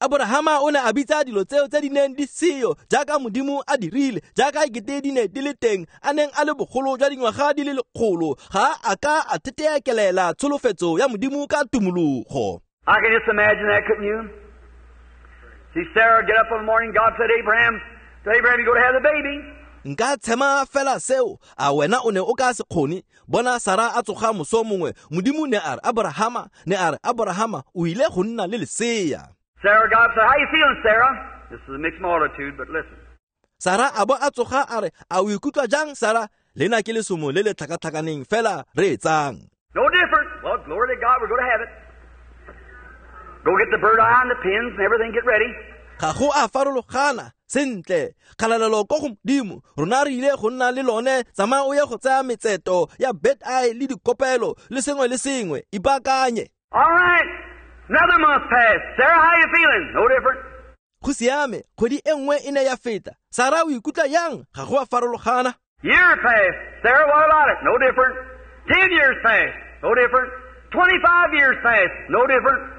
Aborahama o ne a bitsa dilo tseo tse di neng di seyo jaaka Modimo a dirile, jaaka ekete di ne di le teng, a neng a le bogolo jwa dingwaga di le lekgolo, ga a ka a theteekelela tsholofetso ya Modimo ka tumologo. I can just imagine that, couldn't you? See Sarah get up in the morning, God said, Abraham, to Abraham, you go to have the baby. Nka tshema fela seo, a wena o ne o ka se kgone? Bona Sara a tsoga moso mongwe, Modimo ne a re Aborahama, ne a re Aborahama, o ile go nna le lesea. Sarah, God said, how you feeling, Sarah? This is a mixed multitude, but listen. Sarah a bo a tsoga a re, a o ikutlwa jang, Sarah? Lena ke lesomo le le tlhakatlhakaneng fela re etsang. No different. Well, glory to God, we're going to have it. Go get the bird eye and the pins and everything, get ready. Ga go a farologana, sentle, kgalalelo ko go Modimo, rona re ile go nna le lone, tsamaya o ye go tsaya metseto ya bird eye le dikopelo le sengwe le sengwe, ipaakanye. All right. Another month passed. Sarah, how you feeling? No different. Go siame, kgwedi e nngwe e ne ya feta. Sarah o ikutlwa yang? Ga go a farologana. Year passed. Sarah, what about it? No different. 10 years passed. No different. 25 years passed. No different.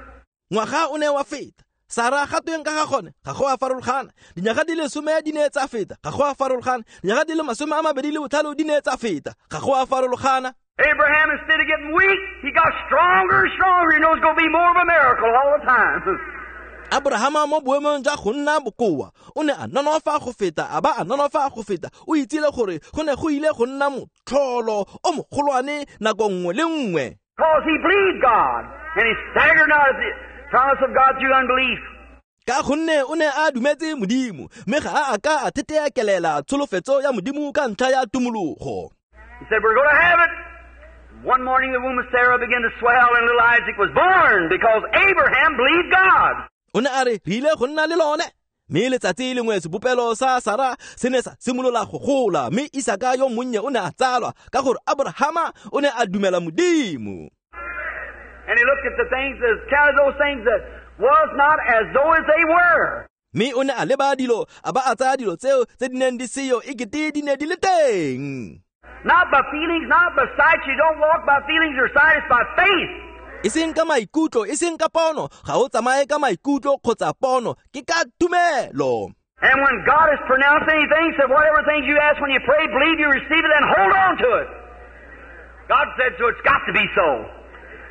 Ngwaga o ne wa feta. Sarah ga tweng ka ga gone? Ga go a farologana. Dinyaga di le 10 di ne tsa feta. Ga go a farologana. Dinyaga di le 25 di ne tsa feta. Ga go a farologana. Abraham, instead of getting weak, he got stronger and stronger. He knows it's going to be more of a miracle all the time. Abrahama mo boemong jwa go nna bokoa, o ne a nonofa go feta, a ba a nonofa go feta. O itsile gore go ne go ile go nna motlholo o mogolwane nako nngwe le nngwe. Because he believed God, and he staggered not at the promise of God through unbelief. Ka gonne o ne a dumetse Modimo, mme ga a ka a theteekelela tsholofetso ya Modimo ka ntlha ya tumologo. He said, we're going to have it. One morning the womb of Sarah began to swell and little Isaac was born because Abraham believed God. O ne a re, re ile go nna le lone. Mme letsatsi lengwe sebopelo sa Sara se ne sa simolola go gola, mme Isaka yo monnye o ne a tsalwa ka gore Abrahama o ne a dumela Modimo. And he looked at the things as counted those things that was not as though as they were. Mme o ne a leba dilo, a ba a tsaya dilo tseo tse di neng di seyo ekete di ne di le teng. Not by feelings, not by sight. You don't walk by feelings or sight, it's by faith. E seng ka maikutlo, e seng ka pono. Ga o tsamaye ka maikutlo kgotsa pono, ke ka tumelo. And when God has pronounced anything, said whatever things you ask when you pray, believe you receive it and hold on to it. God said so, it's got to be so.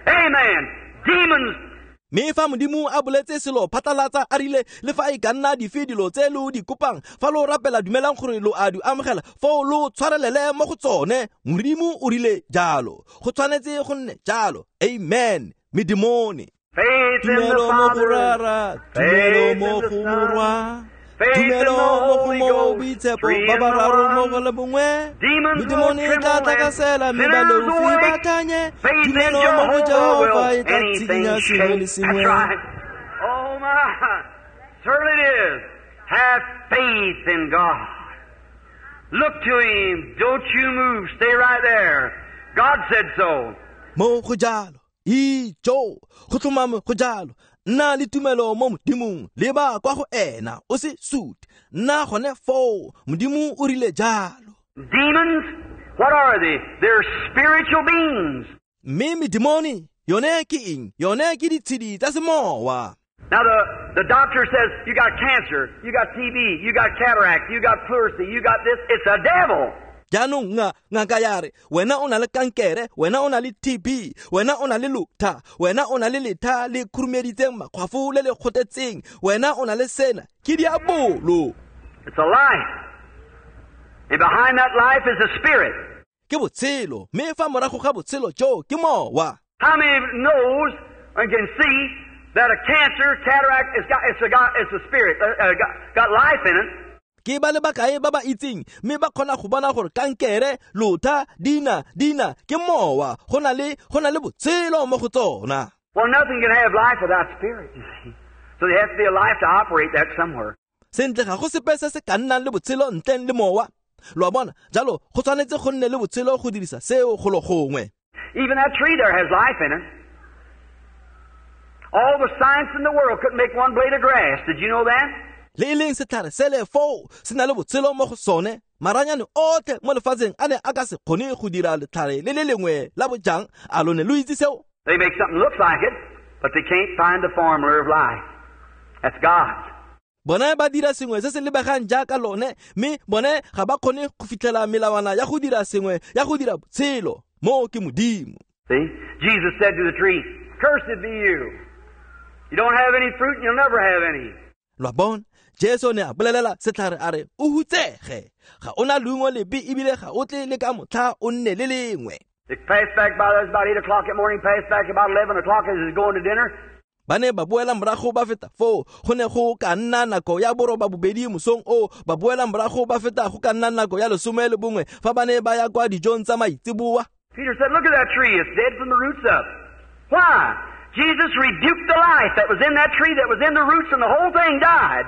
Amen. Demons. Mme fa Modimo a boletse selo phatlalatsa a rile le fa e ka nna dife dilo tse lo di kopang, fa lo rapela dumelang gore lo a di amogela, foo lo tshwarelele mo go tsone. Modimo o rile jalo, go tshwanetse go nne jalo. Amen. Medimone. Tumelo mo go Rara, tumelo mo go Morwa, tumelo mo go Mowa Boitshepo, ba bararo mo go le bongwe. Medimone e tla tlakasela, mme baleofi ba kanye. Tumelo mo go Jehofa e tla tshikinya sengwe le sengwe. Oh my, certainly it is. Have faith in God. Look to Him. Don't you move. Stay right there. God said so. Mo go jalo, ijo, go tlhomame go jalo. Nna le tumelo mo Modimong, leba kwa go ena, o se sute. Nna gone foo, Modimo o rile jalo. Demons, what are they? They're spiritual beings. Mme medimone, yone ke eng? Yone ke ditshedi tsa semowa. Now the doctor says, you got cancer, you got TB, you got cataract, you got pleurisy, you got this. It's a devil. Jaanong ngaka ya re, wena o na le kankere, wena o na le TB, wena o na le lutha, wena o na le letha le khurumeditseng makgwafo le le kgotetseng, wena o na le sena, ke diabolo. It's a life. And behind that life is a spirit. Ke botshelo, mme fa morago ga botshelo jo ke mowa. How many knows and can see that a cancer, cataract, it's a spirit, got life in it. Ke ba le bakae ba ba itseng mme ba kgona go bona gore kankere, lotha, dina ke mowa, go na le botshelo mo go tsona. Well, nothing can have life without spirit, you see. So there has to be a life to operate that somewhere. Sentle ga go sepe se se ka nnang le botshelo ntleng le mowa. Lo a bona, jalo go tshwanetse go nne le botshelo go dirisa seo golo gongwe. Even that tree there has life in it. All the science in the world couldn't make one blade of grass. Did you know that? Le e leng setlhare sele foo se na le botshelo mo go sone. Maranyane otlhe mo lefatsheng a ne a ka se kgone go dira letlhare le le lengwe la bojang. A lo ne lo itse seo? They make something looks like it, but they can't find the formula of life. That's God. Bone ba dira sengwe se se lebegang jaaka lone, mme bone ga ba kgone go fitlhela melawana ya go dira sengwe ya go dira botshelo. Mo ke Modimo. See? Jesus said to the tree, "Cursed be you. You don't have any fruit and you'll never have any." Lo a bona, Jesu ne a bolelela setlhare a re, o hutsege, ga ona leungo lepe ebile ga o tle le ka motlha o nne le lengwe. They passed back by us about 8 o'clock that morning, passed back about 11 o'clock as he's going to dinner. Ba ne ba boela morago ba feta foo, go ne go ka nna nako ya 8:30 mosong o, ba boela morago ba feta go ka nna nako ya 11 fa ba ne ba ya kwa dijong tsa maitseboa. Peter said, "Look at that tree, it's dead from the roots up." Why? Jesus rebuked the life that was in that tree, that was in the roots, and the whole thing died.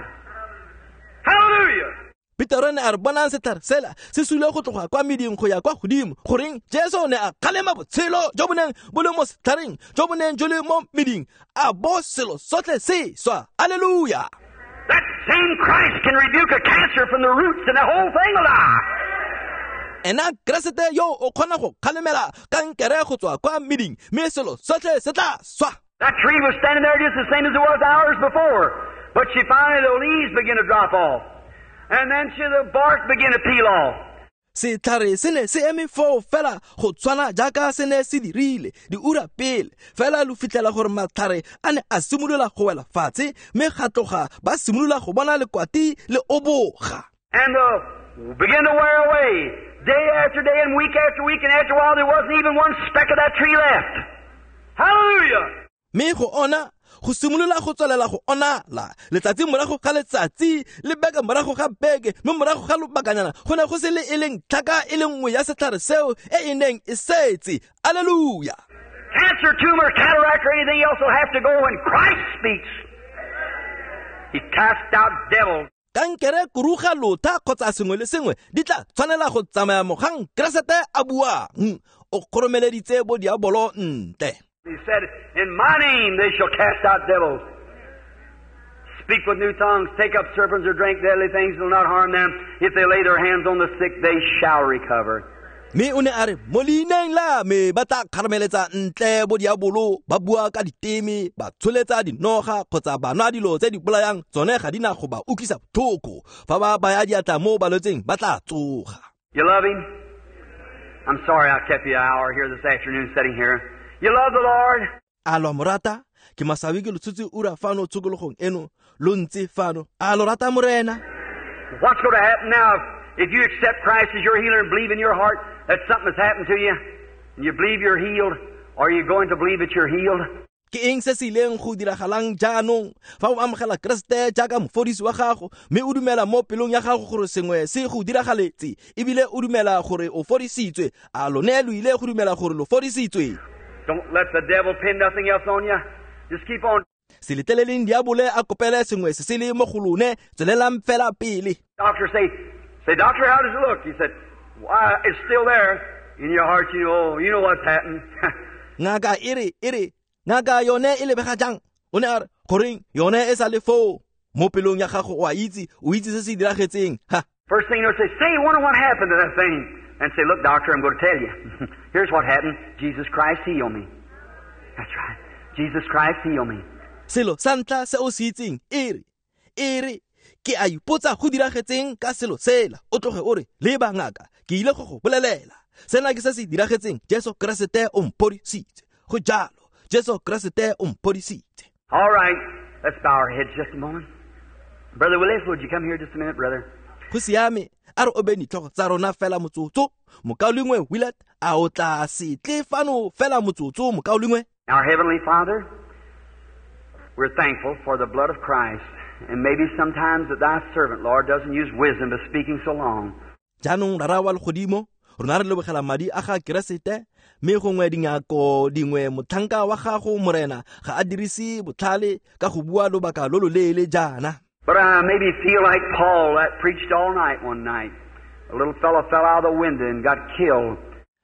Hallelujah! Peter ne a re, bonang setlhare sela se sule go tloga kwa meding go ya kwa godimo. Goreng Jesu ne a kgalema botshelo jo bo neng bo le mo setlhareng, jo bo neng jo le mo meding, a bo selo sotlhe se swa. Hallelujah! That same Christ can rebuke a cancer from the roots and the whole thing will die. Ena Keresete yo o kgona go kgalemela kankere go tswa kwa meding, mme selo sotlhe se tla swa. That tree was standing there just the same as it was hours before. But she finally, the leaves begin to drop off. And then the bark began to peel off. Setlhare se ne se eme foo fela go tshwana jaaka se ne se dirile diura pele, fela lo fitlhela gore matlhare a ne a simolola go wela fatshe, mme ga tloga ba simolola go bona lekwati le oboga. And began to wear away day after day and week after week, and after a while there wasn't even one speck of that tree left. Hallelujah! Mme go ona go simolola go tswelela go onala letsatsi morago ga letsatsi le beke morago ga beke, mme morago ga lobakanyana go ne go se le e leng tlhaka e le nngwe ya setlhare seo e e neng e setse. Alleluia! Cancer, tumor, cataract, or anything else will have to go when Christ speaks. He cast out devils. Kankere, kuruga, lotha kgotsa sengwe le sengwe di tla tshwanela go tsamaya mogang Keresete a buang. O kgoromeleditse bo diabolo ntle. He said, "In my name they shall cast out devils, speak with new tongues, take up serpents or drink deadly things will not harm them. If they lay their hands on the sick, they shall recover." Mme o ne a re, mo leineng la me ba tla kgarameletsa ntle bo diabolo, ba bua ka diteme, ba tsholetsa dinoga kgotsa ba nwa dilo tse di bolayang, tsone ga di na go ba utlwisa botlhoko. Fa ba baya diatla mo balwetseng ba tla tsoga. You love him? I'm sorry I kept you an hour here this afternoon sitting here. You love the Lord? A lo morata? Ke masawi ke lo tshotse ura fano tshokologong eno, lo ntse fano. A lo rata Morena? What's going to happen now if you accept Christ as your healer and believe in your heart that something has happened to you, and you believe you're healed? Are you going to believe that you're healed? Ke eng se se ileng go diragalang jaanong fa o amogela Keresete jaaka mofodisi wa gago, mme o dumela mo pelong ya gago gore sengwe se go diragaletse, ebile o dumela gore o fodisitswe? A lone lo ile go dumela gore lo fodisitswe? Don't let the devil pin nothing else on you. Just keep on. Se letleleleng diabole a kopele sengwe se se le mo go lone, tswelelang fela pele. Doctor say, "Doctor, how does it look?" He said, "Why, it's still there." In your heart, you know what's happened. Ngaka ere, ngaka yone e lebega jang? O ne a re, goreng yone e sa le foo? Mo pelong ya gago o a itse, o itse se se diragetseng. Ha. First thing you know, say, wonder what happened to that thing. And say, "Look, doctor, I'm going to tell you. Here's what happened. Jesus Christ healed me." That's right. Jesus Christ healed me. Selo sa ntlha se o se itseng, ere, ke a ipotsa go diragetseng ka selo sela. O tloge o re, leba ngaka, ke ile go go bolelela. Sena ke se se diragetseng. Jesu Keresete o mphodisitse. Go jalo, Jesu Keresete o mphodisitse. All right, let's bow our heads just a moment. Brother Willis, would you come here just a minute, brother? Go siame, a re obeng ditlhogo tsa rona fela motsotso. Mokaulengwe Willard, a o tla se tle fano fela motsotso, mokaulengwe? Our Heavenly Father, We're thankful for the blood of Christ, and maybe sometimes that thy servant, Lord, doesn't use wisdom by speaking so long. Jaanong Rara wa legodimo, rona re lebogela madi a ga Keresete, mme gongwe dingako dingwe motlhanka wa gago Morena ga a dirise botlhale ka go bua lobaka lo loleele jaana. But I maybe feel like Paul that preached all night one night. A little fellow fell out of the window and got killed.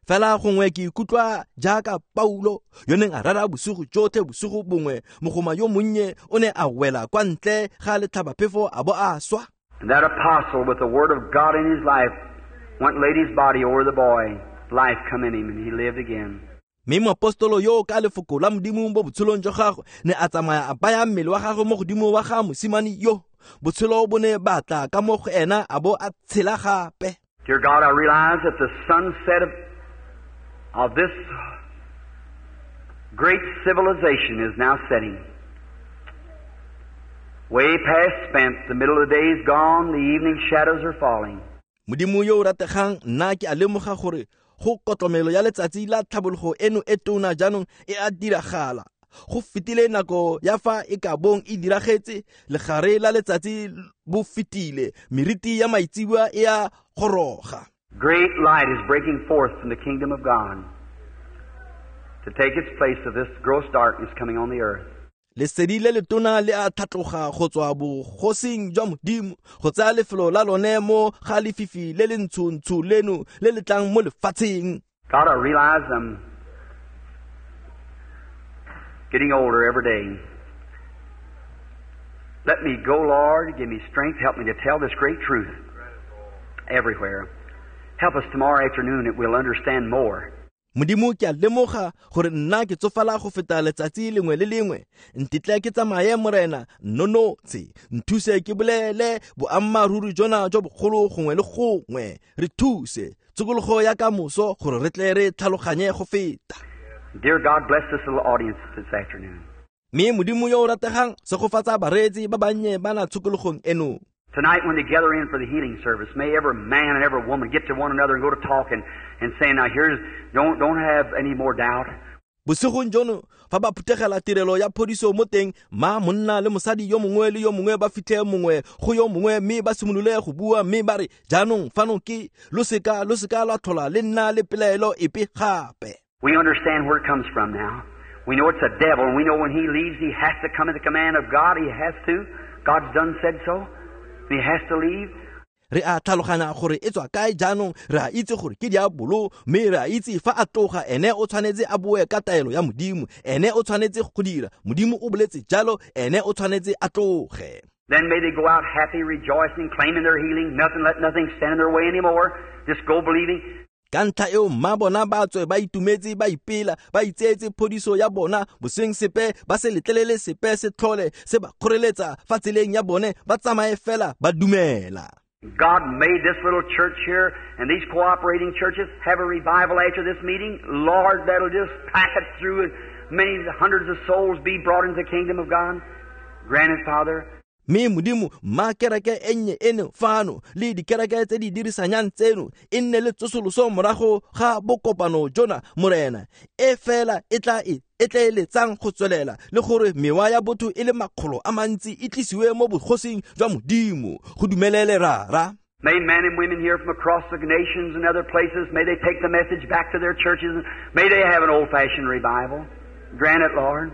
Fela gongwe ke ikutlwa jaaka Paulo yo neng a rera bosigo jotlhe bosigo bongwe, mogoma yo monnye o ne a wela kwa ntle ga letlhabaphefo a bo a swa. And that apostle with the word of God in his life went and laid his body over the boy. Life come in him and he lived again. Mme moapostolo yo ka lefoko la Modimo mo botshelong jwa gagwe ne a tsamaya a baya mmele wa gagwe mo godimo wa ga mosimane yo. Botshelo bo ne ba tla ka mo go ena a bo a tshela gape. Dear God, I realize that the sunset of this great civilization is now setting. Way past spent, the middle of the day is gone, the evening shadows are falling. Modimo yo o rategang, nna ke a lemoga gore go kotlomelo ya letsatsi la tlhabologo eno e tona jaanong e a diragala. Go fetile nako ya fa e ka bong e diragetse, legare la letsatsi bo fetile, meriti ya maitseboa e a goroga. Great light is breaking forth from the kingdom of God to take its place of this gross darkness coming on the earth. Lesedi le letona le a tlhatloga go tswa bogosing jwa Modimo go tsaya lefelo la lone mo ga lefifi le le ntsho-ntsho leno le le tlang mo lefatsheng. God, I realize I'm getting older every day. Let me go, Lord. Give me strength. Help me to tell this great truth everywhere. Help us tomorrow afternoon that we'll understand more. Modimo ke a lemoga gore nna ke tsofala go feta letsatsi lengwe le lengwe. Ntetle ke tsamaye Morena, nnonotse, nthuse ke bolele boammaaruri jona jo bogolo gongwe le gongwe. Re thuse tsokologo ya kamoso gore re tle re tlhaloganye go feta. Dear God, bless this little audience this afternoon. Mme Modimo yo o rategang, segofatsa bareetsi ba bannye ba na tshokologong eno. Tonight when they gather in for the healing service, may every man and every woman get to one another and go to talking and saying, now here's, don't have any more doubt. Bosigong jono, fa ba phuthegela tirelo ya phodiso mo teng, ma monna le mosadi yo mongwe le yo mongwe ba fitlhe mongwe go yo mongwe, mme ba simolole go bua, mme ba re, jaanong fano ke lo seka lwa tlhola le nna le pelaelo epe gape. We understand where it comes from now. We know it's a devil, and we know when he leaves, he has to come at the command of God. He has to. God's done said so. He has to leave. Re a tlhaloganya gore e tswa kae jaanong, re a itse gore ke diabolo, mme re a itse fa a tloga ene o tshwanetse a boe ka taelo ya Modimo, ene o tshwanetse go dira, Modimo o boletse jalo, ene o tshwanetse a tloge. Then may they go out happy, rejoicing, claiming their healing, nothing, let nothing stand in their way anymore. Just go believing. Ka ntlha eo mma bona ba tswe ba itumetse, ba ipela, ba itseetse phodiso ya bona, boseng sepe ba se letlelele sepe se tlhole se ba kgoreletsa fa tseleng ya bone, ba tsamaye fela ba dumela. God made this little church here and these cooperating churches have a revival after this meeting. Lord, that'll just pack it through and many hundreds of souls be brought into the kingdom of God. Grant it, Father. Mme Modimo, mma kereke e nnye eno fano le dikereke tse di dirisanyang tseno e nne le tsosoloso morago ga bokopano jona Morena, e fela e tla e etleeletsang go tswelela le gore mewa ya botho e le makgolo a mantsi e tlisiwe mo bogosing jwa Modimo. Go dumelele Rara. May men and women here from across the nations and other places, may they take the message back to their churches. May they have an old-fashioned revival. Grant it, Lord.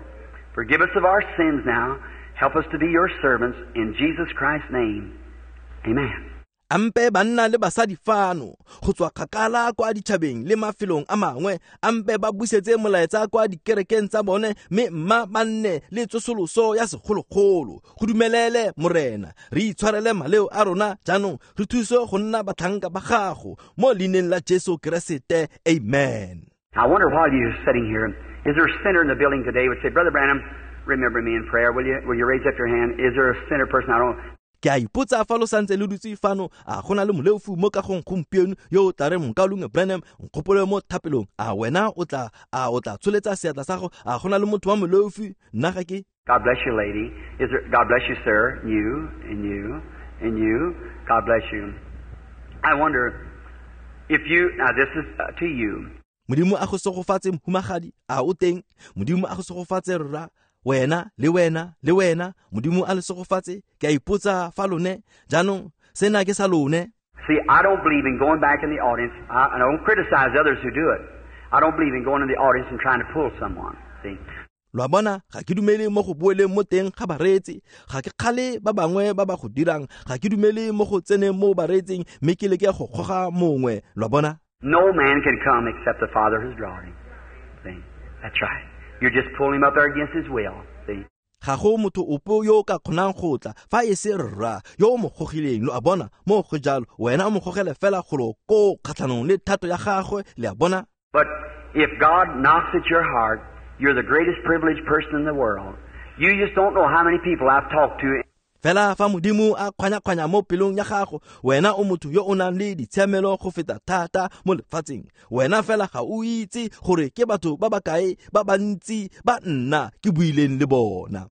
Forgive us of our sins now. Help us to be your servants in Jesus Christ's name. Amen. Ampe banna le basadi fano go tswa kgakala kwa ditšhabeng le mafelong a mangwe, ampe ba busetse molaetsa kwa dikerekeng tsa bone, mme mma ba nne le tsosoloso ya segologolo. Go dumelele Morena, re itshwarele maleo a rona jaanong, re thuse go nna batlhanka ba gago mo leineng la Jesu Keresete. Amen. I wonder while you're sitting here, is there a sinner in the building today who would say, Brother Branham, remember me in prayer? Will you raise up your hand? Is there a sinner person? I don't. Ke a ipotsa fa lo santse lo dutse fano, a gona le moleofu mo kagong gompieno yo o tla reng Mokaulengwe Branham, nkgopole mo thapelong? A wena o tla tsholetsa seatla sa gago? A gona le motho wa moleofu? Nna ga ke. God bless you, lady. Is there, God bless you, sir. You and you and you. God bless you. I wonder if you, now this is to you. Modimo a go segofatse mohumagadi, a o teng? Modimo a go segofatse rra, Wena le wena le wena, Modimo a le segofatse. Ke a ipotsa fa lone jaanong sena ke sa lone. See, I don't believe in going back in the audience. I don't criticize others who do it. I don't believe in going in the audience and trying to pull someone. See? Lo a bona, ga ke dumele mo go boeleng mo teng ga bareetsi. Ga ke kgale ba bangwe ba ba go dirang. Ga ke dumele mo go tseneng mo bareetsing mme ke leke go goga mongwe. Lo a bona? No man can come except the Father has drawn him. See? That's right. You're just pulling him up there against his will. See? Ga go motho ope yo o ka kgonang go tla fa e se Rra yo o mo gogileng. Lo a bona? Mo go jalo, wena o mo gogele fela golo koo kgatlhanong le thato ya gagwe. Le a bona? But if God knocks at your heart, you're the greatest privileged person in the world. You just don't know how many people I've talked to. Fela fa Modimo a kgwanya-kgwanya mo pelong ya gago, wena o motho yo o nang le ditshiamelo go feta thata mo lefatsheng. Wena fela ga o itse gore ke batho ba ba kae ba bantsi ba nna ke buileng le bona.